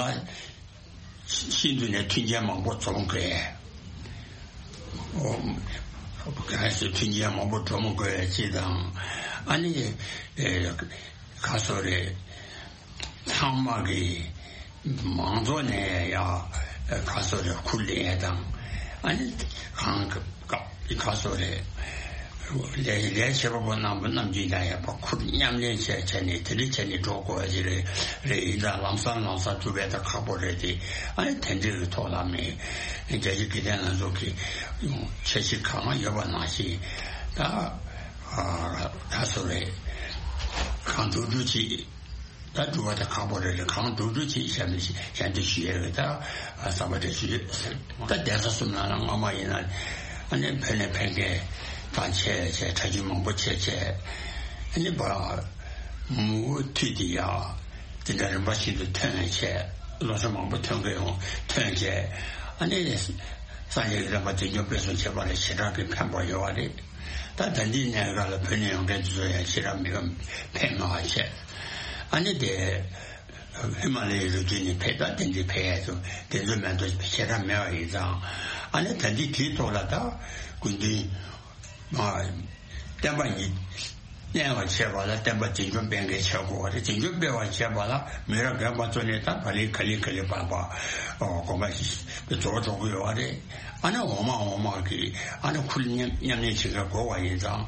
ཤིན་ཏུ་ནས་མཐུན་རྐྱེན་མང་པོ་འཛོམས་དགོས། ཨོ། གལ་སྲིད་མཐུན་རྐྱེན་མང་པོ་འཛོམས་དགོས་ཅེས་དང་། ཨ་ནི་ཨེ་ག་སོ་རེད། ཚང་མ་གི་མང་ཚོགས་ནས་ཡ་ག་སོ་རེད་ཁུར་ལེན་ཡས་དང་། ཨ་ནི་གང་ག་ག་སོ་རེད། ལས་ལས་བྱེད་པ་པོ་རྣམ་པ་རྣམས་ཀྱིས་ཡང་ཡག་པོ་ཁུར་མཉམ་ལེན་བྱས་བྱས་ནས་དེ་འདྲ་བྱས་ནས་འགྲོ་དགོས་ཡ་ཅིག་རེད། རེད་ཡིན་ད་ལམ་སང་ལམ་སང་ཐུབ་པའི་ད་ཁག་པོ་རེད་དེ། ཨ་ནི་དེ་འདྲའི་གི་ཐོག་ལ་མི་རྒྱ་ཆེ་དགེ་ལྡན་ལྷན་ཚོགས་ཀྱི་འཆར་གཞི་གང་ཡོད་པ་ནང་བཞིན་ད་ད་སོ་རེད། གང་འགྲོ་འགྲོ་ཅིག་ད་སྒྲུབ་པ་དེ་ཁག་པོ་རེད་རེད། གང་འགྲོ་འགྲོ་བྱེད་ཞབས་ཞབས་འདེགས་ཞུ་ཡས་རེད། ད་བསམ་པ་དེ་ཞུ་ཡོད། ད་གདན་ས་གསུམ་ནང་ལ་སྔ་མ་ཡིན་ན་ཨ་ནི་བོད་ནས་ཕེབས་མཁན་དང་བྱས་བྱས་གྲྭ་རྒྱུན་མང་པོ་བྱས་བྱས་ཨ་ནི་བ་མུ་མཐུད་དེ་ཡ་དེ་འདྲ་རིམ་པ་བཞིན་དུ་ཐོན་བྱས་སློབ་གསོ་མང་པོ་ཐོན་གི་ཡོང་ཐོན་བྱས་ཨ་ནི་སངས་རྒྱས་ཀྱི་བསྟན་པ་འཛིན་སྐྱོང་སྤེལ་གསུམ་བྱེད་པ་ལ་ཞེ་དྲག་གི་ཕན་པ་ཡོད་པ་རེད། ད་ད་ལྟའི་གནས་སྐབས་ལ་བོད་ནས་ཡོང་མཁན་དེ་ཚོ་ཡང་ཞེ་དྲག་མི་ཕན་མ་བ་བྱས། ཨ་ནི་དེ་ཧི་མ་ལ་ཡའི་རི་རྒྱུད་ནས་ཕེབས་ད་དེ་འདྲའི་ཕེབས་ཡས་ཚོ་དེ་ཚོ་མེད་དོ་ཞེ་དྲག་མེད་པ་ཡིན་ཙང་། ཨ་ནི་ད་ལྟའི་དེའི་ཐོག་ལ་ད་སྐུ་མདུན་མ་བསྟན་པ་ཉིད་གནས་པར་བྱེད་པ་ལ་བསྟན་པ་འཛིན་སྐྱོང་སྤེལ་མཁན་བྱེད་དགོས་པ་རེད། འཛིན་སྐྱོང་སྤེལ་བར་བྱེད་པ་ལ་མི་རབས་རྒན་པ་ཚོ་ནས་ད་ག་ལེ་ག་ལེ་ག་ལེ་བར་བར་དགོངས་པ་ཞིག་རྫོགས་འགྲོ་གི་ཡོད་པ་རེད། ཨ་ནི་འོག་མ་འོག་མ་གི་ཨ་ནི་ཁུར་མཉམ་མཉམ་ལེན་བྱེད་མཁན་དགོས་པ་ཡིན་ཙང་།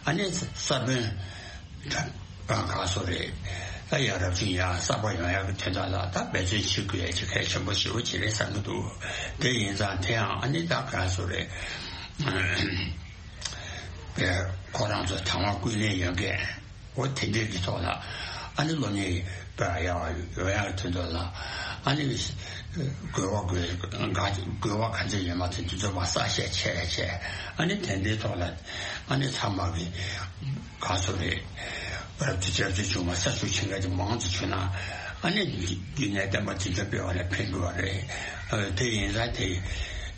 ཨ་ནི་ས་བོན་ད་ག་སོ་རེད། ད་ཡ་རབས་ཅན་ཡ་གསར་པ་ཡོང་ཡག་གི་དོན་དག་ལ་ད་འབད་བརྩོན་བྱེད་དགོས་ཡ་ཅིག་གལ་ཆེན་པོ་ཞེ་པོ་ཅིག་རེད་བསམ་གྱི་འདུག་དེ་ཡིན་ཙང་དེ་ཡང་ཨ་ནི་ད་ག་སོ་རེད། པའི་ཁོ་རང་ཚོ་དང་བ་ཀུན་ལེན་ཡོད་མཁན་འོ་དེ་འདྲས་ཀྱི་ཐོག་ལ་ཨ་ནི་སློབ་གཉེར་སྤེལ་ཡག་ཡོང་ཡག་དོན་དུ་ལ་ཨ་ནི་དགོས་པ་དགོས་དགོས་པ་ག་ཚོད་ཡོད་མ་ཚོད་དེ་ཚོ་མ་བསགས་བཤད་བྱས་བྱས་ཨ་ནི་དེ་འདྲའི་ཐོག་ལ་ཨ་ནི་ཚང་མ་གི་ག་ཚོད་རེད། རབ་ཏུ་བྱ་རྩོལ་བྱུང་བ་ས་ཚུགས་ཆེན་ཁ་དེ་མང་དུ་བྱུང་ན་ཨ་ནི་རྒྱུད་ནས་བསྟན་པ་འཛིན་སྐྱོང་སྤེལ་བ་ལ་ཕན་དགོས་པ་རེད། དེ་ཡིན་ཙང་དེ་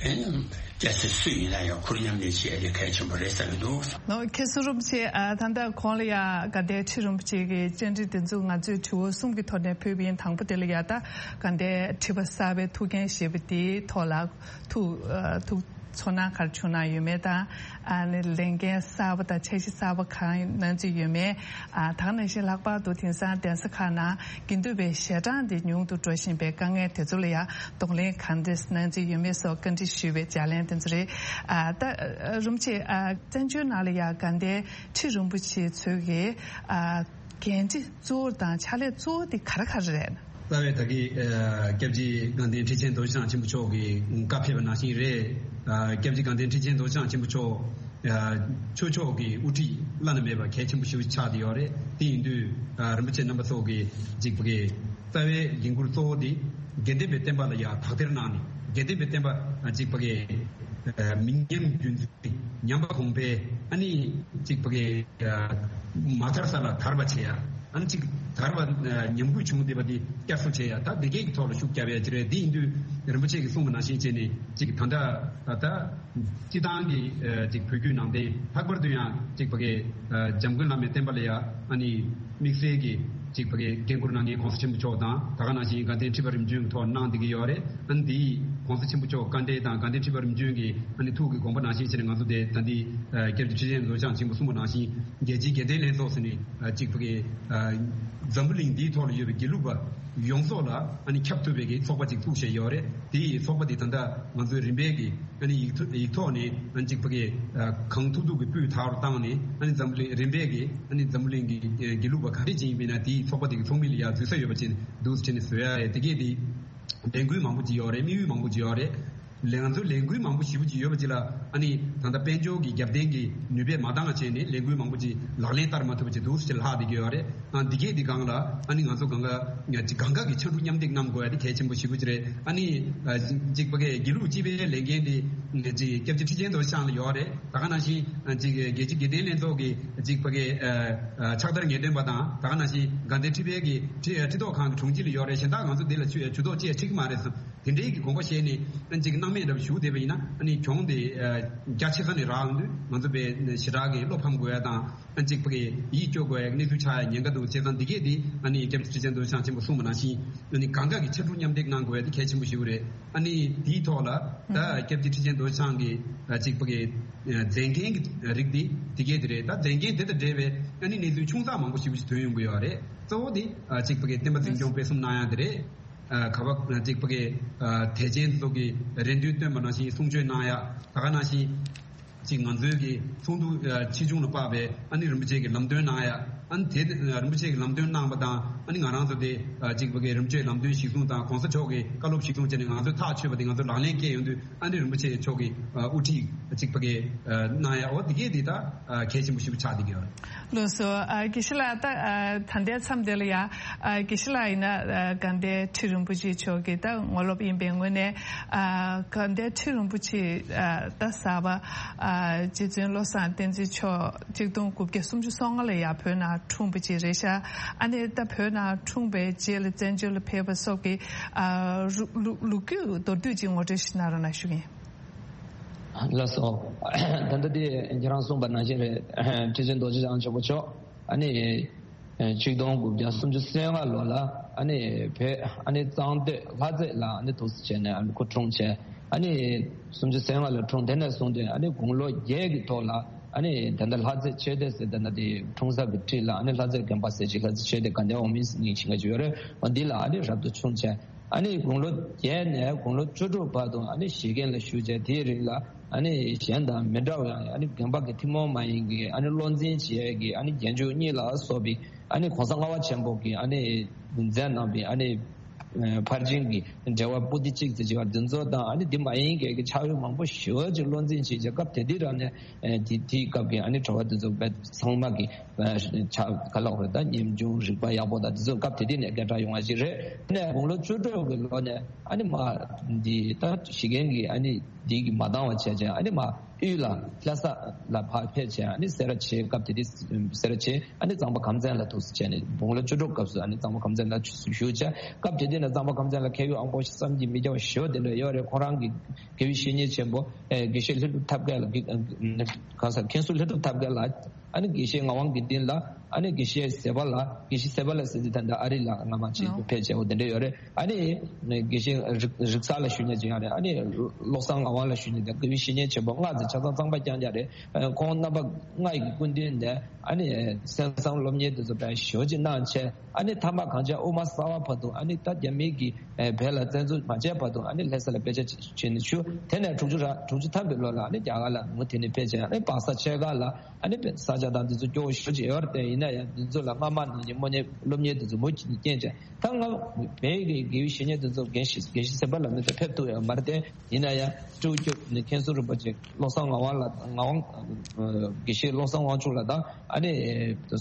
ཨ་ནི། སྐྱ་སེར་སུ་ཡིན་ན་ཡང་ཁུར་མཉམ་ལས་བྱེད་ཡ་དེ་གལ་ཆེན་པོ་རེད་བསམ་གྱི་འདུག་ནོ། མཁན་ཟུར་རིན་པོ་ཆེ། ཨ། ད་ལྟ་གོང་ལ་ཡ་དགའ་ལྡན་ཁྲི་རིན་པོ་ཆེ་གི་བཅར་འདྲི་འདི་ཚོ་ང་ཚོས་དྲི་བ་གསུམ་གྱི་ཐོག་ནས་ཕུལ་བ་ཡིན། དང་པོ་དེ་ལ་ཡ་ད་དགའ་ལྡན་ཁྲི་པ་གསར་པའི་ཐུགས་འགན་བཞེས་པ་དེའི་ཐོག་ལ་ཐུགས་ཨ། ཐུགས་ཚོར་སྣང་ག་རེ་བྱུང་གནང་ཡོད་མེད་དང་། ཨ་ནི་ལས་འགན་གསར་པ་དང་འཆར་གཞི་གསར་པ་གང་གནང་རྩིས་ཡོད་མེད། ཨ། ད་ག་ནང་བཞིན་ལྷག་པར་དུ་དེང་སང་གདན་ས་ཁག་ནང་དགེ་འདུན་པའི་ཞལ་གྲངས་དེ་ཉུང་དུ་འགྲོ་བཞིན་པའི་དཀའ་ངལ་དེ་ཚོ་ལ་ཡང་གདོང་ལེན་གང་འདྲ་གནང་རྩིས་ཡོད་མེད་སོགས་བཀའ་འདྲི་ཞུས་པའི་ལྗགས་ལན་དེ་ཚོ་རེད། ཨ། ད་རིན་པོ་ཆེ། ཨ། བཙན་བྱོལ་ནང་ལ་ཡང་དགའ་ལྡན་ཁྲི་རིན་པོ་ཆེ་ཚོས་ཀྱི། ཨ། འགན་འཁྲི་གཙོ་བོ་དང་ཕྱག་ལས་གཙོ་བོ་དེ་ག་རེ་ག་རེ་རེད། རྩ་བའི་ད་གི། ཨ། སྐྱབས་རྗེ་དགའ་ལྡན་ཁྲི་ཆེན་རྡོ་རྗེ་འཆང་ཆེན་པོ་མཆོག་གི་བཀའ་ཕེབས་པ་ནང་བཞིན་རེད། ཨ། སྐྱབས་རྗེ་དགའ་ལྡན་ཁྲི་ཆེན་རྡོ་རྗེ་འཆང་ཆེན་པོ་མཆོག་ཨ། ཆོས་ཕྱོགས་ཀྱི་དབུ་ཁྲིད་བླ་ན་མེད་པ་གལ་ཆེན་པོ་ཞིག་ཆགས་བསྡད་ཡོད་རེད། དེ་ཡིན་དུས། ཨ། རིན་པོ་ཆེ་རྣམ་པ་ཚོ་གི་གཅིག་པ་གི་རྩ་བའི་འགན་ཁུར་གཙོ་བོ་དེ་དགེ་ལྡན་པའི་བསྟན་པ་ལ་ཡང་དག་ཐེར་གནང་ནས་དགེ་ལྡན་པའི་བསྟན་པ་གཅིག་པ་གི། ཨ། མི་ཉམས་རྒྱུན་འཛིན་ཉམས་པ་གོང་འཕེལ། ཨ་ནི་གཅིག་པ་གི། ཨ། མ་དར་ས་ལ་དར་བ་བྱེད་ཡ། ཨ་ནི་གཅིག་དར་བ་ཉམས་རྒུད་བྱུང་བསྡད་པ་དེ་བསྐྱར་གསོ་བྱེད་ཡ། ད་དེ་གའི་ཐོག་ལ་ཤུགས་རྒྱབ་ཡ་ཅིག་རེད། དེ་ཡིན་དུས་རིན་པོ་ཆེ་གིས་གསུངས་པ་ནང་བཞིན་བྱས་ནས་གཅིག་ད་ལྟ་ད། སྤྱི་བཏང་གི་ཨ། ཅིག་བོད་བརྒྱུད་ནང་བསྟན། ལྷག་པར་དུ་ཡང་ཅིག་ཕ་གི་ཨ། འཇམ་མགོན་བླ་མའི་བསྟན་པ་ལ་ཡ་ཨ་ནི་དམིགས་བསལ་གྱི་ཅིག་ཕ་གི་འགན་ཁུར་གནང་མཁན་གོང་ས་ཆེན་པོ་མཆོག་དང་། ད་ག་ནང་བཞིན་དགའ་ལྡན་ཁྲི་པ་རིམ་བྱོན་གྱི་ཐོག་གནང་བསྡད་ཀྱི་ཡོད་རེད། ཨ་ནི་དེ་ཡིས་གོང་ས་ཆེན་པོ་མཆོག་བཀའ་འབྲེལ་དང་དགའ་ལྡན་ཁྲི་པ་རིམ་བྱོན་གྱི་ཨ་ནི་ཐུགས་ཀྱི་དགོངས་པ་ནང་བཞིན་བྱས་ནས་ང་ཚོ་དེ་ད་འདི་ཨ། སྐྱབས་རྗེ་ཁྲི་ཆེན་རྡོ་རྗེ་འཆང་ཆེན་པོ་གསུངས་པ་ནང་བཞིན་རྒྱལ་སྤྱིའི་དགེ་ལྡན་ལྷན་ཚོགས་ཟེར་ནས་ཨ། ཅིག་ཕ་གི་ཨ། འཛམ་བུ་གླིང་འདིའི་ཐོག་ལ་ཡོད་པའི་དགེ་ལུགས་པ་ཡོངས་རྫོགས་ལ་ཨ་ནི་ཁྱབ་ཐུབ་པའི་གི་ཚོགས་པ་ཅིག་བཙུགས་བཞག་ཡོད་རེད། དེ་ཡི་ཚོགས་པ་དེ་ད་ལྟ་ང་ཚོའི་རིམ་པས་ཀྱི་ཨ་ནི་ཡིག་ཐོག་ཡིག་ཐོག་ནས་ཨ་ནི་ཅིག་ཕ་གི་ཨ། གང་ཐུབ་ཐུབ་ཀྱི་སྤུས་དག་རུ་བཏང་ནས་ཨ་ནི་འཛམ་བུ་གླིང་རིམ་པས་ཀྱི་ཨ་ནི་འཛམ་བུ་གླིང་གི་ཨ། དགེ་ལུགས་པ་ག་འདྲས་ཅིག་ཡིན་པ་ཡིན་ན་དེའི་ཚོགས་པ་དེ་གི་ཚོགས་མི་ལ་ཡ་འཛུལ་ས་ཡོད་པ་ཅིག་འདུག་ཟེར་ནས་བཟོ་ཡ་རེད། དེ་གས་དེ་ལས་འགུལ་མང་པོ་ཅིག་ཡོད་རེད། དམིགས་ཡུལ་མང་པོ་ཅིག་ཡོད་རེད། ལས་ང་ཚོ་ལས་འགུལ་མང་པོ་ཞེ་པོ་ཅིག་ཡོད་པ་ཅིག་ལ། ཨ་ནི་ད་ལྟ་དཔལ་འབྱོར་གྱི་རྒྱབ་རྟེན་གྱི་ནུས་པས་མ་འདང་བ་བྱས་ནས་ལས་འགུལ་མང་པོ་ཅིག་ལག་ལེན་བསྟར་མ་ཐུབ་པ་ཅིག་འདུག་ཟེར་ལྷག་བསྡད་ཀྱི་ཡོད་རེད། ཨ་འདི་གས་འདི་སྒང་ལ་ཨ་ནི་ང་ཚོ་གང་ག་ཅིག་གང་ག་གི་ཕྱར་གྲུ་མཉམ་འདེགས་གནང་དགོས་ཡ་དེ་གལ་ཆེན་པོ་ཞེ་པོ་ཅིག་རེད། ཨ་ནི་ཅིག་ཕ་གི་དགེ་ལུགས་སྤྱི་པའི་ལས་འགན་དེ་ཅིག་སྐྱབས་རྗེ་ཁྲི་ཆེན་རྡོ་རྗེ་འཆང་ལ་ཡོད་རེད། ད་ག་ནང་བཞིན་ཅིག་རྒྱལ་སྤྱི་དགེ་ལྡན་ལྷན་ཚོགས་ཀྱི་ཅིག་ཕ་གི་ཕྱག་བསྟར་ངེས་སྟོན་པ་དང་། ད་ག་ནང་བཞིན་དགའ་ལྡན་ཁྲི་པའི་གི་ཁྲི་ཁྲི་ཐོག་ཁང་གི་དྲུང་ཆེ་ལ་ཡོད་རེད། གཞན་དག་ང་ཚོ་འདི་ལ་ཇུས་ཇུས་གཏོགས་བཅས་ཁྲིད་ཀྱི་མ་རེད་བསམ། དེ་འདྲའི་གི་དགོངས་པ་བཞེས་ནས་ཅིག་སྣང་མེད་འདྲ་བོ་ཞུགས་བསྡད་པ་ཡིན་ན། ཨ་ནི་གྱོང་དེ་རྒྱ་ཆེ་ས་ནས་རག་ཡོང་དུས་ང་ཚོ་དཔེ་ཞེ་དྲག་གི་བློ་ཕམ་དགོས་ཡ་དང་། ཨ་ཅིག་ཕ་གི་ཡིད་སྐྱོ་དགོས་ཡ་གནས་ཚུལ་ཆགས་ཡ་ཉེན་ཁ་འདུག་བྱས་ཙང་འདི་གས་དེ་ཨ་ནི་སྐྱབས་རྗེ་ཁྲི་ཆེན་རྡོ་རྗེ་འཆང་ཆེན་པོ་གསུངས་པ་ནང་བཞིན། ཨ་ནི་གང་ག་གི་ཕྱར་གྲུ་མཉམ་འདེགས་གནང་དགོས་ཡ་དེ་གལ་ཆེན་པོ་ཞིག་རེད། ཨ་ནི་དེའི་ཐོག་ལ་ད་སྐྱབས་རྗེ་ཁྲི་ཆེན་རྡོ་རྗེ་འཆང་གི་ཅིག་ཕ་གི་མཛད་འགན་གྱི་རིགས་དེ་དེ་གས་དེ་རེད། ད་མཛད་འགན་དེ་དང་འབྲེལ་བའི་ཨ་ནི་གནས་ཚུལ་ཆུང་ཙག་མང་པོ་ཞིག་ཞིག་ཐོན་ཡོང་གི་ཡོད་རེད། གཙོ་བོ་དེ་ཅིག་ཕ་གི་བསྟན་པ་འཛིན་སྐྱོང་སྤེལ་གསུམ་གནང་ཡ་དེ་རེད། ཨ་ག་བ་ཅིག་ཕ་གི་ཨ་དད་ཅན་ཚོ་གི་རེ་འདུན་བཏོན་པ་ནང་བཞིན་གསུང་ཆོས་གནང་ཡ། ད་ག་ནང་བཞིན་ཅིག་ང་ཚོའི་གི་ཚོགས་འདུ་ཨ་ཆེ་ཆུང་ལ་དཔག་པའི་ཨ་ནི་རིན་པོ་ཆེ་གི་ལམ་སྟོན་གནང་ཡ། ཨ་ནི་དེ་ཨ་རིན་པོ་ཆེ་གི་ལམ་སྟོན་གནང་པ་དང་། ཨ་ནི་ང་རང་ཚོ་དེ་ཨ་ཅིག་ཕ་གི་རིན་པོ་ཆེའི་ལམ་སྟོན་གཞིར་བཟུང་དང་གོང་ས་མཆོག་གི་བཀའ་སློབ་གཞིར་བཟུང་བྱས་ནས་ང་ཚོས་ཐག་ཆོད་པ་དེ་ང་ཚོ་ལག་ལེན་བཀལ་ཡོང་དུས། ཨ་ནི་རིན་པོ་ཆེ་མཆོག་གི་ཨ་དབུ་ཁྲིད་ཅིག་ཕ་གི་ཨ་གནང་ཡ། འོ་དེ་གས་དེ་ད་ཨ་གལ་ཆེན་པོ་ཞིག་ཆགས་བསྡད་ཀྱི་ཡོད་རེད། ལགས་སོ། ཨ་དགེ་བཤེས་ལགས། ད་ཨ་ད་ལྟའི་མཚམས་དེ་ལ་ཡ། ཨ་དགེ་བཤེས་ལགས་ཡིན་ན་ཨ་དགའ་ལྡན་ཁྲི་རིན་པོ་ཆེ་མཆོག་གི་ད་ངོ་ལོག་ཡིན་པའི་ངོས་ནས། ཨ་དགའ་ལྡན་ཁྲི་རིན་པོ་ཆེ་ཨ་ད་གསར་པ་ཨ་རྗེ་བཙུན་བློ་བཟང་བསྟན་འཛིན་མཆོག་གཅིག་སྟོང་དགུ་བརྒྱ་སུམ་ཅུ་སོ་ལྔ་ལ་ཡ་བོད་ནང་འཁྲུངས་པ་ཅིག་རེད་ཤག་ཨ་ནི་ད་བོད་ནང་འཁྲུངས་པའི་རྗེས་ལ་བཙན་བྱོལ་ལ་ཕེབས་པ་སོགས་ཀྱི་ཨ་རུ་ལུ་ལོ་རྒྱུས་མདོར་བསྡུས་ཅིག་ངོ་སྤྲོད་ཞིག་གནང་རོགས་གནང་ཞུ་གི་ཡིན། ལགས་སོ། ད་ལྟ་དེ་ཁྱེད་རང་གསུངས་པ་ནང་བཞིན་རེད། ཁྲི་ཆེན་རྡོ་རྗེ་འཆང་ཆེན་པོ་མཆོག་ཨ་ནི་ཆིག་སྟོང་དགུ་བརྒྱ་སུམ་ཅུ་སོ་ལྔ་ལོ་ལ་ཨ་ནི་བོད་ཨ་ནི་གཙང་སྟོད་ལྷ་རྩེ་ལ་ཨ་ནི་འདུག་སེ་བྱས་ནས་ཨ་ནི་སྐུ་འཁྲུངས་བྱས། ཨ་ནི་སུམ་ཅུ་སོ་ལྔ་ལ་འཁྲུངས། དེ་ནས་བཟུང་སྟེ་ཨ་ནི་དགུང་ལོ་བརྒྱད་ཀྱི་ཐོག་ལ་ཨ་ནི་ད་ལྟ་ལྷ་རྩེ་ཆོས་སྡེ་ཟེར། ད་ལྟ་དེ་འཁྲུངས་ས་གི་འཁྲིས་ལ་ཨ་ནི་ལྷ་རྩེ་དགོན་པ་ཟེར་ཅིག་ལྷ་རྩེ་ཆོས་སྡེ་དགའ་ལྡན་འོག་མིན་ཟེར་མིང་ཞིག་ཅིག་ཡོད་རེད། འོ་འདི་ལ་ཨ་ནི་རབ་ཏུ་བྱུང་བྱས། ཨ་ནི་དགུང་ལོ་བརྒྱད་ནས་དགུང་ལོ་བཅུ་དྲུག་བར་དུ་ཨ་ནི་བཞེས་དགོན་ལ་བཞུགས་བྱས། དེའི་རིང་ལ་ཨ་ནི་གཞན་དང་མི་འདྲ་བའི་ཨ་ནི་དགོན་པ་གི་ཐུན་མོང་མ་ཡིན་གྱི་ཨ་ནི་བློ་འཛིན་བྱེད་ཡས་ཀྱི་ཨ་ནི་རྒྱན་འཇུག་གཉིས་ལ་སོགས་པའི་ཨ་ནི་གོང་ས་ལྔ་པ་ཆེན་པོ་གིས་ཨ་ནི་མཛད་གནང་བའི་ཨ་ནི་ཕར་ཕྱིན་གྱི་འགྲེལ་པ་པོ་ཏི་གཅིག་ཙམ་བྱས་པ་འདི་ཚོ་དང་། ཨ་ནི་འདི་མ་ཡིན་གྱི་ཕྱག་དབང་མང་པོ་ཞེ་པོ་ཅིག་བློ་འཛིན་བྱེད་བྱས། སྐབས་དེ་དུས་རང་ནས་དེ་དེའི་སྐབས་ཀྱི་ཨ་ནི་གྲྭ་པ་འདི་ཚོ་ཚང་མ་གི་ཕྱག་ག་ལ་འོ་ད་ཉམ་ཆུང་རིག་པ་ཡག་པོ་དང་འདི་ཚོ་སྐབས་དེ་དུས་ནས་སྐད་གྲགས་ཡོང་བ་ཞིག་རེད། དེ་ནས་དགུང་ལོ་བཅུ་དྲུག་གི་ལོ་ནས་ཨ་ནི་མ་འདི་ད་བཞེས་དགོན་གྱི་ཨ་ནི་འདི་གི་མ་འདང་བ་བྱས་བྱས། ཨ་ནི་མ་དབུས་ལ་ལྷ་ས་ལ་ཕར་ཕེབས་བྱས། ཨ་ནི་སེ་ར་བྱེས། སྐབས་དེ་དུས་སེ་ར་བྱེས། ཨ་ནི་གཙང་པ་ཁམས་ཚན་ལ་འདུག་སེ་བྱས་ནས་དགུང་ལོ་བཅུ་དྲུག་སྐབས་སུ་ཨ་ནི་གཙང་པ་ཁམས་ཚན་ལ་བཞུགས་བྱས། སྐབས་དེ་དུས་ནས་གཙང་པ་ཁམས་ཚན་ལ་མཁས་དབང་དབང་པོ་བསམ་གྱིས་མི་ཁྱབ་པ་ཞེ་པོ་དེ་འདྲ་ཡོད་རེད། ཁོང་རང་གི་དགེ་བའི་བཤེས་གཉེན་ཆེན་པོ་ཨེ་དགེ་བཤེས་ལྷུན་གྲུབ་ཐབས་མཁས་ལ་གི་ཨ་གང་ཟེར་མཁན་ཟུར་ལྷུན་གྲུབ་ཐབས་མཁས་ལགས། ཨ་ནི་དགེ་བཤེས་ངག་དབང་དགེ་འདུན་ལགས། ཨ་ནི་དགེ་བཤེས་ཟེར་བ་ལགས། དགེ་བཤེས་ཟེར་བ་ལགས་ཟེར་དུས་ད་ལྟ་ཨ་རི་ལ་སྔ་མ་ཅིག་ནོ། ཕེབས་བྱས་འོ་དེ་འདྲ་ཡོད་རེད། ཨ་ནི་དགེ་བཤེས་རིག་རིག་གསར་ལ་ཞུ་མཁན་ཅིག་ཡང་རེད། ཨ་ནི་བློ་བཟང་ངག་དབང་ལ་ཞུ་མཁན་དེ་དགེ་བའི་བཤེས་གཉེན་ཆེན་པོ་སྔགས་ཀྱི་ཆ་ཚང་གཙང་པ་རྐྱང་རྐྱང་རེད། ཁོང་རྣམ་པ་ལྔ་ཡི་སྐུ་མདུན་ནས་ཨ་ནི་གསན་བསམ་སློབ་གཉེར་དེ་ཚོ་དཔེ་ཞེ་པོ་ཅིག་གནང་བྱས། ཨ་ནི་མཐའ་མ་གངས་ཅན་དབུ་མ་གསར་པ་བར་དུ་ཨ་ནི་ད་རྒྱ་མི་གིས་ཨེ་བོད་ལ་བཙན་འཛུལ་མ་བྱས་བར་དུ་ཨ་ནི་ལྷ་ས་ལ་དཔེ་ཆ་བྱས་ནས་བཞུགས། དེ་ནས་དྲུག་ཅུ་ར་དྲུག་ཅུ་ཐམ་པའི་ལོ་ལ་ཨ་ནི་རྒྱ་གར་ལ་མུ་མཐུད་ནས་ཕེབས་བྱས། ཨ་ནི་སྦག་ས་ཆེ་ཁག་ལ་ཨ་ནི་དཔེ་ས་ཆ་དང་འདི་ཚོ་སྐྱོ་བོ་ཞེ་པོ་ཅིག་ཡོད་རེད། དེ་ཡིན་ན་ཡང་འདི་ཚོ་ལ་སྔ་མ་ནང་བཞིན་སློབ་གཉེར་སློབ་གཉེར་འདི་ཚོ་མུ་མཐུད་ནས་རྐྱེན་བྱས། ད་ང་བོད་ཀྱི་དགེ་བའི་བཤེས་གཉེན་འདི་ཚོ་རྒན་ཤེས་རྒན་ཤེས་ཟེར་བ་ལ་མི་ཚོ་ཕེབས་ཐུབ་ཡོད་མ་རེད་དེ། ཡིན་ན་ཡང་སྤྲེའུ་སྐྱབས་ནས་མཁན་ཟུར་རིན་པོ་ཆེ་བློ་བཟང་ངག་དབང་ལགས། ངག་དབང་ཨ་དགེ་བཤེས་བློ་བཟང་དབང་ཕྱུག་ལགས་དང་། ཨ་ནི་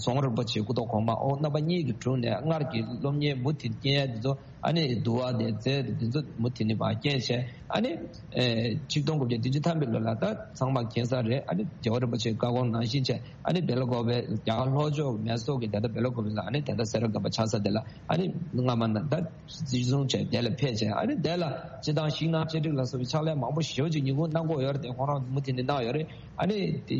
ཟུང་རིན་པོ་ཆེ་སྐུ་ཐོག་གོང་མ། འོ་རྣམ་པ་གཉིས་ཀྱི་དྲུང་ནས་སྔར་གྱི་སློབ་གཉེར་མུ་མཐུད་རྐྱེན་ཡ་འདི་ཚོ། ཨ་ནི་འདུལ་བ་དེ་མཛད་དེ་འདི་ཚོ་མུ་མཐུད་ནས་མར་རྐྱེན་བྱས། ཨ་ནི་ཨེ་ཆིག་སྟོང་དགུ་བརྒྱ་བདུན་ཅུ་ཐམ་པའི་ལོ་ལ་ད་ཚང་མ་མཁྱེན་གསལ་རེད། ཨ་ནི་རྒྱལ་བ་རིན་པོ་ཆེའི་བཀའ་དགོངས་ནང་བཞིན་བྱས། ཨ་ནི་སྦེལ་ཀོབ་པའི་རྒྱ་གར་ལྷོ་ཕྱོགས་མེ་སོར་གྱི་ད་ལྟ་སྦེལ་ཀོབ་པའི་ལ་ཨ་ནི་ད་ལྟ་སེ་ར་དགོན་པ་ཆགས་ས་དེ་ལ་ཨ་ནི་སྔ་མ་ན་ད་འཛིན་བཟུང་བྱས་དེ་ལ་ཕེབས་བྱས། ཨ་ནི་དེ་ལ་སྤྱི་བཏང་ཤིང་ནགས་གཅེས་འགྲིག་ལ་སོགས་པའི་ཕྱག་ལས་མང་པོ་ཞེ་པོ་ཅིག་ཉིན་གུང་གནང་དགོས་ཡོད་རེད་དེ། ཁོང་རང་མུ་མཐུད་ནས་གནང་ཡོད་རེད། ཨ་ནི་དེ་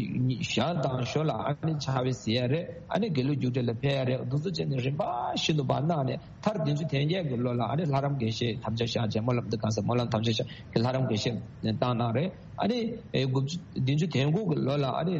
ཞག་དང་ཞོ་ལ་ཨ་ནི་ཕྱག་དཔེ་གཟིགས་ཡ་རེད། ཨ་ནི་དགེ་ལུགས་རྒྱུགས་སྤྲོད་ལ་ཕེབས་ཡ་རེད། འདུ་འཛོམས་བྱས་ནས་རིམ་པ་བཞིན་དུ་མར་གནང་ནས། མཐར་བདུན་ཅུ་དོན་བརྒྱད་ཀྱི་ལོ་ལ་ཨ་ནི་ལྷ་རམས་དགེ་བཤེས་དམ་བཅའ་བཞག་བྱས། སྨོན་ལམ་འདི་གང་ཟེར་སྨོན་ལམ་དམ་བཅའ་བཞག་གི་ལྷ་རམས་དགེ་བཤེས་བཏང་གནང་རེད། ཨ་ནི་ཨེ་དགུ་བཅུ་བདུན་ཅུ་དོན་དགུ་གི་ལོ་ལ་ཨ་ནི་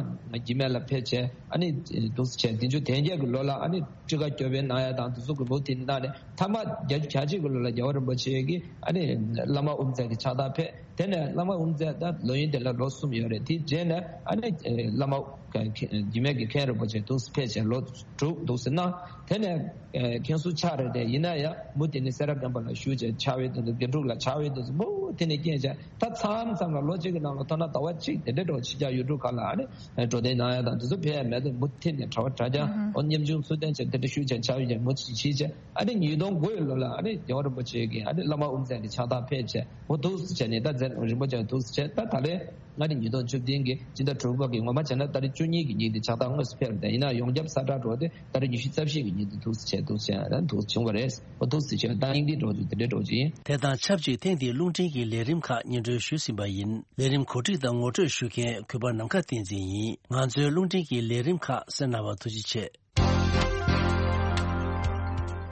འཇིགས་མེད་ལ་ཕེབས་བྱས། ཨ་ནི་འདུག་སེ་བྱས་བདུན་ཅུ་དོན་བརྒྱད་ཀྱི་ལོ་ལ་ཨ་ནི་ཁྲི་ཀ་སྐྱོབ་པའི་གནང་ཡ་དང་འདི་ཚོ་གི་མུ་མཐུད་གནང་ནས། མཐའ་མ་བརྒྱད་ཅུ་གྱ་གཅིག་གི་ལོ་ལ་རྒྱལ་བ་རིན་པོ་ཆེ་གིས་ཨ་ནི་བླ་མ་དབུ་མཛད་ཀྱི་ཕྱག་རྟགས་ཕེབས། དེ་ནས་བླ་མ་དབུ་མཛད་ད་ལོ་ཡུན་དེ་ལ་ལོ་གསུམ་ཡོད་རེད། དེའི་རྗེས་ནས་ཨ་ནི་ཨེ་བླ་མ་ རྒྱུད་སྨད་ཀྱི་མཁན་རིན་པོ་ཆེ་འདུག་ཕེབས་བྱས་ལོ་དྲུག་འདུག་ཟེར་ན། དེ་ནས་མཁན་ཟུར་ཆགས་རེད་དེ། ཡིན་ན་ཡང་མུ་མཐུད་ནས་སེ་ར་དགོན་པ་ལ་བཞུགས་བྱས་ཕྱག་དབང་དེ་ཚོ། དགེ་ཕྲུག་ལ་ཕྱག་དབང་དེ་ཚོ་མུ་མཐུད་ནས་རྐྱེན་བྱས། ད་མཚམས་མཚམས་ལ་ལོ་གཅིག་གི་ནང་ལ་ཐོག་མཐའ་བར་གཅིག་དེ་འདྲའི་འགྲོ་ཕྱི་རྒྱལ་ཡུལ་གྲུ་ཁག་ལ་ཨ་ནི་འགྲོ་དོན་གནང་ཡ་དང་དེ་ཚོ་ཕེབས་ཡ་མེད་དུ་མུ་མཐུད་ནས་གྲྭ་པ་གྲྭ་རྐྱང་། ཨོ་ཉམ་ཆུང་ཚུལ་ལྡན་བྱས་དེ་འདྲ་བཞུགས་བྱས་ཕྱག་དབང་བྱས་མུ་མཐུད་བྱས་བྱས། ཨ་ནི་ཉིས་སྟོང་དགུ་ཡི་ལོ་ལ་ཨ་ནི་རྒྱལ་བ་རིན་པོ་ཆེ་གིས་ཨ་ནི་བླ་མ་དབུ་མཛད་ཀྱི་ཕྱག་རྟགས་ཕེབས་བྱས། འོ་འདུག་སེ་བྱས་ནས། ད་མཛད་རིན་པོ་ཆེ་འདུག་སེ་བྱས། ད་ད་ལན་ཨ་ནི་ཉིས་སྟོང་བཅུ་བདུན་གྱི་སྤྱི་ཟླ་དྲུག་པ་གི། ངོ་མ་བྱས་ན་ཏ་རིག་བཅུ་གཉིས་ཀྱི་ཉིན་དེ་ཕྱག་རྟགས་དངོས་སུ་ཕེབས་རེད། ཡིན་ན་ཡོངས་ཁྱབ་གསལ་བསྒྲགས་འགྲོ་དེ་ཏ་རིག་ཉི་ཤུ་རྩ་བཞི་གི་ཉིན་དེ་འདུག་སེ་བྱས། འདུག་སེ་བྱས་ད་འདུག་བྱུང་བ་རེད། འོ་འདུག་སེ་བྱས། ད་སྙིང་བསྡུས་འགྲོ་དུས་དེ་འདྲའི་འགྲོ་གི་ཡིན། དེ་དང་ཆབས་ཅིག་ཐེངས་འདིའི་རླུང་འཕྲིན་གྱི་ལས་རིམ་ཁག་སྙན་སྒྲོན་ཞུས་ཟིན་པ་ཡིན། ལས་རིམ་གོ་སྒྲིག་དང་ངོ་སྤྲོད་ཞུ་མཁན་གུས་པ་ནམ་མཁའ་བསྟན་འཛིན་ཡིན། ང་ཚོའི་རླུང་འཕྲིན་གྱི་ལས་རིམ་ཁག་གསན་གནང་བར་ཐུགས་རྗེ་ཆེ།